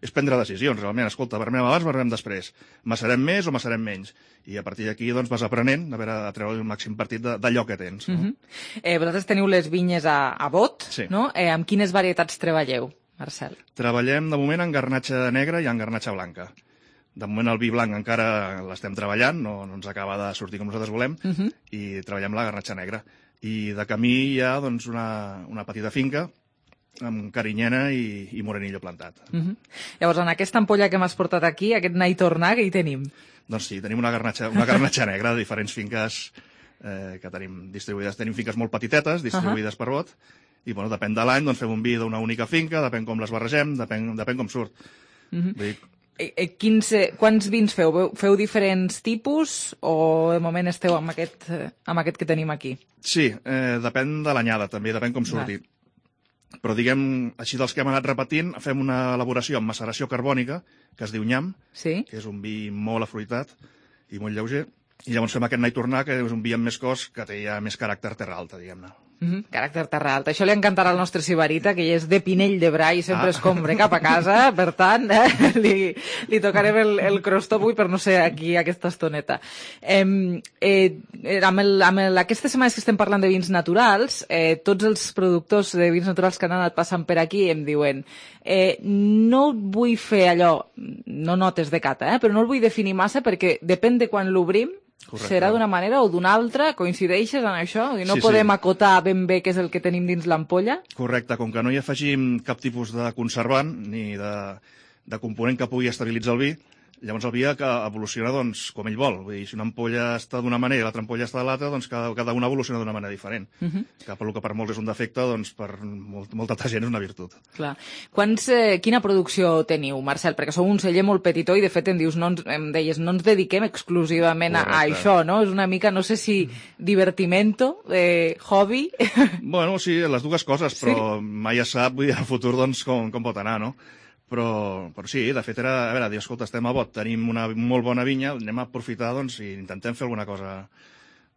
S5: és prendre decisions, realment. Escolta, vermem abans, vermem després. Macerem més o macerem menys? I a partir d'aquí doncs, vas aprenent a, veure, a treure el màxim partit d'allò que tens. No?
S3: Uh-huh. eh, vosaltres teniu les vinyes a, a bot,
S5: sí.
S3: no? Eh, amb quines varietats treballeu, Marcel?
S5: Treballem, de moment, en garnatxa negra i en garnatxa blanca. De moment el vi blanc encara l'estem treballant, no, no ens acaba de sortir com nosaltres volem, uh-huh. i treballem la garnatxa negra. I de camí hi ha doncs, una, una petita finca amb carinyena i, i morenillo plantat.
S3: Uh-huh. Llavors, en aquesta ampolla que m'has portat aquí, aquest anar i tornar, què hi tenim?
S5: Doncs sí, tenim una garnatxa, una garnatxa negra de diferents finques eh, que tenim distribuïdes. Tenim finques molt petitetes, distribuïdes uh-huh. per bot, i bueno, depèn de l'any, doncs fem un vi d'una única finca, depèn com les barregem, depèn, depèn com surt. Uh-huh. Vull dir,
S3: Quins, quants vins feu? Feu diferents tipus o de moment esteu amb aquest, amb aquest que tenim aquí?
S5: Sí, eh, depèn de l'anyada també, depèn com surti. Va. Però diguem, així dels que hem anat repetint, fem una elaboració amb maceració carbònica, que es diu nyam,
S3: sí?
S5: Que és un vi molt afruitat i molt lleuger, i llavors fem aquest anar i tornar, que és un vi amb més cos, que té ja més caràcter terra alta, diguem-ne.
S3: Mm-hmm. Caràcter terra alta. Això li encantarà al nostre Sibarita, que és de Pinell de Brai i sempre ah. escombra cap a casa, per tant, eh, li, li tocarem el, el crostó avui per no ser aquí aquesta estoneta. Eh, eh, amb el, amb el, aquestes setmanes que estem parlant de vins naturals, eh, tots els productors de vins naturals que han anat passant per aquí em diuen eh, no vull fer allò, no notes de cata, eh, però no el vull definir massa perquè depèn de quan l'obrim, correcte. Serà d'una manera o d'una altra? Coincideixes en això? I no sí, podem sí. acotar ben bé què és el que tenim dins l'ampolla?
S5: Correcte, com que no hi afegim cap tipus de conservant ni de, de component que pugui estabilitzar el vi, llavors el vi que evoluciona doncs, com ell vol. Vull dir, si una ampolla està d'una manera i l'altra ampolla està de l'altra, doncs cada, cada una evoluciona d'una manera diferent. Uh-huh. Que per lo que per molts és un defecte, doncs per molt, molta altra gent és una virtut.
S3: Clar. Quants, eh, quina producció teniu, Marcel? Perquè sou un celler molt petitó i de fet em dius, no ens, em deies, no ens dediquem exclusivament a, a això, no? És una mica, no sé si divertimento, eh, hobby...
S5: Bueno, sí, les dues coses, però sí? Mai es sap, vull dir, el futur doncs com, com pot anar, no? Però, però sí, de fet era, a veure, dir, escolta, estem a bot, tenim una molt bona vinya, anem a aprofitar, doncs, i intentem fer alguna cosa,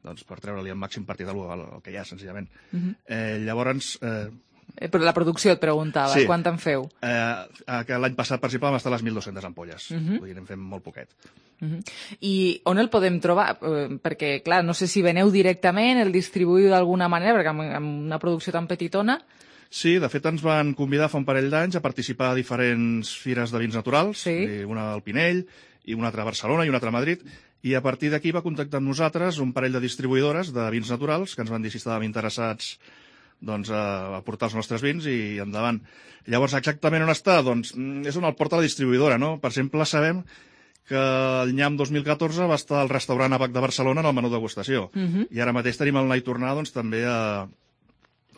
S5: doncs, per treure-li el màxim partit al, al que hi ha, senzillament. Uh-huh. eh, llavors... Eh,
S3: eh, però la producció et preguntava, sí. Quant en feu?
S5: Eh, que l'any passat, per exemple, vam estar a les mil dues-centes ampolles, uh-huh. Vull dir, n'hem fet molt poquet.
S3: Uh-huh. I on el podem trobar? Eh, perquè, clar, no sé si veneu directament, el distribuïu d'alguna manera, perquè amb, amb una producció tan petitona...
S5: Sí, de fet ens van convidar fa un parell d'anys a participar a diferents fires de vins naturals,
S3: sí.
S5: Una al Pinell, i una altra a Barcelona i una altra a Madrid, i a partir d'aquí va contactar amb nosaltres un parell de distribuïdores de vins naturals que ens van dir si estàvem interessats doncs, a portar els nostres vins i endavant. Llavors, exactament on està? Doncs és on el porta la distribuïdora, no? Per exemple, sabem que el nyam dos mil catorze va estar al restaurant Abac de Barcelona en el menú degustació, uh-huh. I ara mateix tenim el anar i tornar doncs, també a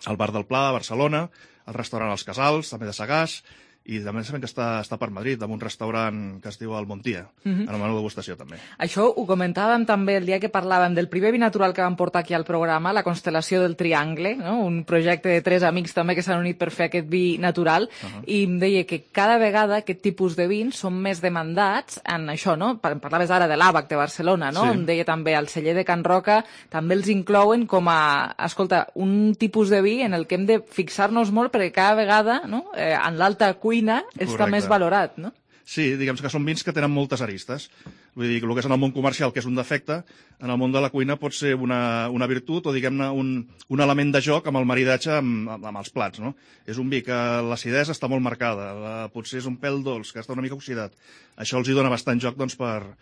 S5: al Bar del Pla, a Barcelona, al restaurant Els Casals, també de Sagàs, i també sabem que està, està per Madrid, en un restaurant que es diu El Montia, uh-huh. En el menú degustació també.
S3: Això ho comentàvem també el dia que parlàvem del primer vi natural que vam portar aquí al programa, la Constel·lació del Triangle, no? Un projecte de tres amics també que s'han unit per fer aquest vi natural, uh-huh. I em deia que cada vegada aquest tipus de vins són més demandats en això, no? Parlaves ara de l'Àbac de Barcelona, no? Sí. Em deia també el celler de Can Roca, també els inclouen com a, escolta, un tipus de vi en el que hem de fixar-nos molt perquè cada vegada, no? Eh, en l'alta cuina està correcte. Més valorat, no?
S5: Sí, diguem que són vins que tenen moltes aristes. Vull dir, el que és en el món comercial, que és un defecte, en el món de la cuina pot ser una, una virtut o, diguem-ne, un, un element de joc amb el maridatge amb, amb, amb els plats, no? És un vi que l'acidesa està molt marcada, la, potser és un pèl dolç, que està una mica oxidat. Això els hi dona bastant joc, doncs, per,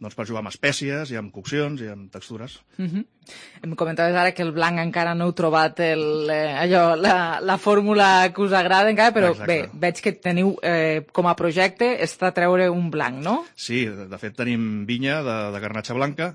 S5: doncs, per jugar amb espècies i amb coccions i amb textures.
S3: Uh-huh. Em comentaves ara que el blanc encara no heu trobat el, eh, allò, la, la fórmula que us agrada encara, però
S5: Exacte.
S3: bé, veig que teniu eh, com a projecte està treure un blanc, no?
S5: Sí, de fet tenim vinya de, de garnatxa blanca.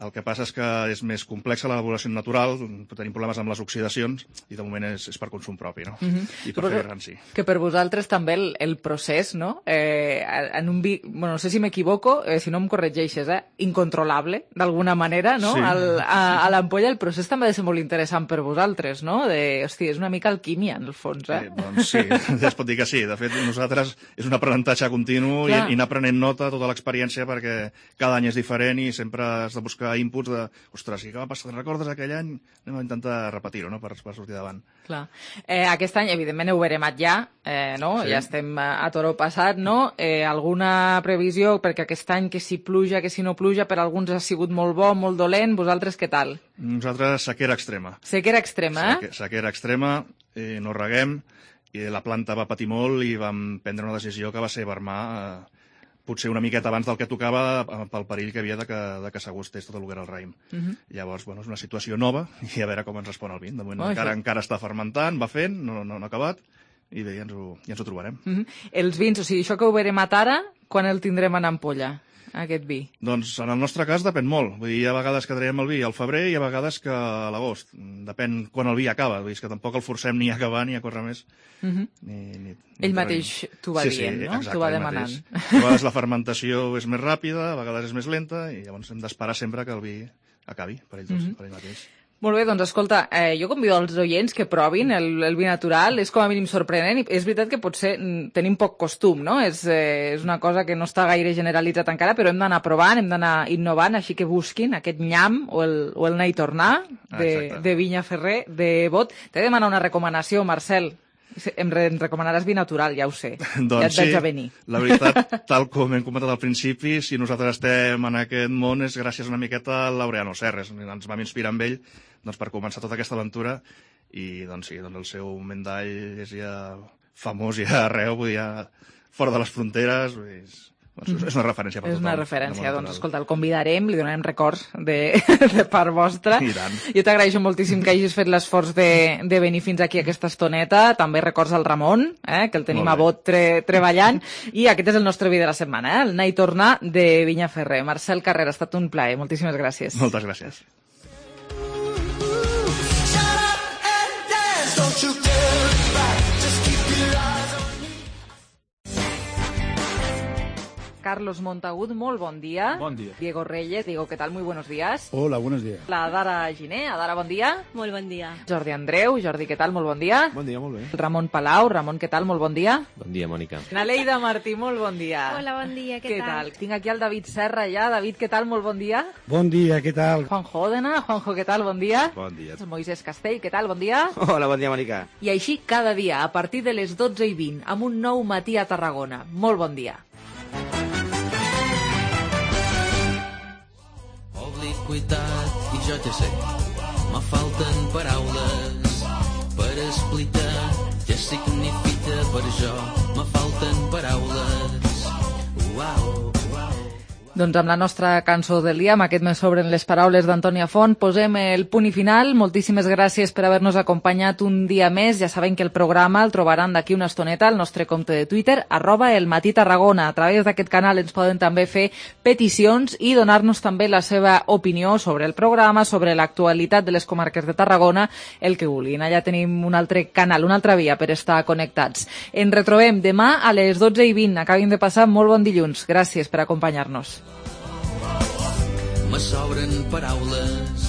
S5: El que passa és que és més complexa l'elaboració natural, tenim problemes amb les oxidacions i de moment és, és per consum propi, no?
S3: Uh-huh.
S5: I per fer gran, sí.
S3: Que per vosaltres també el, el procés, no? Eh, en un vi, bueno, no sé si m'equivoco, eh, si no em corregeixes, eh? Incontrolable, d'alguna manera, no?
S5: Sí.
S3: Al, a, a l'ampolla el procés també ha de ser molt interessant per vosaltres, no? De, hosti, és una mica alquímia, en el fons, eh?
S5: eh doncs sí, es pot dir que sí. De fet, nosaltres és un aprenentatge continu i, i anar prenent nota tota l'experiència perquè cada any és diferent i sempre has de buscar inputs de, ostres, què va passar? Te'n recordes aquell any? Anem a intentar repetir-ho, no?, per, per sortir davant.
S3: Clar. Eh, aquest any, evidentment, heu veremat ja, eh, no?
S5: Sí.
S3: Ja estem a, a toro passat, no? Eh, alguna previsió? Perquè aquest any, que si pluja, que si no pluja, per alguns ha sigut molt bo, molt dolent. Vosaltres, què tal?
S5: Nosaltres, sequera extrema.
S3: Sequera extrema, eh?
S5: Seque, sequera extrema, eh, no reguem, i la planta va patir molt i vam prendre una decisió que va ser vermar eh, potser una miqueta abans del que tocava pel perill que havia de que, de que s'agostés tot el que era el raïm. Uh -huh. Llavors, bueno, és una situació nova i a veure com ens respon el vin. De moment oh, encara, encara està fermentant, va fent, no, no, no ha acabat, i bé, ja ens ho, ja ens ho trobarem.
S3: Uh -huh. Els vins, o sigui, això que ho veremat ara, quan el tindrem en ampolla, aquest vi?
S5: Doncs en el nostre cas depèn molt. Vull dir, hi ha vegades que traiem el vi al febrer i hi ha vegades que a l'agost. Depèn quan el vi acaba. Vull dir, que tampoc el forcem ni a acabar ni a córrer més.
S3: Uh -huh.
S5: ni, ni,
S3: Ell
S5: ni
S3: mateix t'ho va
S5: sí,
S3: dient,
S5: sí,
S3: no?
S5: Exacte,
S3: t'ho va
S5: ell
S3: demanant.
S5: Mateix. A vegades la fermentació és més ràpida, a vegades és més lenta, i llavors hem d'esperar sempre que el vi acabi per ell, tots, uh -huh. per ell mateix.
S3: Molt bé, doncs escolta, eh, jo convido els oients que provin el, el vi natural, és com a mínim sorprenent, i és veritat que potser tenim poc costum, no? És, eh, és una cosa que no està gaire generalitzat encara, però hem d'anar provant, hem d'anar innovant, així que busquin aquest nyam o el, o el anar i tornar de,
S5: ah,
S3: de Vinya Ferrer, de Bot. T'he de demanar una recomanació, Marcel. Em, re, em recomanaràs vi natural, ja ho sé.
S5: Doncs
S3: ja et veig
S5: sí,
S3: a venir.
S5: La veritat, tal com hem comentat al principi, si nosaltres estem en aquest món és gràcies una miqueta a Laureano Serres. Ens vam inspirar amb ell doncs, per començar tota aquesta aventura i doncs, sí, doncs, el seu mendall és ja famós ja arreu, vull dir, ja fora de les fronteres, vull dir, doncs, és una referència per
S3: és
S5: tothom.
S3: És una referència, doncs escolta, el convidarem, li donarem records de, de part vostra.
S5: I tant.
S3: Jo t'agraeixo moltíssim que hagis fet l'esforç de, de venir fins aquí aquesta estoneta, també records al Ramon, eh, que el tenim a Bot tre, treballant, i aquest és el nostre vi de la setmana, eh, el anar i tornar de Vinya Ferrer. Marcel Carrera, ha estat un plaer, moltíssimes gràcies.
S5: Moltes gràcies.
S3: Carlos Montagut, molt bon dia.
S2: Bon dia.
S3: Diego Reyes, Diego, ¿qué tal? Muy buenos días.
S14: Hola, buenos días.
S3: La Dara Giné, Adara, bon dia.
S6: Molt bon dia.
S3: Jordi Andreu, Jordi, què tal? Molt bon dia.
S21: Bon dia, molt bé.
S3: Ramon Palau, Ramon, què tal? Molt bon dia.
S21: Bon dia, Mònica.
S3: Naleida Martí, molt bon dia.
S6: Hola, bon dia, què,
S3: què tal? tal? Tinc aquí el David Serra ja. David, què tal? Molt bon dia.
S23: Bon dia, què tal?
S3: Juanjo Òdena, Juanjo, què tal? Bon dia.
S21: Bon dia.
S3: El Moisés Castell, què tal? Bon dia.
S21: Hola, bon dia, Mònica.
S3: I així cada dia, a partir de les dotze i vint, amb un nou matí a Tarragona. Molt bon dia.
S24: Obliquitat, i jo ja sé, me falten paraules per explicar què significa per jo, me falten paraules. Uau, uau.
S3: Doncs amb la nostra cançó del dia, amb aquest Me sobren les paraules d'Antònia Font, posem el punt i final. Moltíssimes gràcies per haver-nos acompanyat un dia més. Ja saben que el programa el trobaran d'aquí una estoneta al nostre compte de Twitter, arroba el Matí Tarragona. A través d'aquest canal ens poden també fer peticions i donar-nos també la seva opinió sobre el programa, sobre l'actualitat de les comarques de Tarragona, el que vulguin. Allà tenim un altre canal, una altra via per estar connectats. Ens retrobem demà a les dotze i vint. Acabin de passar molt bon dilluns. Gràcies per acompanyar-nos.
S24: Me sobren paraules,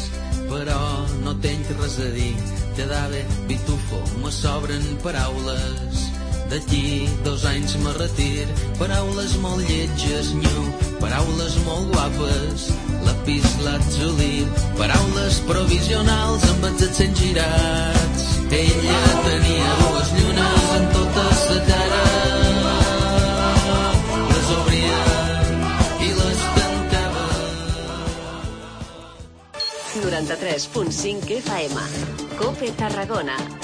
S24: però no tenc res a dir. Te dave, pitufo, me sobren paraules. D'aquí dos anys me retir. Paraules molt lletges, nyu. Paraules molt guapes, lapis lazuli. Paraules provisionals amb els accents girats. Ella tenia dues llunes en tota sa cara. Les obria i les tenia.
S1: noranta-tres punt cinc F M. COPE Tarragona.